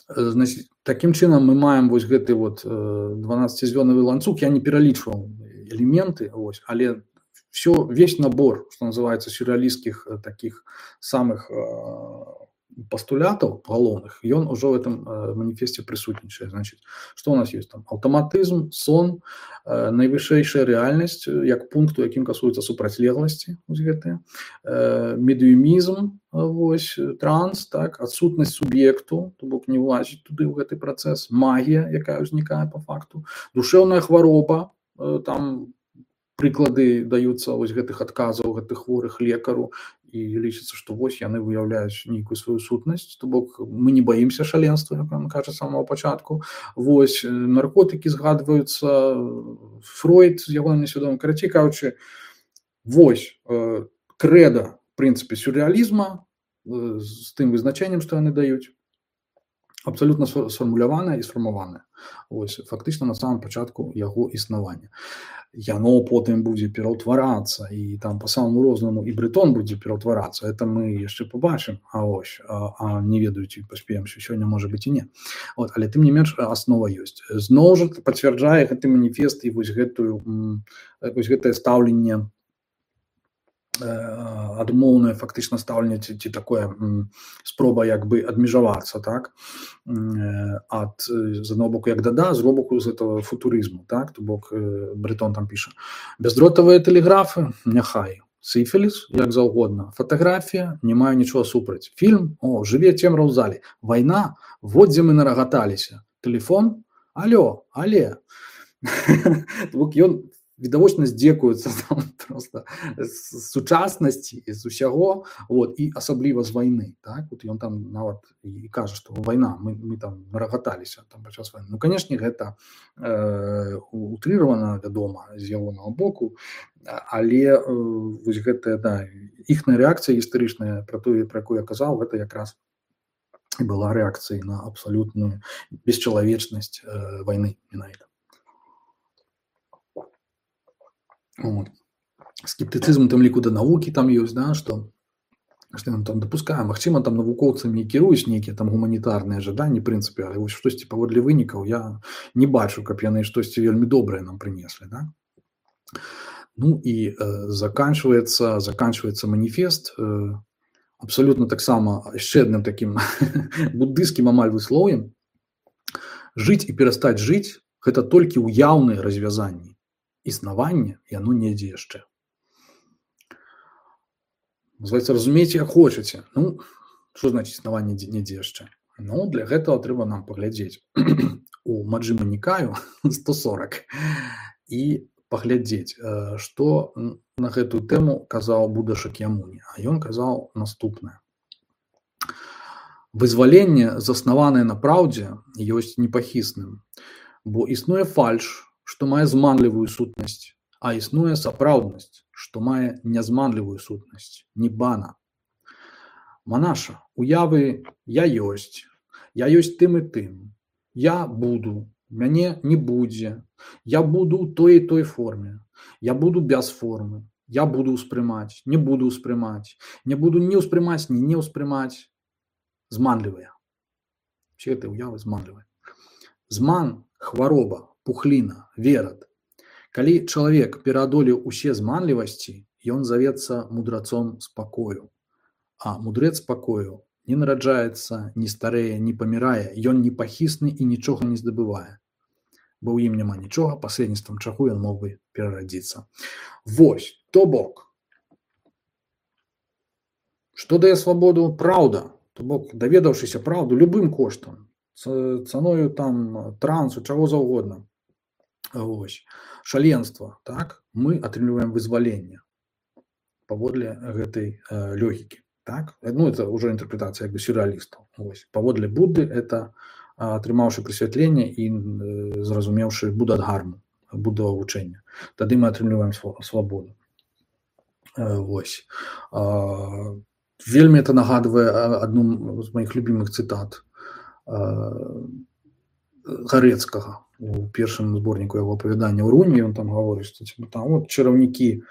Значит, таким чынам мы маем вось гэты вот дванаццацізвёнавы ланцуг, я не пералічваў элементы, вось, але все, весь набор, что называется, сюрреалистских таких самых постулятов галоўных, ён уже в этом манифесте присутнічае. Значит, что у нас есть там? Аўтаматызм, сон, найвышэйшая рэальнасць, як пункт, у якім касуецца супрацьлегласці, вось гэтыя, медыумізм, вось, транс, так, адсутнасць суб'екту, то бок не ўлазіць туды ў гэты працэс, магія, якая ўзнікае по факту, душэўная хвароба, там прыклады даюцца вось гэтых адказаў гэтых хворых лекару, і лічыцца, што вось яны выяўляюць нейкую сваю сутнасць, то бок мы не баімся шаленства, як он кажа з самого пачатку. Вось наркотыкі згадваюцца, Фройд з яго несвядомым, карацей кажучы, вось крэда, в прынцыпе, сюррэалізма з тым вызначэннем, што яны даюць, абсолютно сфармуляванае і сфармаванае. Вось фактычна на самом пачатку яго існавання. Яно потым будзе пераўтварацца, і там по самому рознаму і Брэтон будзе пераўтварацца. Это мы яшчэ побачым, а ось, а, а не ведаю, ці паспеем, що сёння можа быць і не. Вот, але тым не менш аснова ёсць. Зноў жа пацвярджае гэты маніфест і вось гэтую вось гэтае стаўленне, адмоўнае фактычна стаўленне, ці, ці такое спроба як бы адмежавацца, так, ад з аднаго боку як дада, з другого боку з этого футурызму, так, то бок Брэтон там піша: бяздротавыя тэлеграфы, няхай, сіфіліс, як заўгодна, фатаграфія, не маю нічога супраць, фільм, о, жыве цемра ў зале, вайна, вот дзе мы нарагаталіся, тэлефон, алё, але. То бок ён відавочна здзекуюцца там просто з сучаснасці, з усяго, вот, і асабліва з вайны, так, вот ён там нават і кажа, што вайна, мы, мы там нарагаталіся там падчас вайны. Ну, канешне, гэта э, утрыравана, вядома, з ягонага боку, але э, вось гэтая, да, іхная рэакцыя гістарычная пра тое, пра якую я казаў, гэта якраз і была рэакцыяй на абсалютную бесчалавечнасць э, вайны менавіта. Вот. Скептыцызм у тым ліку да навукі там ёсць, да, што што мы там дапускаем, магчыма, там навукоўцамі і кіруюць нейкія там гуманітарныя жаданні, прынцыпе, але вось штосьці паводле вынікаў я не бачу, каб яны штосьці вельмі добрае нам прынеслі, да? Ну і э, заканчваецца заканчваецца маніфест э, абсалютна таксама яшчэ адным такім буддыйскім амаль выслоўем. Жыць і перастаць жыць – гэта толькі ўяўныя развязанні. Існаванне яно недзе яшчэ. Называецца, разумееце, як хочаце. Ну, што значыць існаванне недзе яшчэ? Ну, для гэтага трэба нам паглядзець у Маджхіма Нікаю сто сорок і паглядзець, што на гэтую тэму казаў Будда Шакьямуні. А ён казаў наступнае. Вызваленне, заснаванае на праўдзе, ёсць непахісным, бо існуе фальш, што мае зманлівую сутнасць, а існуе сапраўднасць, што мае нязманлівую сутнасць, ніббана. Манаша, уявы я ёсць, я ёсць тым і тым, я буду, мяне не будзе, я буду ў той і той форме, я буду без формы, я буду ўспрымаць, не буду ўспрымаць, не буду не ўспрымаць, ні не ўспрымаць. Зманлівыя. Все гэта уявы зманлівыя. Зман, хвароба, пухліна, верад. Калі чалавек пераадолеў усе зманлівасці, ён завецца мудрацом спакою. А мудрец спакою не нараджаецца, не старэе, не памірае, ён непахісны і нічога не здабывае. Бо ў ім няма нічога, пасредніцтвам чаго ён мог бы перарадзіцца. Вось, то бок. Што дае свабоду? Праўда. То бок, даведаўшыся праўду любым коштам, цаною там трансу, чаго заўгодна. Вось. Шаленства, так? Мы атрымліваем вызваленне паводле гэтай э, логікі. Так? Ну, это уже интерпретация как бы сюрреалистов. Вось. Паводле Будды это атрымаўшы прасвятленне і э, зразумеўшы буддадгарму, буддава вучэння. Тады мы атрымліваем свабоду. Э, вось. Э, вельмі это нагадвае адну з маіх любімых цытат э, Гарэцкага. У першым зборніку яго апавядання ў Руні ён там гаворыць, што типа, там вот чараўнікі,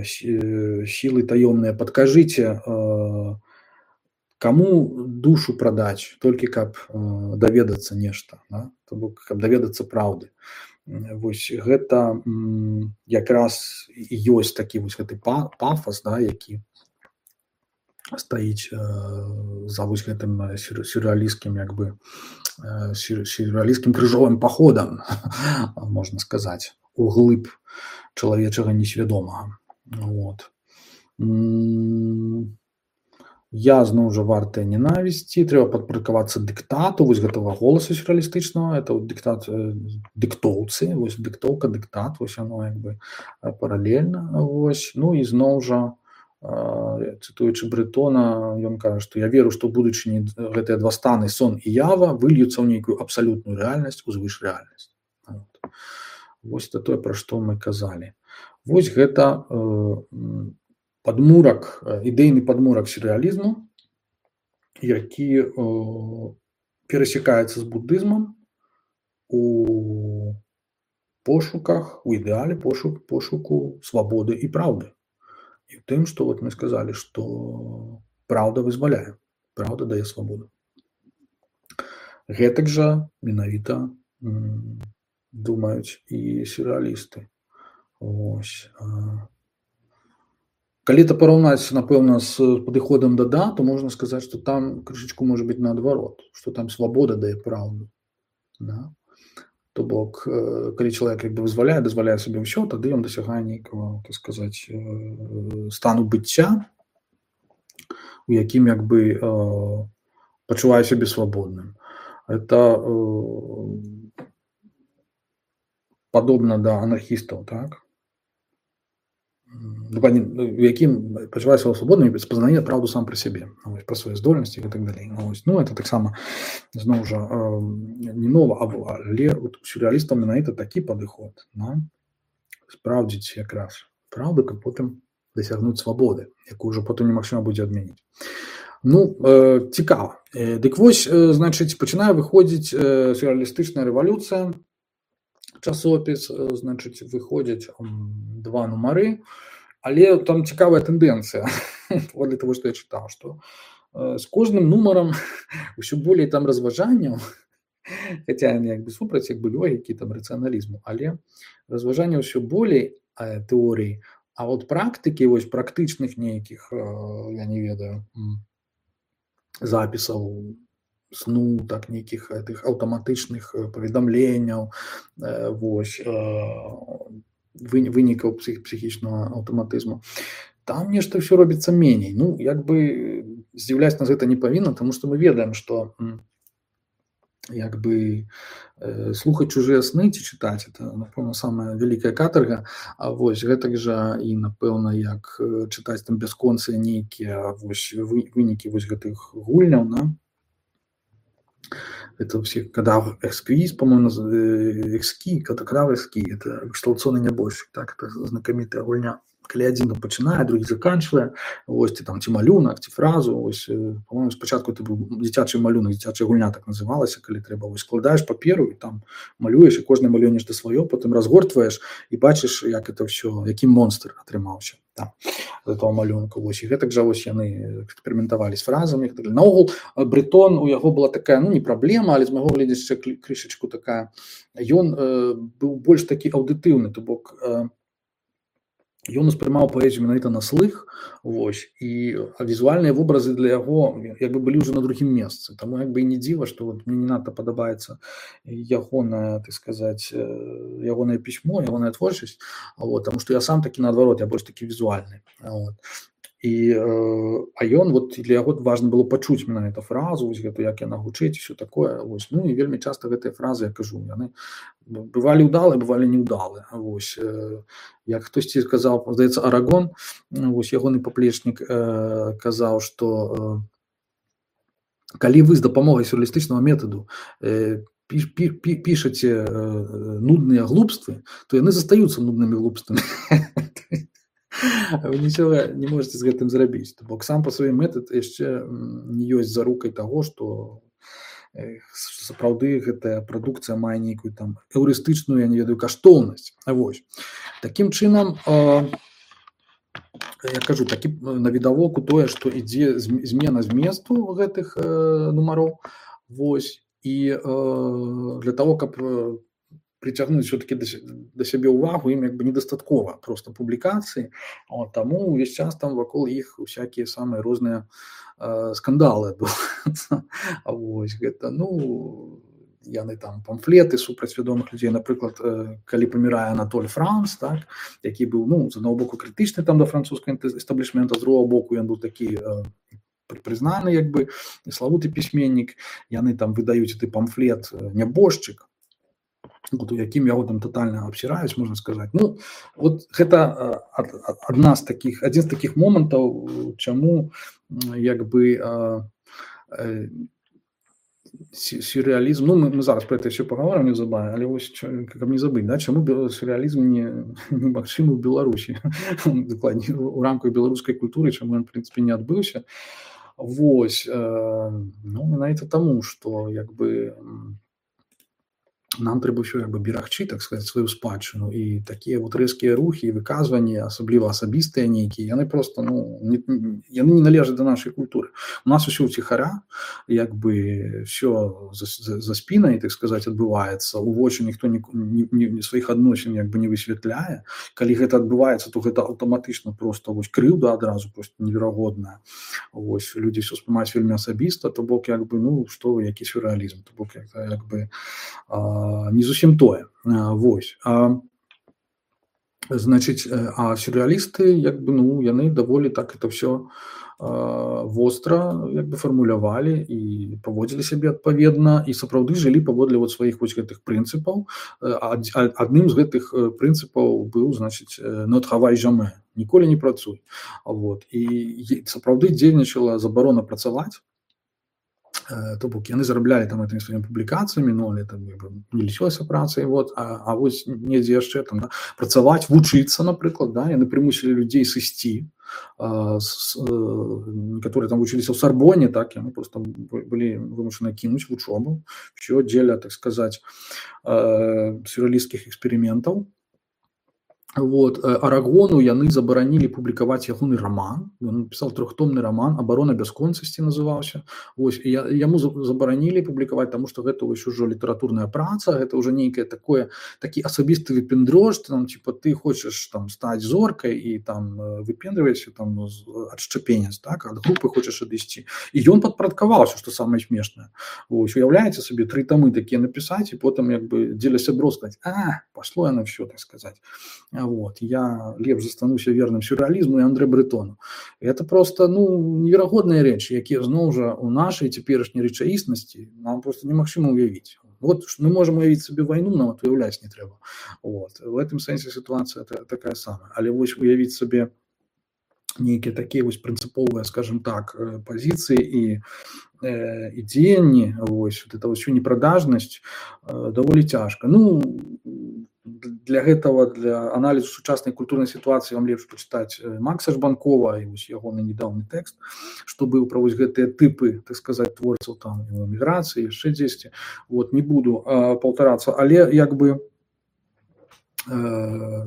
сілы таёмныя, падкажыце, каму душу прадаць, толькі каб даведацца нешта, да? То бок, каб даведацца праўды. Вось гэта якраз ёсць такі вось гэты пафас, да, які стаіць за вось гэтым сюрреалісцкім, як бы, сюрреалісцкім крыжовым паходам, можна сказаць, у глыб чалавечага несвядомага. Вот. Я зноў жа вартая ненавісці, трэба падпарадкавацца дыктату, вось гэтага голаса сюрреалістычнага, это вот дыктат, дыктоўцы, вось дыктоўка, дыктат, вось яно як бы паралельна, вось. Ну і зноў жа, цытуючы Брэтона, ён кажа, што я веру, што ў будучыні гэтыя два станы, сон і ява, выльюцца ў нейкую абсалютную рэальнасць, узвыш рэальнасць. Вот. Вось это тое, пра што мы казалі. Вось гэта э, падмурак, ідэйны падмурак сюррэалізму, які э, перасякаецца з буддызмам у пошуках, у ідэале пошук, пошуку свабоды і праўды. І ў тым, што вот мы сказалі, што праўда вызваляе, праўда дае свабоду. Гэтак жа менавіта м, думаюць і сюррэалісты. Ось. Калі это параўнаць, напэўна, з падыходам да да, то можна сказаць, што там крышачку можа быць наадварот, што там свабода дае праўду. Да? То бок, калі чалавек як бы вызваляе, дазваляе сабе ўсё, тады ён дасягае нейкага, так сказаць, стану быцця, у якім як бы пачувае сябе свабодным. Это падобна да анархістаў, так? У якім пачувае сябе свабодным і спазнае праўду сам пра сябе, пра свае здольнасці і так далей. Ну, это таксама зноў жа не нова, але у сюррэалістаў менавіта такі падыход, да? Спраўдзіць якраз праўду, каб потым дасягнуць свабоды, якую ўжо потым немагчыма будзе адмяніць. Ну, э, цікава. Э, Дык вось, э, значыць, пачынае выходзіць э, сюррэалістычная рэвалюцыя, часопіс, э, значыць, выходзяць м, два нумары, але там цікавая тэндэнцыя, паводле таго, што я чытаў, што э, з кожным нумарам ўсё болей там разважанняў, хаця яны як бы супраць як бы логікі, там рацыяналізму, але разважанняў ўсё болей э, тэорый, а от практыкі, вось практычных нейкіх, э, я не ведаю, м, запісаў сну, так нейкіх тых аўтаматычных э, паведамленняў, э, вось э, вы- вынікаў псіх, псіхічнага аўтаматызму. Там нешта ўсё робіцца меней. Ну, як бы здзіўляць нас гэта не павінна, таму што мы ведаем, што м, як бы э, слухаць чужыя сны ці чытаць, это, напэўна, самая вялікая катарга. А вось гэтак жа і, напэўна, як э, чытаць там бясконцыя нейкія вось вы- вынікі вось гэтых гульняў, да? Это все кадавр эсквиз, по-моему, наз- э, экски, это кадавр эски, это эксплуатационный нябожчык, так, это знакамітая гульня. Калі адзін там пачынае, другі заканчвае, вось ці там ці малюнак, ці фразу, вось, э, по-моему, спачатку это быў дзіцячы малюнак, дзіцячая гульня так называлася, калі трэба, вось складаеш паперу і там малюеш, і кожны малюе нешта сваё, потым разгортваеш і бачыш, як это ўсё, які монстр атрымаўся там з этого малюнка. Вось, і гэтак жа вось яны эксперыментавалі з фразамі. Наогул Брэтон, у яго была такая, ну, не праблема, але з майго гледзяча крышачку такая, ён э, быў больш такі аўдытыўны, то бок э, ён успрымаў паэзію менавіта на слых, вось, і візуальныя вобразы для яго як бы былі ўжо на другім месцы. Таму як бы і не дзіва, што вот мне не надта падабаецца ягонае, так сказаць, э, ягонае пісьмо, ягоная творчасць, вот, таму што я сам такі наадварот, я больш такі візуальны. Вот. І, э, а ён, вот, для яго важна было пачуць менавіта фразу, вось гэту, як яна гучыць, усё такое. Вось. Ну і вельмі часта гэтыя фразы, я кажу, яны бывалі ўдалыя, бывалі неўдалыя. Вось. Э, як хтосьці сказаў, здаецца, Арагон, вось ягоны паплечнік э, казаў, што э, калі вы з дапамогай сюррэалістычнага метаду э, піш, пі, пі, пішаце э, нудныя глупствы, то яны застаюцца нуднымі глупствамі. Вы нічога не можете з гэтым зрабіць. То бок сам па сваім метад яшчэ не ёсць зарукай таго, што э, сапраўды гэтая прадукцыя мае нейкую там эўрыстычную, я не ведаю, каштоўнасць. Вось. Такім чынам, э, я кажу, такі навідавоку тое, што ідзе змена зместу гэтых э, нумароў. Вось. І э, для того, каб притягнуть все-таки до, до себе увагу, им как бы недостаткова просто публикации, вот, тому весь час там вокруг их всякие самые разные э, скандалы адбываюцца. Вось гэта, ну, яны там памфлеты супраць вядомых людзей, напрыклад, э, калі памірае Анатоль Франц, так, які быў, ну, з аднаго боку крытычны там да французскага эстаблішмента, з другого боку ён быў такі э, прызнаны, як бы, славуты пісьменнік, яны там выдаюць гэты памфлет «Нябожчык», вот, у якім яго там тотальна абсіраюць, можна сказаць. Ну, вот гэта адна з такіх, адзін з такіх момантаў, чаму як бы э, сюрреалізм, ну, мы, мы зараз про это все паговорым неўзабаве, але вось, каб не забыць, да, чаму сюрреалізм не, не магчымы ў Беларусі, дакладней, у рамках беларускай культуры, чаму ён, в прынцыпе, не адбыўся. Вось, э, ну, менавіта таму, што, як бы, нам трэба ўсё як бы берагчы, так сказаць, сваю спадчыну, і такія вот рэзкія рухі і выказванні, асабліва асабістыя нейкія, яны просто, ну, не, яны не належаць да нашай культуры. У нас усё ўціхара, як бы всё за, за, за спінай, так сказаць, адбываецца, у вочы ніхто ні, ні, ні сваіх адносін як бы не высвятляе. Калі гэта адбываецца, то гэта аўтаматычна просто вось крыўда адразу просто неверагодная. Вось людзі ўсё спрымаюць вельмі асабіста, то бок як бы, ну, што вы, які сюррэалізм, то бок як, як бы а, не зусім тое. Вось. А, значыць, а сюррэалісты, як бы, ну, яны даволі так это ўсё востра, як бы, фармулявалі і паводзілі сябе адпаведна, і сапраўды жылі паводле вот сваіх вось гэтых прынцыпаў. Адным з гэтых прынцыпаў быў, значыць, «не travaille jamais», ніколі не працуй. Вот. І сапраўды дзейнічала забарона працаваць. То бок яны зараблялі там этими сваімі публікацыямі, ну, але там не лічылася працай, вот, а, а вось недзе яшчэ там, да, працаваць, вучыцца, напрыклад, да, яны прымусілі людзей сысці а, с, э, которые там вучыліся ў Сарбоне, так, яны просто былі вымушаны кінуць вучобу, все дзеля, так сказать, э, сюрреалісцкіх эксперыментаў. Вот, э, Арагону яны забаранілі публікаваць ягоны роман. Ён напісаў трохтомны роман «Абарона бясконцасці» называўся. Вось, і я- яму за- забаранілі публікаваць, таму што гэта вось ужо літаратурная праца, гэта ўжо нейкае такое, такі асабісты выпендрож, там, типа, ты хочаш там стаць зоркай і там э, выпендрываешся там з- ад шчапенец, так, ад групы хочаш адысці. І ён падпарадкаваўся, што самае смешнае. Вось, уяўляеце сабе, тры тамы такія напісаць, і потым як бы дзеля сяброў сказаць: а, пашло яно все, так сказать. Вот, я лепш застануся верным сюрреалізму і Андре Бретону. Это просто, ну, неверагодныя рэчы, якія зноў жа у нашай цяперашняй рэчаіснасці нам просто немагчыма ўявіць. Вот ш- мы можам уявіць сабе вайну, нават уяўляць не трэба. Вот. В гэтым сэнсе сітуацыя та- такая самая. Але вось уявіць сабе нейкія такія вось прынцыповыя, скажем так, э, пазіцыі і э, і дзеянні, вось вот это ўсю непрадажнасць э, даволі цяжка. Ну, для гэтага, для аналізу сучаснай культурнай сітуацыі вам лепш пачытаць э, Макса Жбанкова і вось ягоны недаўні тэкст, што быў пра вось гэтыя тыпы, так сказаць, творцаў там у эміграцыі, яшчэ дзесьці. Вот, не буду э, паўтарацца, але як бы э,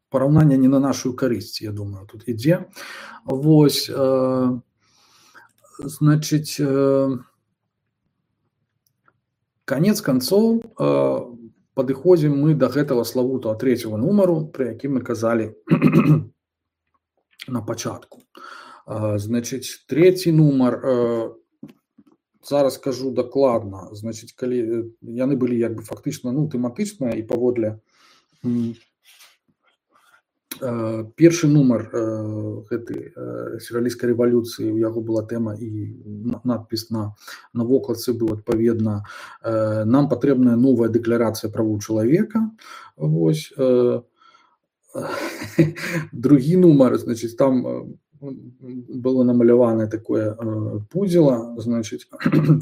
параўнанне не на нашу карысць, я думаю, тут ідзе. Вось, э, значыць, э, канец канцоў, э, падыходзім мы да гэтага славутага трэцяга нумару, пра які мы казалі на пачатку. Э, Значыць, трэці нумар, э, зараз скажу дакладна, значыць, калі э, яны былі як бы фактычна, ну, тэматычныя і паводле м, э, першы нумар э, гэтай э, сюрреалісцкай рэвалюцыі, у яго была тэма і на- надпіс на, на вокладцы быў адпаведна э, «Нам патрэбная новая дэкларацыя правоў чалавека». Вось, э, другі нумар, значыць, там э, было намаляванае такое э, пудзіла, значыць,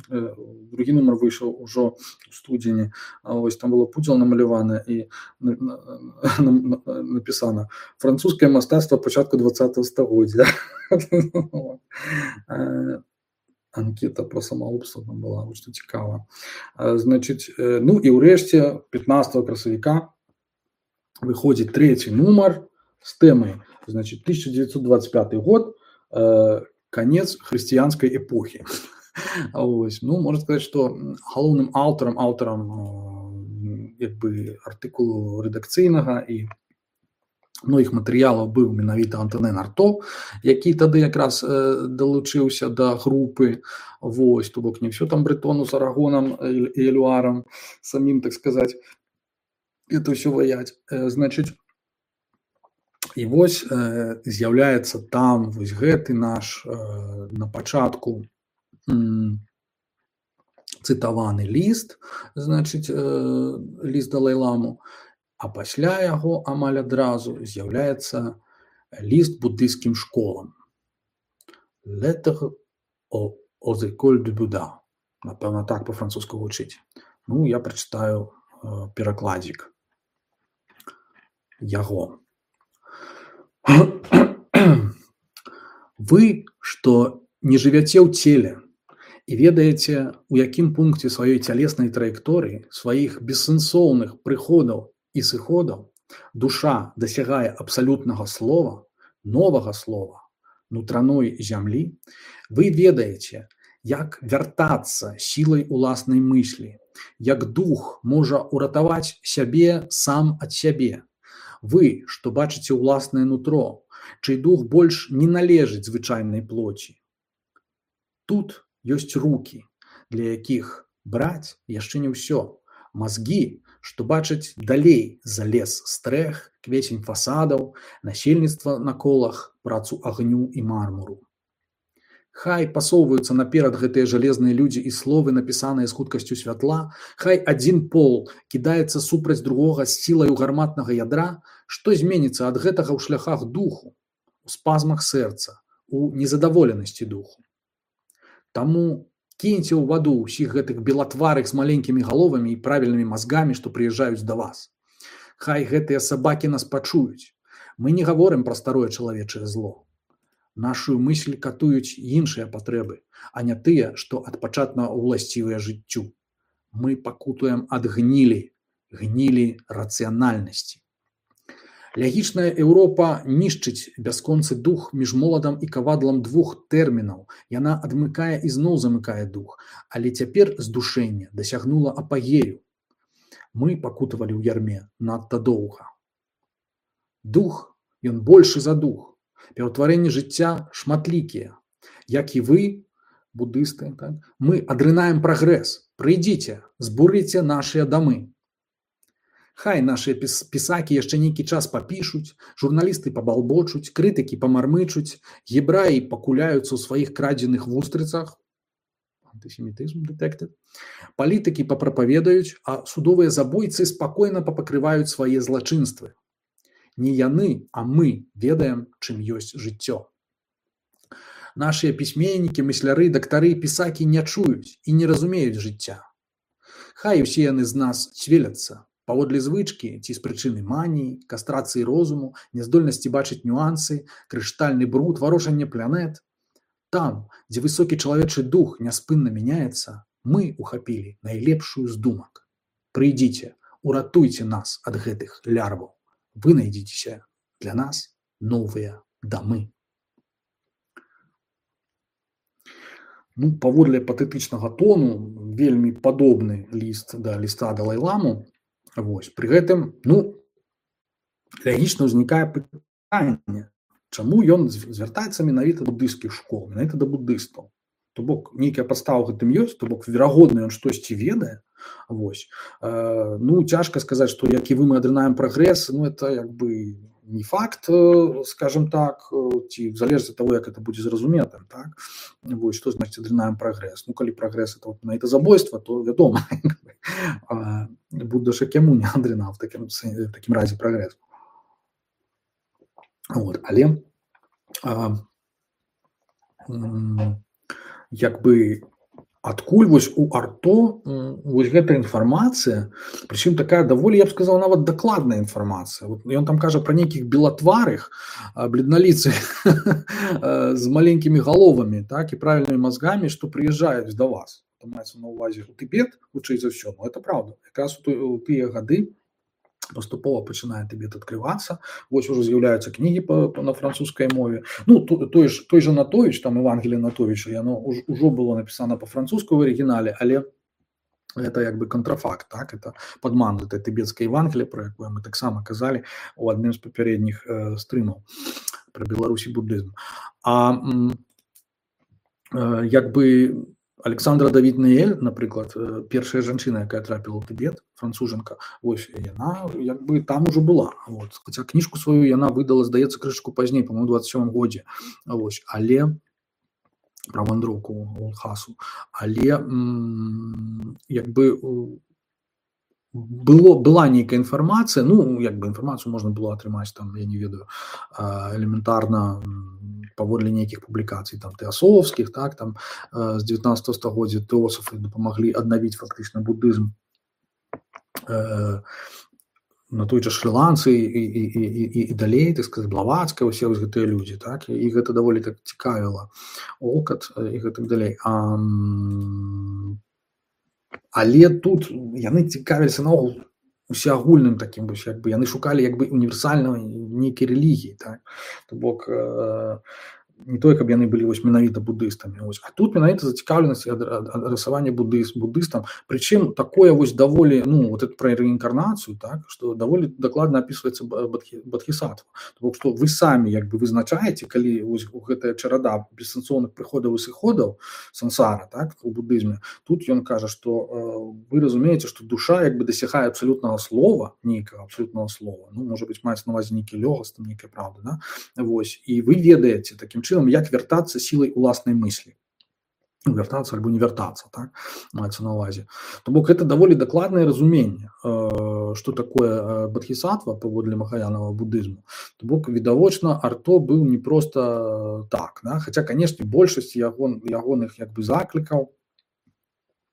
э, другі нумар выйшаў ужо у студзені, а вось там было пудзіла намаляванае і на- на- на- на- напісана «Французскае мастацтва пачатку двадцатага стагоддзя». Вот. Э, Анкета про самагубства там была, вось што цікава. Э, Значыць, э, ну і ўрэшце пятнадцатага красавіка выходзіць трэці нумар з тэмай, значит, тысяча девятьсот двадцать пятый год, э, конец хрысціянскай эпохі. Ось, ну, можна сказаць, што галоўным аўтарам, аўтарам э, як бы артыкулу рэдакцыйнага і многіх матэрыялаў быў менавіта Антонен Арто, які тады якраз э, далучыўся да групы. Вось, то бок не ўсё там Бретону з Арагонам і і Элюарам самім, так сказаць, это ўсё ваяць. Э, Значыць, і вось э, з'яўляецца там вось гэты наш э, на пачатку м, цытаваны ліст, значыць, э, ліст Далай-ламу, а пасля яго амаль адразу з'яўляецца ліст буддыйскім школам. Lettre aux, aux écoles de Bouddha. Напэўна, так па-французску гучыць. Ну, я прачытаю э, перакладзік яго. Вы, што не жывяце ў целе і ведаеце, у якім пункце сваёй цялеснай траекторыі, сваіх бессэнсоўных прыходаў і сыходаў душа дасягае абсалютнага слова, новага слова, нутраной зямлі, вы ведаеце, як вяртацца сілай уласнай мыслі, як дух можа ўратаваць сябе сам ад сябе. Вы, што бачыце ўласнае нутро, чый дух больш не належыць звычайнай плоці. Тут ёсць рукі, для якіх браць яшчэ не ўсё. Мазгі, што бачаць далей за лес стрэх, квецень фасадаў, насельніцтва на колах, працу агню і мармуру. Хай пасоўваюцца наперад гэтыя жалезныя людзі і словы, напісаныя з хуткасцю святла, хай адзін пол кідаецца супраць другога з сілаю гарматнага ядра, што зменіцца ад гэтага ў шляхах духу, у спазмах сэрца, у незадаволенасці духу. Таму кіньце ў ваду ўсіх гэтых белатварых з маленькімі галовамі і правільнымі мазгамі, што прыязджаюць да вас. Хай гэтыя сабакі нас пачуюць. Мы не гаворым пра старое чалавечае зло. Нашу мысль катуюць іншыя патрэбы, а не тыя, што адпачатна ўласцівыя жыццю. Мы пакутуем ад гнілі, гнілі рацыянальнасці. Лягічная Еўропа нішчыць бясконцы дух між моладам і кавадлам двух тэрмінаў. Яна адмыкае і зноў замыкае дух, але цяпер здушэнне дасягнула апагею. Мы пакутавалі ў ярме надта доўга. Дух, ён большы за дух. Пераўтварэнні жыцця шматлікія. Як і вы, будысты, так? Мы адрынаем прагрэс. Прыйдзіце, збурыце нашыя дамы. Хай нашыя пісакі яшчэ нейкі час папішуць, журналісты пабалбочуць, крытыкі памармычуць, гебраі пакуляюцца ў сваіх крадзеных вустрыцах, антысемітызм detected, палітыкі папрапаведаюць, а судовыя забойцы спакойна папакрываюць свае злачынствы. Не яны, а мы ведаем, чым ёсць жыццё. Нашыя пісьменнікі, мысляры, дактары, пісакі не чуюць і не разумеюць жыцця. Хай усе яны з нас цвеляцца, паводле звычкі ці з прычыны маніі, кастрацыі розуму, няздольнасці бачыць нюансы, крыштальны бруд, варожанне планет. Там, дзе высокі чалавечы дух няспынна мяняецца, мы ухапілі найлепшую з думак. Прыйдзіце, уратуйце нас ад гэтых лярваў. Вынайдзіцеся для нас новыя дамы. Ну, паводле патэтычнага тону, вельмі падобны ліст да ліста Далай-ламу. Вось, пры гэтым, ну, лягічна ўзнікае пытанне, чаму ён звяртаецца менавіта да будысцкіх школ, менавіта да будыстаў. То бок, нейкая падстава гэтым ёсць, то бок, верагодна, ён штосьці ведае. Вось. Э, ну, цяжка сказаць, што як і вы мы адрынаем прагрэс, ну, это як бы не факт, скажем так, ці залежыць ад таго, як это будзе зразуметым, так? Вось, што значыць адрынаем прагрэс? Ну, калі прагрэс это менавіта забойства, то вядома, Будда ж яму не адрынаў в такім, в такім разе прагрэс. Вот, але а, як бы адкуль вось у Арто вось гэта інфармацыя, прычым такая даволі, я б сказаў, нават дакладная інфармацыя. Вот ён там кажа пра нейкіх белатварых, бледналіцых з маленькімі галовамі, так, і правільнымі мазгамі, што прыязджаюць да вас. Там маецца на ўвазе у Тыбет, хутчэй за ўсё, ну, это правда. Якраз у тыя гады паступова пачынае Тыбет адкрывацца, вось ужо з'яўляюцца кнігі па, па, на французскай мове. Ну, той, ж, той же Натовіч, там Евангелие Натовіча, яно ўжо было напісана па-французску ў арыгінале, але это як бы контрафакт, так, это падман этой тыбецкай Евангелие, про якое мы таксама казалі у адным з папярэдніх э, стрымаў пра Беларусі буддызм. А э, як бы Александра Давід-Неель, напрыклад, першая жанчына, якая трапіла ў Тыбет, францужанка, вось яна як бы там ужо была. Вот. Хаця кніжку сваю яна выдала, здаецца, крышачку пазней, па-моему, двадцать сёмым годзе. Вось. Але пра вандроўку ў Лхасу. Але м, як бы было, была нейкая інфармацыя, ну, як бы інфармацыю можна было атрымаць, там, я не ведаю, элементарна паводле нейкіх публікацый, там, тэасофскіх, так, там, з дзевятнаццатага стагоддзя тэосафы дапамаглі аднавіць фактычна буддызм э, на той жа Шры-Ланцы і, і, і, і, і далей, так сказаць, Блавацкая, усе вось гэтыя людзі, так, і гэта даволі так цікавіла, Олкат і гэтак далей. А, але тут яны цікавіліся наогул усеагульным такім, як бы яны шукалі як бы універсальнай нейкай рэлігіі, так? То бок э, не тое, каб яны былі вось менавіта буддыстамі. Вось. А тут менавіта зацікаўленасць адрасавання буддызм, буддыстам, прычым такое вось даволі, ну, вот это пра реінкарнацыю, так, што даволі дакладна апісваецца бадхісатва. То бок, што вы самі як бы вызначаеце, калі вось гэтая чарада бессэнсоўных прыходаў і сыходаў сансара, так, у буддызме, тут ён кажа, што э, вы разумееце, што душа як бы дасягае абсалютнага слова, нейкага абсалютнага слова, ну, можа быць, маецца на ўвазе нейкі лёгас, там нейкая правда, да? Вось, і вы ведаеце такім чынам, як вяртацца сілай уласнай мыслі. Вяртацца альбо не вяртацца, так, маецца на ўвазе. То бок, гэта даволі дакладнае разуменне, што такое бадхісатва паводле махаянавага буддызму. То бок, відавочна, Арто быў не проста так, да? Хаця, канешне, большасць ягон, ягоных як бы заклікаў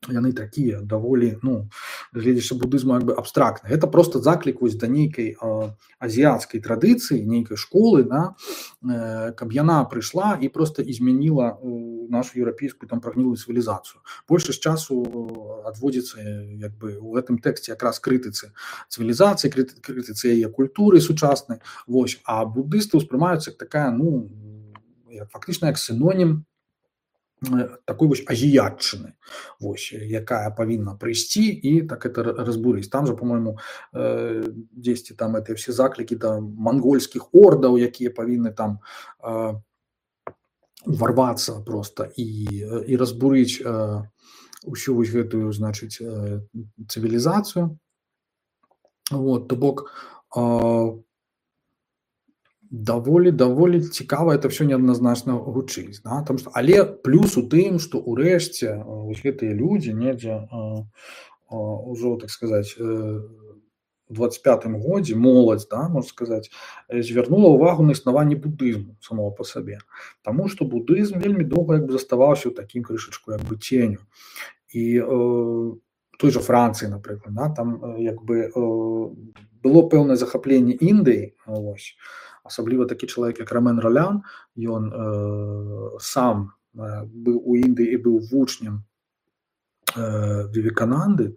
яны такія даволі, ну, гледзячы будызму як бы абстрактна. Гэта просто заклік вось да нейкай э, азіяцкай традыцыі, нейкай школы, да, э, каб яна прыйшла і просто изменіла э, нашу еўрапейскую там прагнілую цывілізацыю. Большасць часу адводзіцца як бы у гэтым тэксце якраз крытыцы цывілізацыі, крытыцы яе культуры сучаснай. Вось, а буддысты ўспрымаюцца як такая, ну, як, фактычна як сінонім такой вось азіятчыны, вось, якая павінна прыйсці і так это разбурыць. Там же, по-моему, э, дзесьці там это все заклікі да мангольскіх ордаў, якія павінны там э, уварвацца просто і, і разбурыць э, усю вось гэтую, значыць, э, цывілізацыю. Вот, то бок э, даволі даволі цікава это все неадназначна гучыць, да? Там што, але плюс у тым, што ўрэшце гэтыя людзі недзе ўжо, так сказаць, у двадцать пятым годзе моладзь, да, можна сказаць, звярнула ўвагу на існаванне будызму самого па сабе, таму што будызм вельмі доўга як бы заставаўся ў такім крышачку як бы ценю. І э, той же Францыі, напрыклад, да, там як бы э, было пэўнае захапленне Індыі, вось, асабліва такі чалавек, як Ромен Ролян, ён э, сам э, быў у Індыі і быў вучнем э, Вівекананды,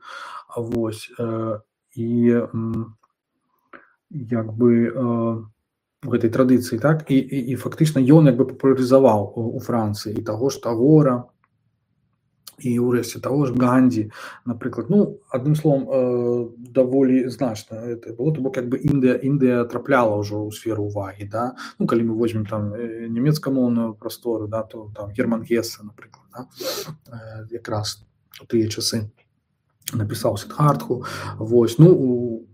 вось, э, і э, як бы э, у гэтай традыцыі, так, і, і, і фактычна ён як бы папулярызаваў у, у Францыі і таго ж Тагора, і ўрэшце таго ж Гандзі, напрыклад. Ну, адным словам, э, даволі значна это было, то бок як бы Індыя, Індыя трапляла ўжо ў сферу увагі, да? Ну, калі мы возьмем там нямецкамоўную прастору, да, то там Герман Гессе, напрыклад, да? э, якраз у тыя часы напісаў Сіддхартху. Вось, ну, у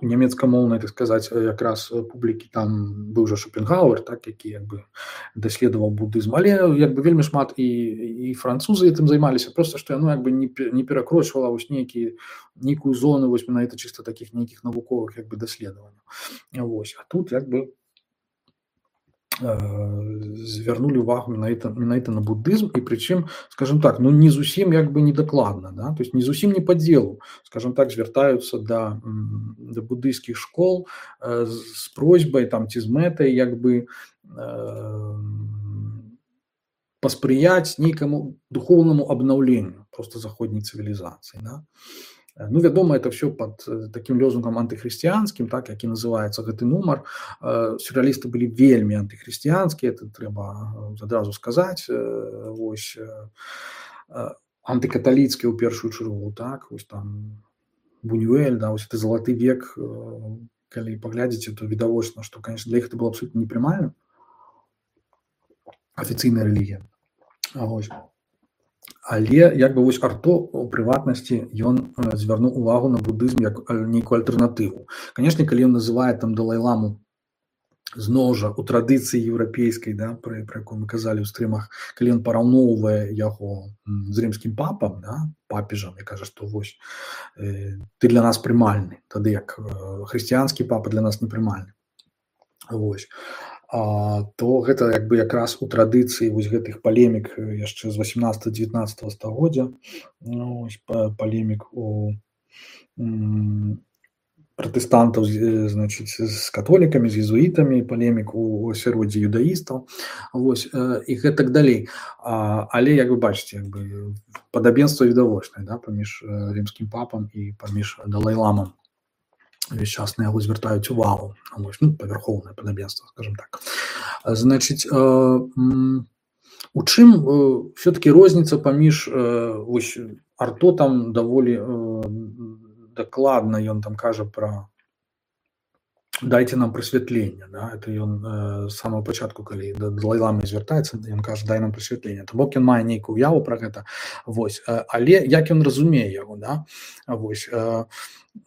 нямецкамоўнай, так сказаць, якраз публікі там быў жа Шопенгауэр, так, які як бы даследаваў будызм, але як бы вельмі шмат і, і французы гэтым займаліся, просто што яно як бы не, не перакрочвала вось нейкі, нейкую зону вось менавіта чыста такіх нейкіх навуковых як бы даследаванняў. Вось, а тут як бы звярнулі увагу менавіта, менавіта на будызм, і прычым, скажем так, ну не зусім як бы недакладна, да? То есть не зусім не па дзелу, скажем так, звяртаюцца да, да будыйскіх школ э, з просьбай там ці з мэтай як бы э, паспрыяць нейкаму духоўнаму абнаўленню просто заходняй цывілізацыі, да? Ну, вядома, это все под таким лозунгам антыхрысціянскім, так, які называецца гэты нумар. Сюррэалісты былі вельмі антыхрысціянскія, это трэба адразу сказаць. Вось, антыкаталіцкія ў першую чаргу, так, вось там Бунюэль, да, вось это залаты век, калі паглядзіце, то відавочна, што, конечно, для іх это было абсолютно непрымальна. Афіцыйная рэлігія. Вось. Але як бы вось Арто у прыватнасці ён звярнуў увагу на будызм як нейкую альтэрнатыву. Канешне, калі ён называе там Далай-ламу зноў жа у традыцыі еўрапейскай, да, пра, пра якую мы казалі ў стрымах, калі ён параўноўвае яго з рымскім папам, да, папежам, і кажа, што вось э, ты для нас прымальны, тады як э, хрысціянскі папа для нас непрымальны. Вось. А, то гэта як бы якраз у традыцыі вось гэтых палемік яшчэ з васямнаццатага-дзевятнаццатага стагоддзя, ну, палемік у м, пратэстантаў, значыць, з католікамі, з езуітамі, палемік у асяроддзі юдаістаў, вось, і гэтак далей. А, але, як вы бачыце, як бы падабенства відавочнае, да, паміж рымскім папам і паміж Далай-ламам. Весь час на яго звяртаюць увагу, ну, павярхоўнае падабенства, скажем так. Значыць, э, у чым э, все-таки розніца паміж э, вось, Арто там даволі э, дакладна ён там кажа пра дайце нам прасвятленне, да? Это ён э, з самого пачатку, калі да Далай-ламы звяртаецца, ён кажа, дай нам прасвятленне. То бок ён мае нейкую уяву пра гэта, вось, э, але як ён разумее яго, да? Вось, э,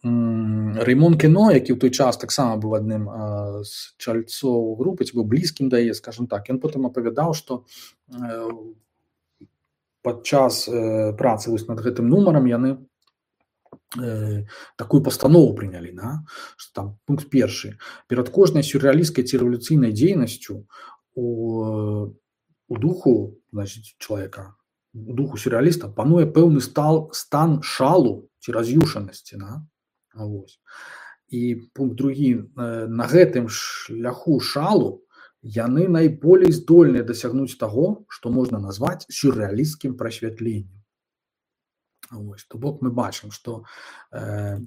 Раймон Кено, які ў той час таксама быў адным з чальцоў групы, ці быў блізкім да яе, скажем так, ён потым апавядаў, што падчас працы вось над гэтым нумарам яны такую пастанову прынялі, да? Што там пункт першы. Перад кожнай сюррэалісцкай ці рэвалюцыйнай дзейнасцю у, у духу, значыць, чалавека у духу сюррэаліста пануе пэўны стал стан шалу ці раз'юшанасці, да? Вось. І пункт другі, на гэтым шляху шалу яны найболей здольныя дасягнуць таго, што можна назваць сюррэалісцкім прасвятленнем. Вось. То бок мы бачым, што э,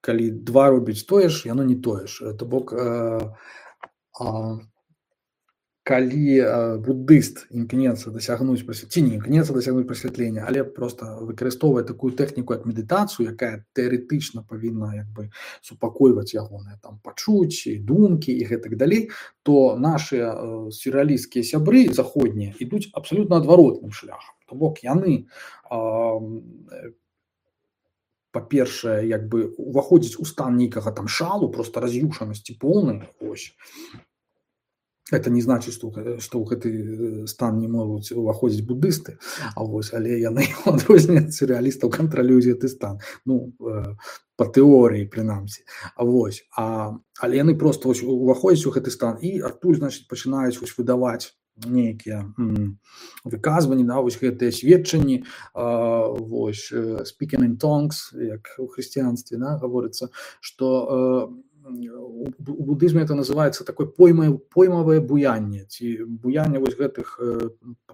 калі два робяць тое ж, яно не тое ж. То бок э, э, калі э, буддыст імкнецца дасягнуць ці не імкнецца дасягнуць прасвятлення, але просто выкарыстоўвае такую тэхніку як медытацыю, якая тэарэтычна павінна як бы супакойваць ягоныя там пачуцці, думкі і гэтак далей, то нашыя э, сюррэалісцкія сябры заходнія ідуць абсалютна адваротным шляхам. То бок яны э, па-першае, як бы уваходзіць у стан нейкага там шалу, просто раз'юшанасці поўнай, ось. Это не значит, што, што ў гэты стан не могуць уваходзіць буддысты, а вось, але яны адрозніваюць сюррэалістаў, кантралююць гэты стан. Ну, э, па тэорыі, прынамсі. А вось, а, але яны проста вось, уваходзяць у гэты стан і адтуль, значыць, пачынаюць вось, выдаваць нейкія м, выказванні, да, вось гэтыя сведчанні, э, вось, speaking in tongues, як у хрысціянстве, да, гаворыцца, што э, у буддызме это называется такое поймае, поймавае буянне, ці буянне вось гэтых э,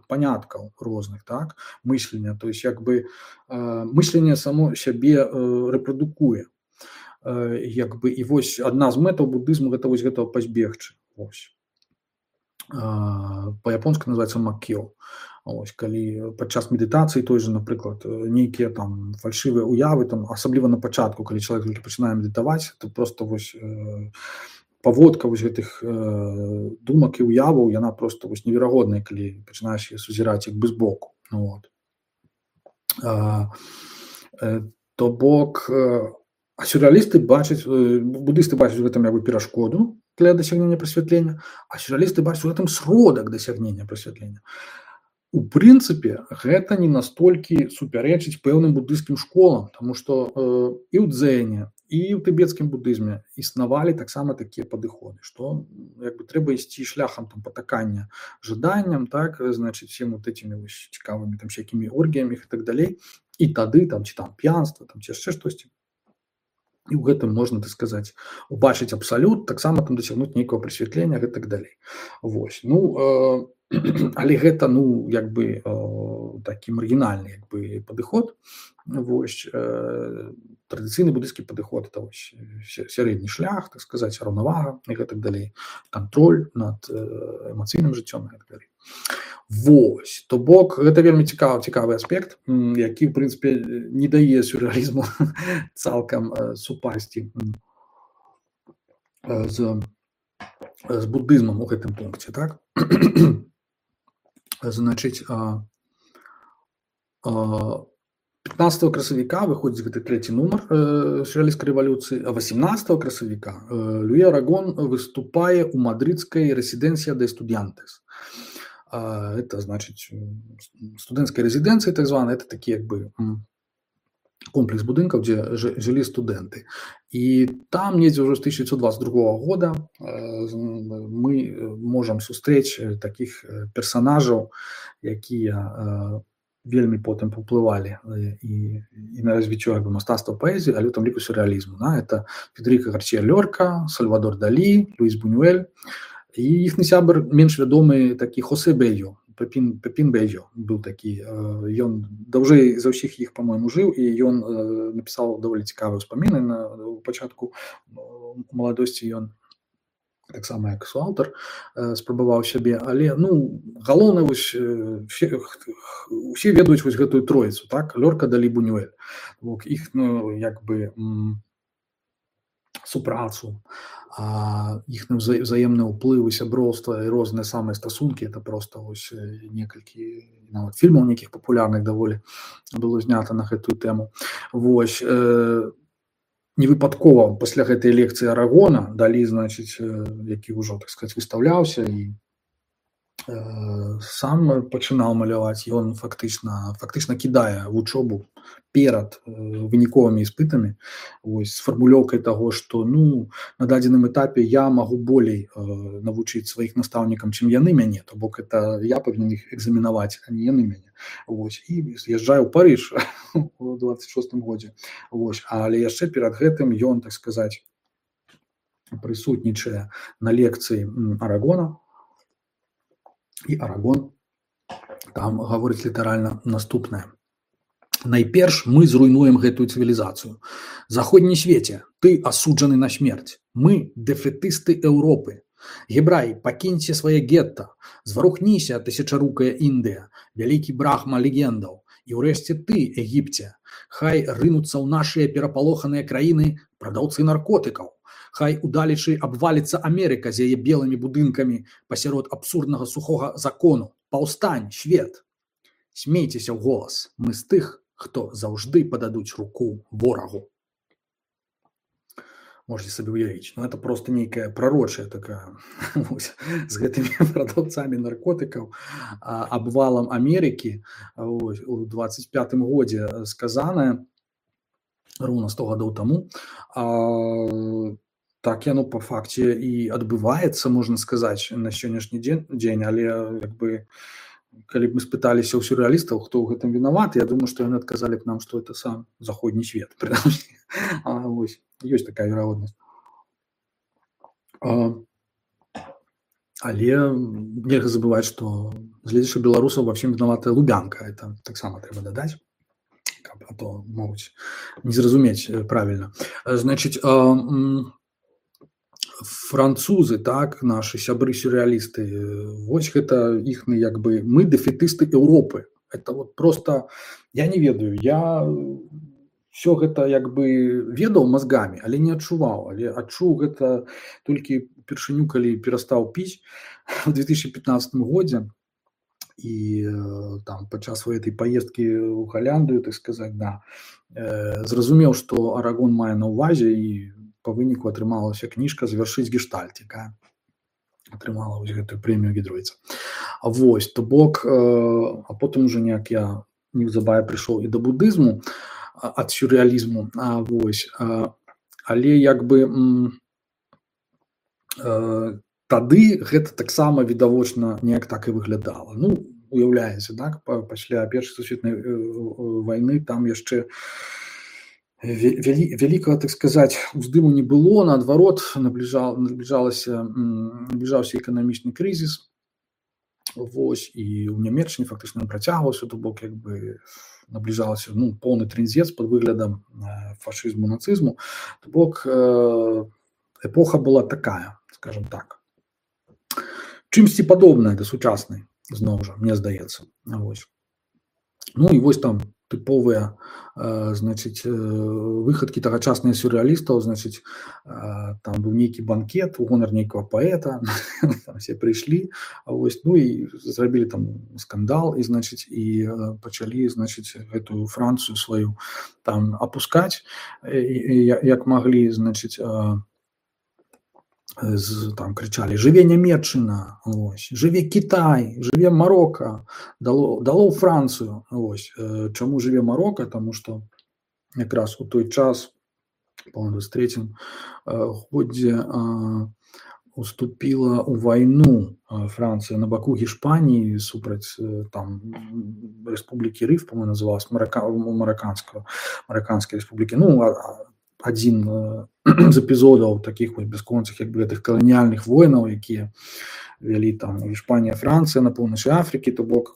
паняткаў розных, так, мыслення, то есть як бы э, мысленне само сябе э, рэпрадукуе. Э, як бы і вось адна з мэтаў буддызму гэта вось гэтага пазбегчы. Вось. Э, па-японску называецца маккё. Ось, калі падчас медытацыі той же, напрыклад, нейкія там фальшывыя уявы, там, асабліва на пачатку, калі чалавек толькі пачынае медытаваць, то просто вось э, паводка вось гэтых э, думак і уяваў, яна просто вось неверагодная, калі пачынаеш яе сузіраць як бы збоку. Вот. А, э, то бок, э, а сюррэалісты бачаць, э, буддысты бачаць у гэтым як бы перашкоду для дасягнення прасвятлення, а сюррэалісты бачаць у гэтым сродак дасягнення прасвятлення. У прынцыпе, гэта не настолькі супярэчыць пэўным буддысцкім школам, таму што э, і ў дзэне, і ў тыбецкім буддызме існавалі таксама такія падыходы, што як бы трэба ісці шляхам там патакання жаданням, так, значыць, всем вот этими вось цікавымі там всякімі оргіямі і так далей, і тады там ці там п'янства, там ці яшчэ штосьці. І ў гэтым можна, так сказаць, убачыць абсалют, таксама там дасягнуць нейкага прасвятлення і так далей. Вось, ну, э, але гэта, ну, як бы э, такі маргінальны як бы падыход. Вось, э, традыцыйны буддысцкі падыход это вось сярэдні шлях, так сказаць, раўнавага і гэтак далей, кантроль над э, эмацыйным жыццём і так далей. Вось, то бок гэта вельмі цікавы цікавы аспект, які в прынцыпе не дае сюррэалізму цалкам э, супасці э, з з буддызмам у гэтым пункце, так? Значыць, а, а, пятнадцатого красавіка выходзіць гэты трэці нумар э, сюррэалісцкай рэвалюцыі, а восемнадцатого красавіка э, Луі Арагон выступае ў мадрыдскай рэзідэнцыя де студыянтес. А, это, значыць, студэнцкая рэзідэнцыя, так званая, это такі як бы комплекс будынкаў, дзе жылі студэнты. І там недзе ўжо з тысяча дзевятьсот двадцать другого года мы можам сустрэць такіх персанажаў, якія вельмі потым паўплывалі і, і на развіццё як бы мастацтва паэзіі, але ў тым ліку сюррэалізму. Да? Это Федерика Гарсія Лёрка, Сальвадор Далі, Луіс Бунюэль і іхны сябар менш вядомы такі Хосе Бельо. Пепін, Пепін Бельо быў такі, ён даўжэй за ўсіх іх, па-мойму, жыў, і ён напісаў даволі цікавыя ўспаміны на пачатку маладосці, ён таксама як суаўтар спрабаваў сябе, але, ну, галоўнае вось усе, усе ведаюць вось гэтую троіцу, так, Лёрка, Далі, Бунюэль. Іх, ну, як бы супрацу, іхны взаемны ўплывы, сяброўства і розныя самыя стасункі, это просто вось некалькі нават фільмаў нейкіх папулярных даволі было знята на гэтую тэму. Вось, э, невыпадкова пасля гэтай лекцыі Арагона Далі, значыць, які ўжо, так сказаць, выстаўляўся і сам пачынаў маляваць, ён фактычна фактычна кідае вучобу перад выніковымі іспытамі, вось, з фармулёўкай таго, што ну на дадзеным этапе я магу болей навучыць сваіх настаўнікам, чым яны мяне, то бок это я павінен іх экзаменаваць, а не яны мяне. Вось, і з'язджае ў Парыж у дваццаць шостым годзе. Вось, але яшчэ перад гэтым ён, так сказаць, прысутнічае на лекцыі Арагона, і Арагон там гаворыць літаральна наступнае. Найперш мы зруйнуем гэтую цывілізацыю. Заходні свеце, ты асуджаны на смерць. Мы дэфетысты Еўропы. Гебраі, пакіньце свае гетта. Зварухніся, тысячарукая Індыя, вялікі брахма легендаў. І ўрэшце ты, Егіпце, хай рынуцца ў нашыя перапалоханыя краіны прадаўцы наркотыкаў. Хай удалечы абваліцца Амерыка з яе белымі будынкамі пасярод абсурднага сухога закону. Паўстань, свет! Смейцеся ў голас. Мы з тых, хто заўжды пададуць руку ворагу. Можете сабе ўявіць. Ну, это просто нейкая прарочая такая з гэтымі прадаўцамі наркотыкаў, абвалам Амерыкі у дваццаць пятым годзе сказаная, роўна сто гадоў таму. Так яно па факце і адбываецца, можна сказаць, на сённяшні дзень, але як бы калі б мы спыталіся ў сюррэалістаў, хто ў гэтым вінаваты, я думаю, што яны адказалі б нам, што это сам заходні свет. Вось, ёсць такая верагоднасць. Але нельга забываць, што гледзячы беларусаў ва ўсім вінаватая Лубянка. Это таксама трэба дадаць, а то могуць не зразумець правільна. Значыць, французы, так, нашы сябры сюррэалісты, вось гэта іхны, як бы, мы дэфетысты Еўропы. Это вот просто, я не ведаю, я все гэта, як бы, ведаў мазгамі, але не адчуваў, але адчуў гэта толькі упершыню, калі перастаў піць у две тысячи пятнадцатым годзе, і там падчас гэтай паездкі ў Галляндыю, так сказаць, да, зразумеў, што Арагон мае на ўвазе, і по выніку атрымалася кніжка «Завяршыць гештальт», якая атрымала вось гэтую прэмію Гідройца. Вось, то бок, а потым уже неяк я неўзабаве прыйшоў і да будызму ад сюррэалізму, вось, але як бы тады гэта таксама відавочна неяк так і выглядала. Ну, уяўляеце, так, пасля Першай сусветнай вайны там яшчэ вялікага, так сказаць, уздыму не было, наадварот, набліжалася, набліжаўся эканамічны крызіс, вось, і ў Нямецчыне фактычна працягваўся, то бок, як бы, набліжалася, ну, поўны трындзец пад выглядам фашызму, нацызму, то бок, эпоха была такая, скажем так, чымсьці падобная да сучаснай, зноў жа, мне здаецца, вось. Ну, і вось там тыповыя, значыць, выхадкі тагачасныя сюррэалістаў, значыць, там быў нейкі банкет у гонар нейкага паэта, там все прыйшлі, вось, ну і зрабілі там скандал, і, значыць, і пачалі, значыць, гэтую Францыю сваю там апускаць, як маглі, значыць, там крычалі «Жыве Нямецчына», вось, «Жыве Кітай», «Жыве Марока», дало, дало ў Францыю, вось. Чаму жыве Марока? Таму што якраз у той час, па дваццаць трэцім годзе, уступіла ў вайну Францыя на баку Гішпаніі супраць там Рэспублікі Рыф, по-моему, называлась, мараканская, мараканскай рэспублікі. Ну, адзін з эпізодаў такіх вось бясконцых, як бы, гэтых каланіяльных войнаў, якія вялі там Іспанія, Францыя на поўначы Афрыкі, то бок,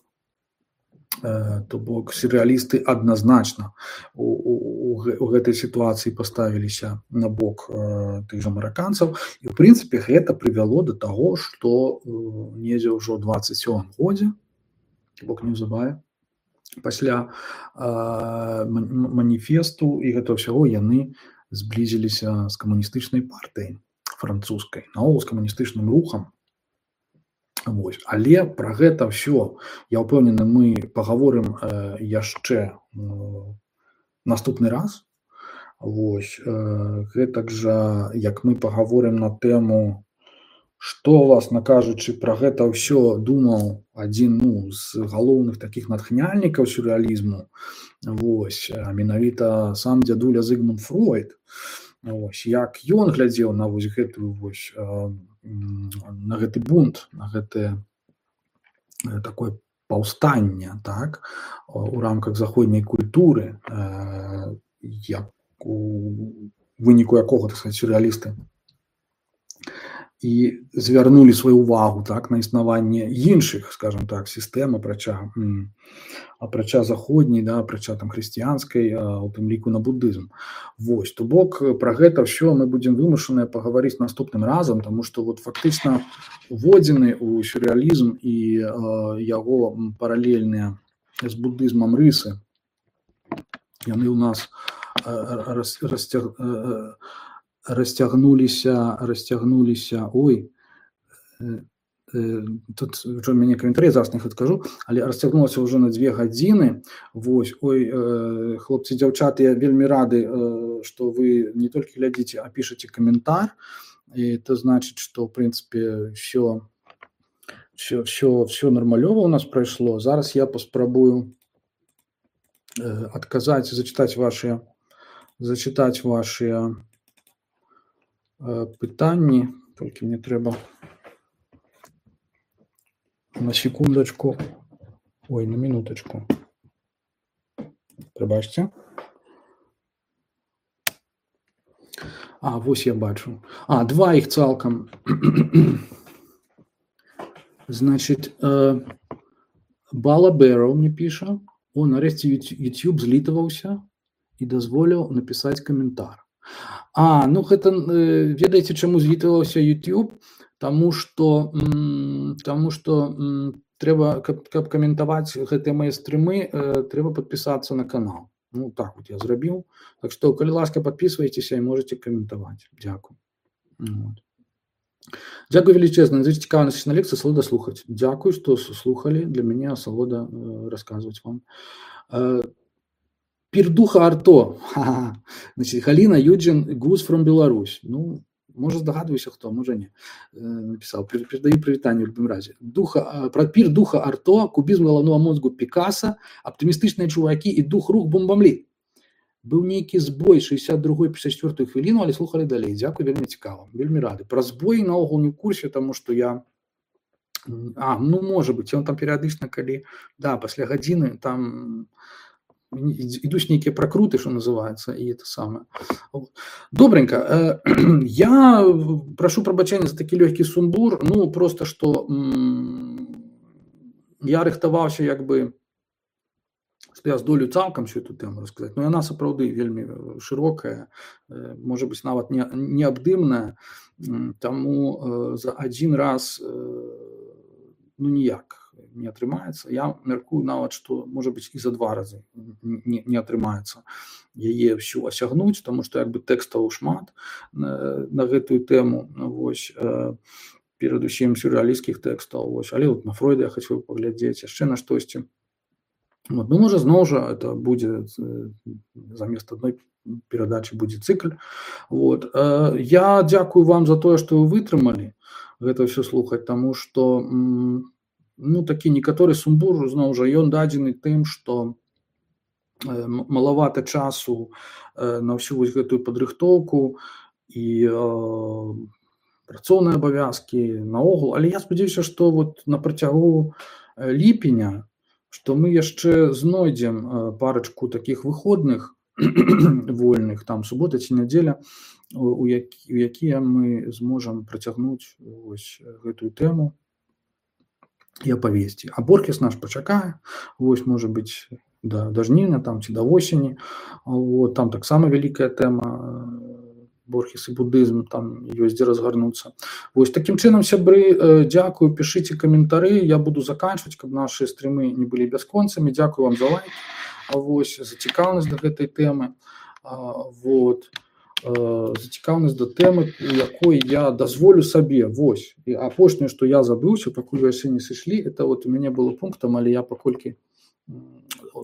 то бок сюррэалісты адназначна у, у, у гэтай сітуацыі паставіліся на бок тых жа мараканцаў, і ў прынцыпе гэта прывяло да таго, што недзе ўжо ў дваццаць сёмым годзе, то бок неўзабаве пасля маніфесту і гэтага ўсяго яны зблізіліся з камуністычнай партыяй французскай, наогул з камуністычным рухам. Вось. Але пра гэта ўсё, я ўпэўнены, мы пагаворым яшчэ наступны раз. Вось. Гэтак жа, як мы пагаворым на тэму, што, власна кажучы, пра гэта ўсё думаў адзін, ну, з галоўных такіх натхняльнікаў сюррэалізму, вось, а менавіта сам дзядуля Зігмунд Фройд. Вось, як ён глядзеў на вось гэтую вось, на гэты бунт, на гэтае такое паўстанне, так, у рамках заходняй культуры, як у выніку якога, так сказаць, сюррэалісты і звярнулі сваю увагу, так, на існаванне іншых, скажем так, сістэм, апрача, апрача заходняй, да, апрача там хрысціянскай, у тым ліку на буддызм. Вось, то бок пра гэта ўсё мы будзем вымушаныя пагаварыць наступным разам, таму што вот фактычна уводзены ў сюррэалізм і яго паралельныя з буддызмам рысы, яны ў нас расцяг расцягнуліся, расцягнуліся, ой, тут ўжо мяне каментарый, зараз не адкажу, але расцягнулася ўжо на дзве гадзіны. Вось, ой, хлопцы, дзяўчаты, я вельмі рады, што вы не толькі глядзіце, а пішаце каментар, і это значыць, што, ў прынцыпе, ўсё, ўсё, ўсё, ўсё нармалёва ў нас прайшло. Зараз я паспрабую адказаць, зачытаць вашыя, зачытаць вашыя пытанні, толькі мне трэба на секундачку, ой, на минуточку, прабачце. А, вось я бачу. А, два іх цалкам. Значит, Бала Бэроў мне піша, о, нарэшце YouTube злітаваўся і дазволіў напісаць каментар. А, ну гэта, ведаеце, чаму злітаваўся YouTube? Таму што, таму што трэба, каб, каб каментаваць гэтыя мае стрымы, трэба падпісацца на канал. Ну, так вот я зрабіў. Так што, калі ласка, падпісвайцеся і можаце каментаваць. Дзякуй. Вот. Дзякуй велічэзна за цікавасць на лекцыі, асалода слухаць. Дзякуй, што слухалі. Для мяне асалода расказваць вам. Пірдуха Арто. Значит, Галина Юджин, Гуз from Беларусь. Ну, може здогадуюся, хто, може ні. Написав. Передаю привітання в любому разі. Духа, про пір духа Арто, кубізм головного мозгу Пікаса, оптимістичні чуваки і дух рух бомбамлі. Був нейкий збой шістдесят другої - п'ятдесят четвертої хвилину, але слухали далі. Дякую, вельми цікаво. Вельми радий. Про збой наогул не в курсі, тому що я... А, ну, може бути. Он там періодично, коли... Да, після години там... Ідуть нейкі прокрути, що називається, і це саме. Добренько. Я прошу пробачення за такий легкий сумбур, ну, просто, що я рихтувався, якби, що я здолю цалком всю эту тему розказати, но вона, сапраўды, вельми широка, може бути, навіть не, необдимна, тому за один раз, ну, ніяк не атрымаецца. Я мяркую нават, што, можа быць, і за два разы не, не атрымаецца яе ўсю асягнуць, таму што як бы тэкстаў шмат на, на гэтую тэму, вось, э, перадусім сюррэалісцкіх тэкстаў, вось, але вот на Фройда я хачу паглядзець, яшчэ на штосьці. Вот, ну, можа, зноў жа это будзе замест адной перадачы будзе цыкль. Вот. Э, я дзякую вам за тое, што вы вытрымалі гэта ўсё слухаць, таму што ну, такі некаторы сумбур, зноў жа, ён дадзены тым, што э, малавата часу э, на ўсю вось гэтую падрыхтоўку і э, працоўныя абавязкі наогул, але я спадзяюся, што вот на працягу ліпеня, што мы яшчэ знойдзем э, парачку такіх выходных вольных, там субота ці нядзеля, у, які, у якія мы зможам працягнуць вось гэтую тэму і апавесці. А Борхес наш пачакае, вось, можа быць, да, да жніўня там ці да восені, вот, там таксама вялікая тэма, Борхес і буддызм, там ёсць дзе разгарнуцца. Вось, такім чынам, сябры, дзякую, пішыце каментары, я буду заканчваць, каб нашы стрымы не былі бясконцамі. Дзякую вам за лайк, вось, за цікаўнасць да гэтай тэмы, вот, зацікаўнасць да тэмы, у якой я дазволю сабе, вось, і апошняе, што я забыўся, пакуль вы яшчэ не сышлі, это вот у мяне было пунктам, але я паколькі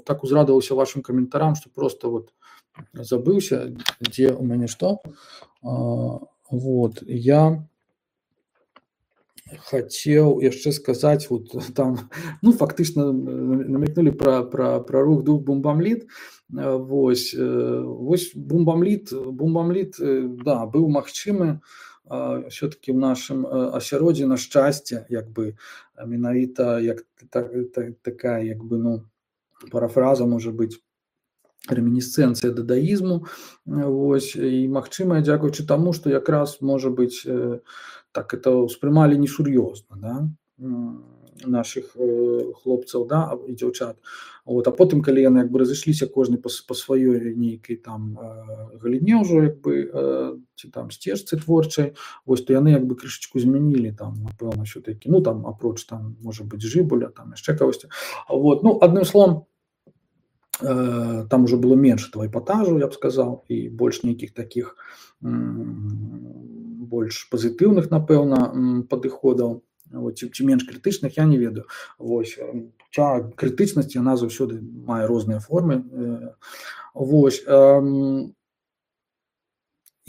так узрадаваўся вашым каментарам, што просто вот забыўся, дзе у мяне што, вот, я Хацеў яшчэ сказаць, вот там, ну, фактычна намякнулі пра, пра, пра рух дух бумбамліт. Вось, вось бумбамліт, бумбамліт, да, быў магчымы все-таки в нашым асяроддзі, на шчасце, як бы, менавіта як так, так, такая, як бы, ну, парафраза можа быць, ремінісцэнцыя дадаізму, вось, і магчымая дзякуючы таму, што якраз, можа быць, так это ўспрымалі несур'ёзна, да, нашых хлопцаў, да, і дзяўчат. Вот, а потым, калі яны як бы разышліся кожны па, па сваёй нейкай там галіне ўжо, як бы, ці там сцежцы творчай, вось, то яны як бы крышачку змянілі там, напэўна, ўсё-такі, ну, там, апроч там, можа быць, Жыбуля, там яшчэ кагосьці. Вот, ну, адным словам, там уже было менш этого эпатажу, я б сказаў, і больш нейкіх такіх больш пазітыўных, напэўна, падыходаў, ці, ці менш крытычных, я не ведаю. Вось, крытычнасць, яна заўсёды мае розныя формы. Вось,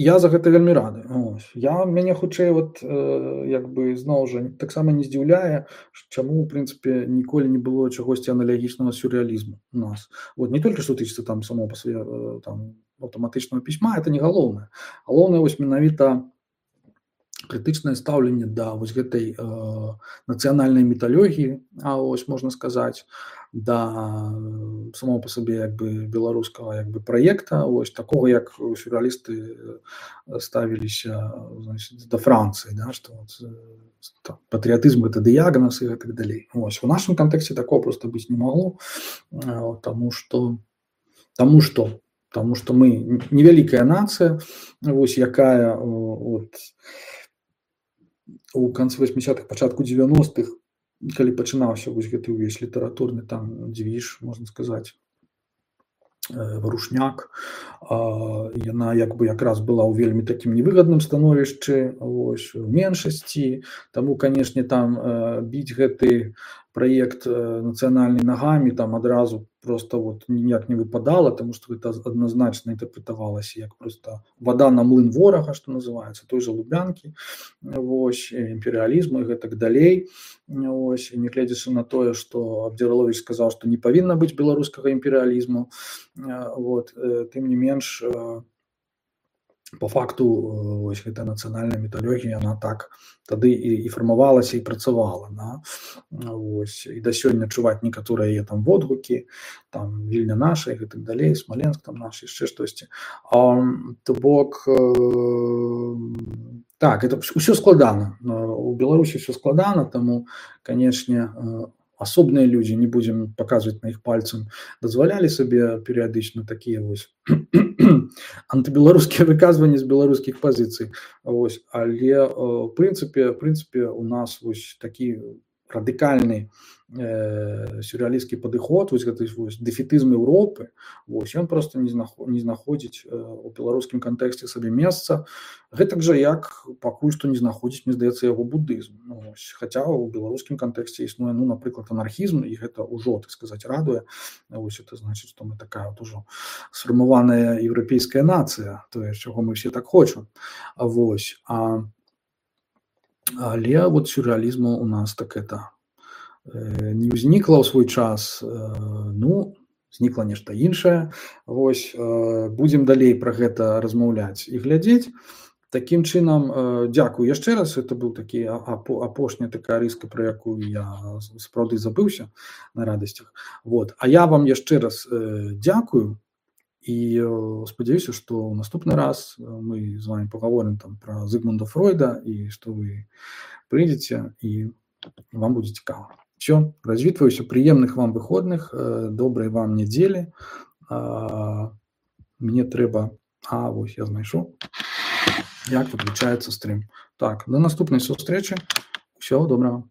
я за гэта вельмі рады. Ось. Я, мяне хутчэй, вот, як бы, зноў жа, таксама не здзіўляе, чаму, у прынцыпе, ніколі не было чагосьці аналагічнага сюррэалізму у нас. Вот, не толькі што тычыцца там само па свае там аўтаматычнага пісьма, это не галоўнае. Галоўнае, вось, менавіта крытычнае стаўленне да вось гэтай э, нацыянальнай міталогіі, а ось можна сказаць, да самого по сабе як бы беларускага як бы праекта, ось такого, як сюррэалісты ставіліся, значит, да Францыі, да, што вот, патрыятызм гэта дыягназ і так далей. Ось у нашым кантэксце такого просто быць не магло, таму што таму што таму што мы невялікая нацыя, вось якая от у канцы восьмідзесятых, пачатку дзевяностых, калі пачынаўся вось гэты ўвесь літаратурны там дзвіж, можна сказаць, варушняк, яна як бы якраз была ў вельмі такім невыгадным становішчы, вось, у меншасці, таму, канешне, там біць гэты праект нацыянальны нагамі там адразу просто вот ніяк не выпадала, таму што гэта адназначна інтэрпрэтавалася як просто вада на млын ворага, што называецца, той жа Лубянкі, вось, імперыялізму і гэтак далей. Ось, і нягледзячы на тое, што Абдзіраловіч сказаў, што не павінна быць беларускага імперыялізму, вот, тым не менш, по факту вось гэта нацыянальная міталогія, яна так тады і, і фармавалася і працавала, да? Вось, і да сёння чуваць некаторыя яе там водгукі, там Вільня наша і гэтак далей, Смаленск там наш, яшчэ штосьці. А, то бок, э, так, это ўсё складана. У Беларусі ўсё складана, таму, канешне, асобныя людзі, не будзем паказваць на іх пальцам, дазвалялі сабе перыядычна такія вось антыбеларускія выказванні з беларускіх пазіцый. Вось, але в прынцыпе, в прынцыпе у нас вось такі радыкальны э, сюррэалісцкі падыход, вось гэты вось дэфетызм Еўропы, вось ён просто не, знаход, не знаходзіць э, у беларускім кантэксце сабе месца, гэтак жа як пакуль што не знаходзіць, мне здаецца, яго будызм. Ну, вось, хаця ў беларускім кантэксце існуе, ну, напрыклад, анархізм, і гэта ўжо, так сказаць, радуе. Вось это значыць, што мы такая вот ужо сфармаваная еўрапейская нацыя, тое, чаго мы все так хочам. Вось, а але вот сюрреализма у нас так это э, не ўзнікла ў свой час, э, ну, знікла нешта іншае. Вось, э, будзем далей пра гэта размаўляць і глядзець. Такім чынам, э, дзякую яшчэ раз, это быў такі апошняя такая рыска, пра якую я сапраўды забыўся на радасцях. Вот. А я вам яшчэ раз э, дзякую. І спадзяюся, што ў наступны раз мы з вами пагаворым там пра Зігмунда Фройда, і што вы прыйдзеце і вам будзе цікава. Все, развітваюся, прыемных вам выходных, добрай вам нядзелі. Мне трэба, а вось я знайшоў, як выключаецца стрым. Так, до наступнай сустрэчы. Усього добрага.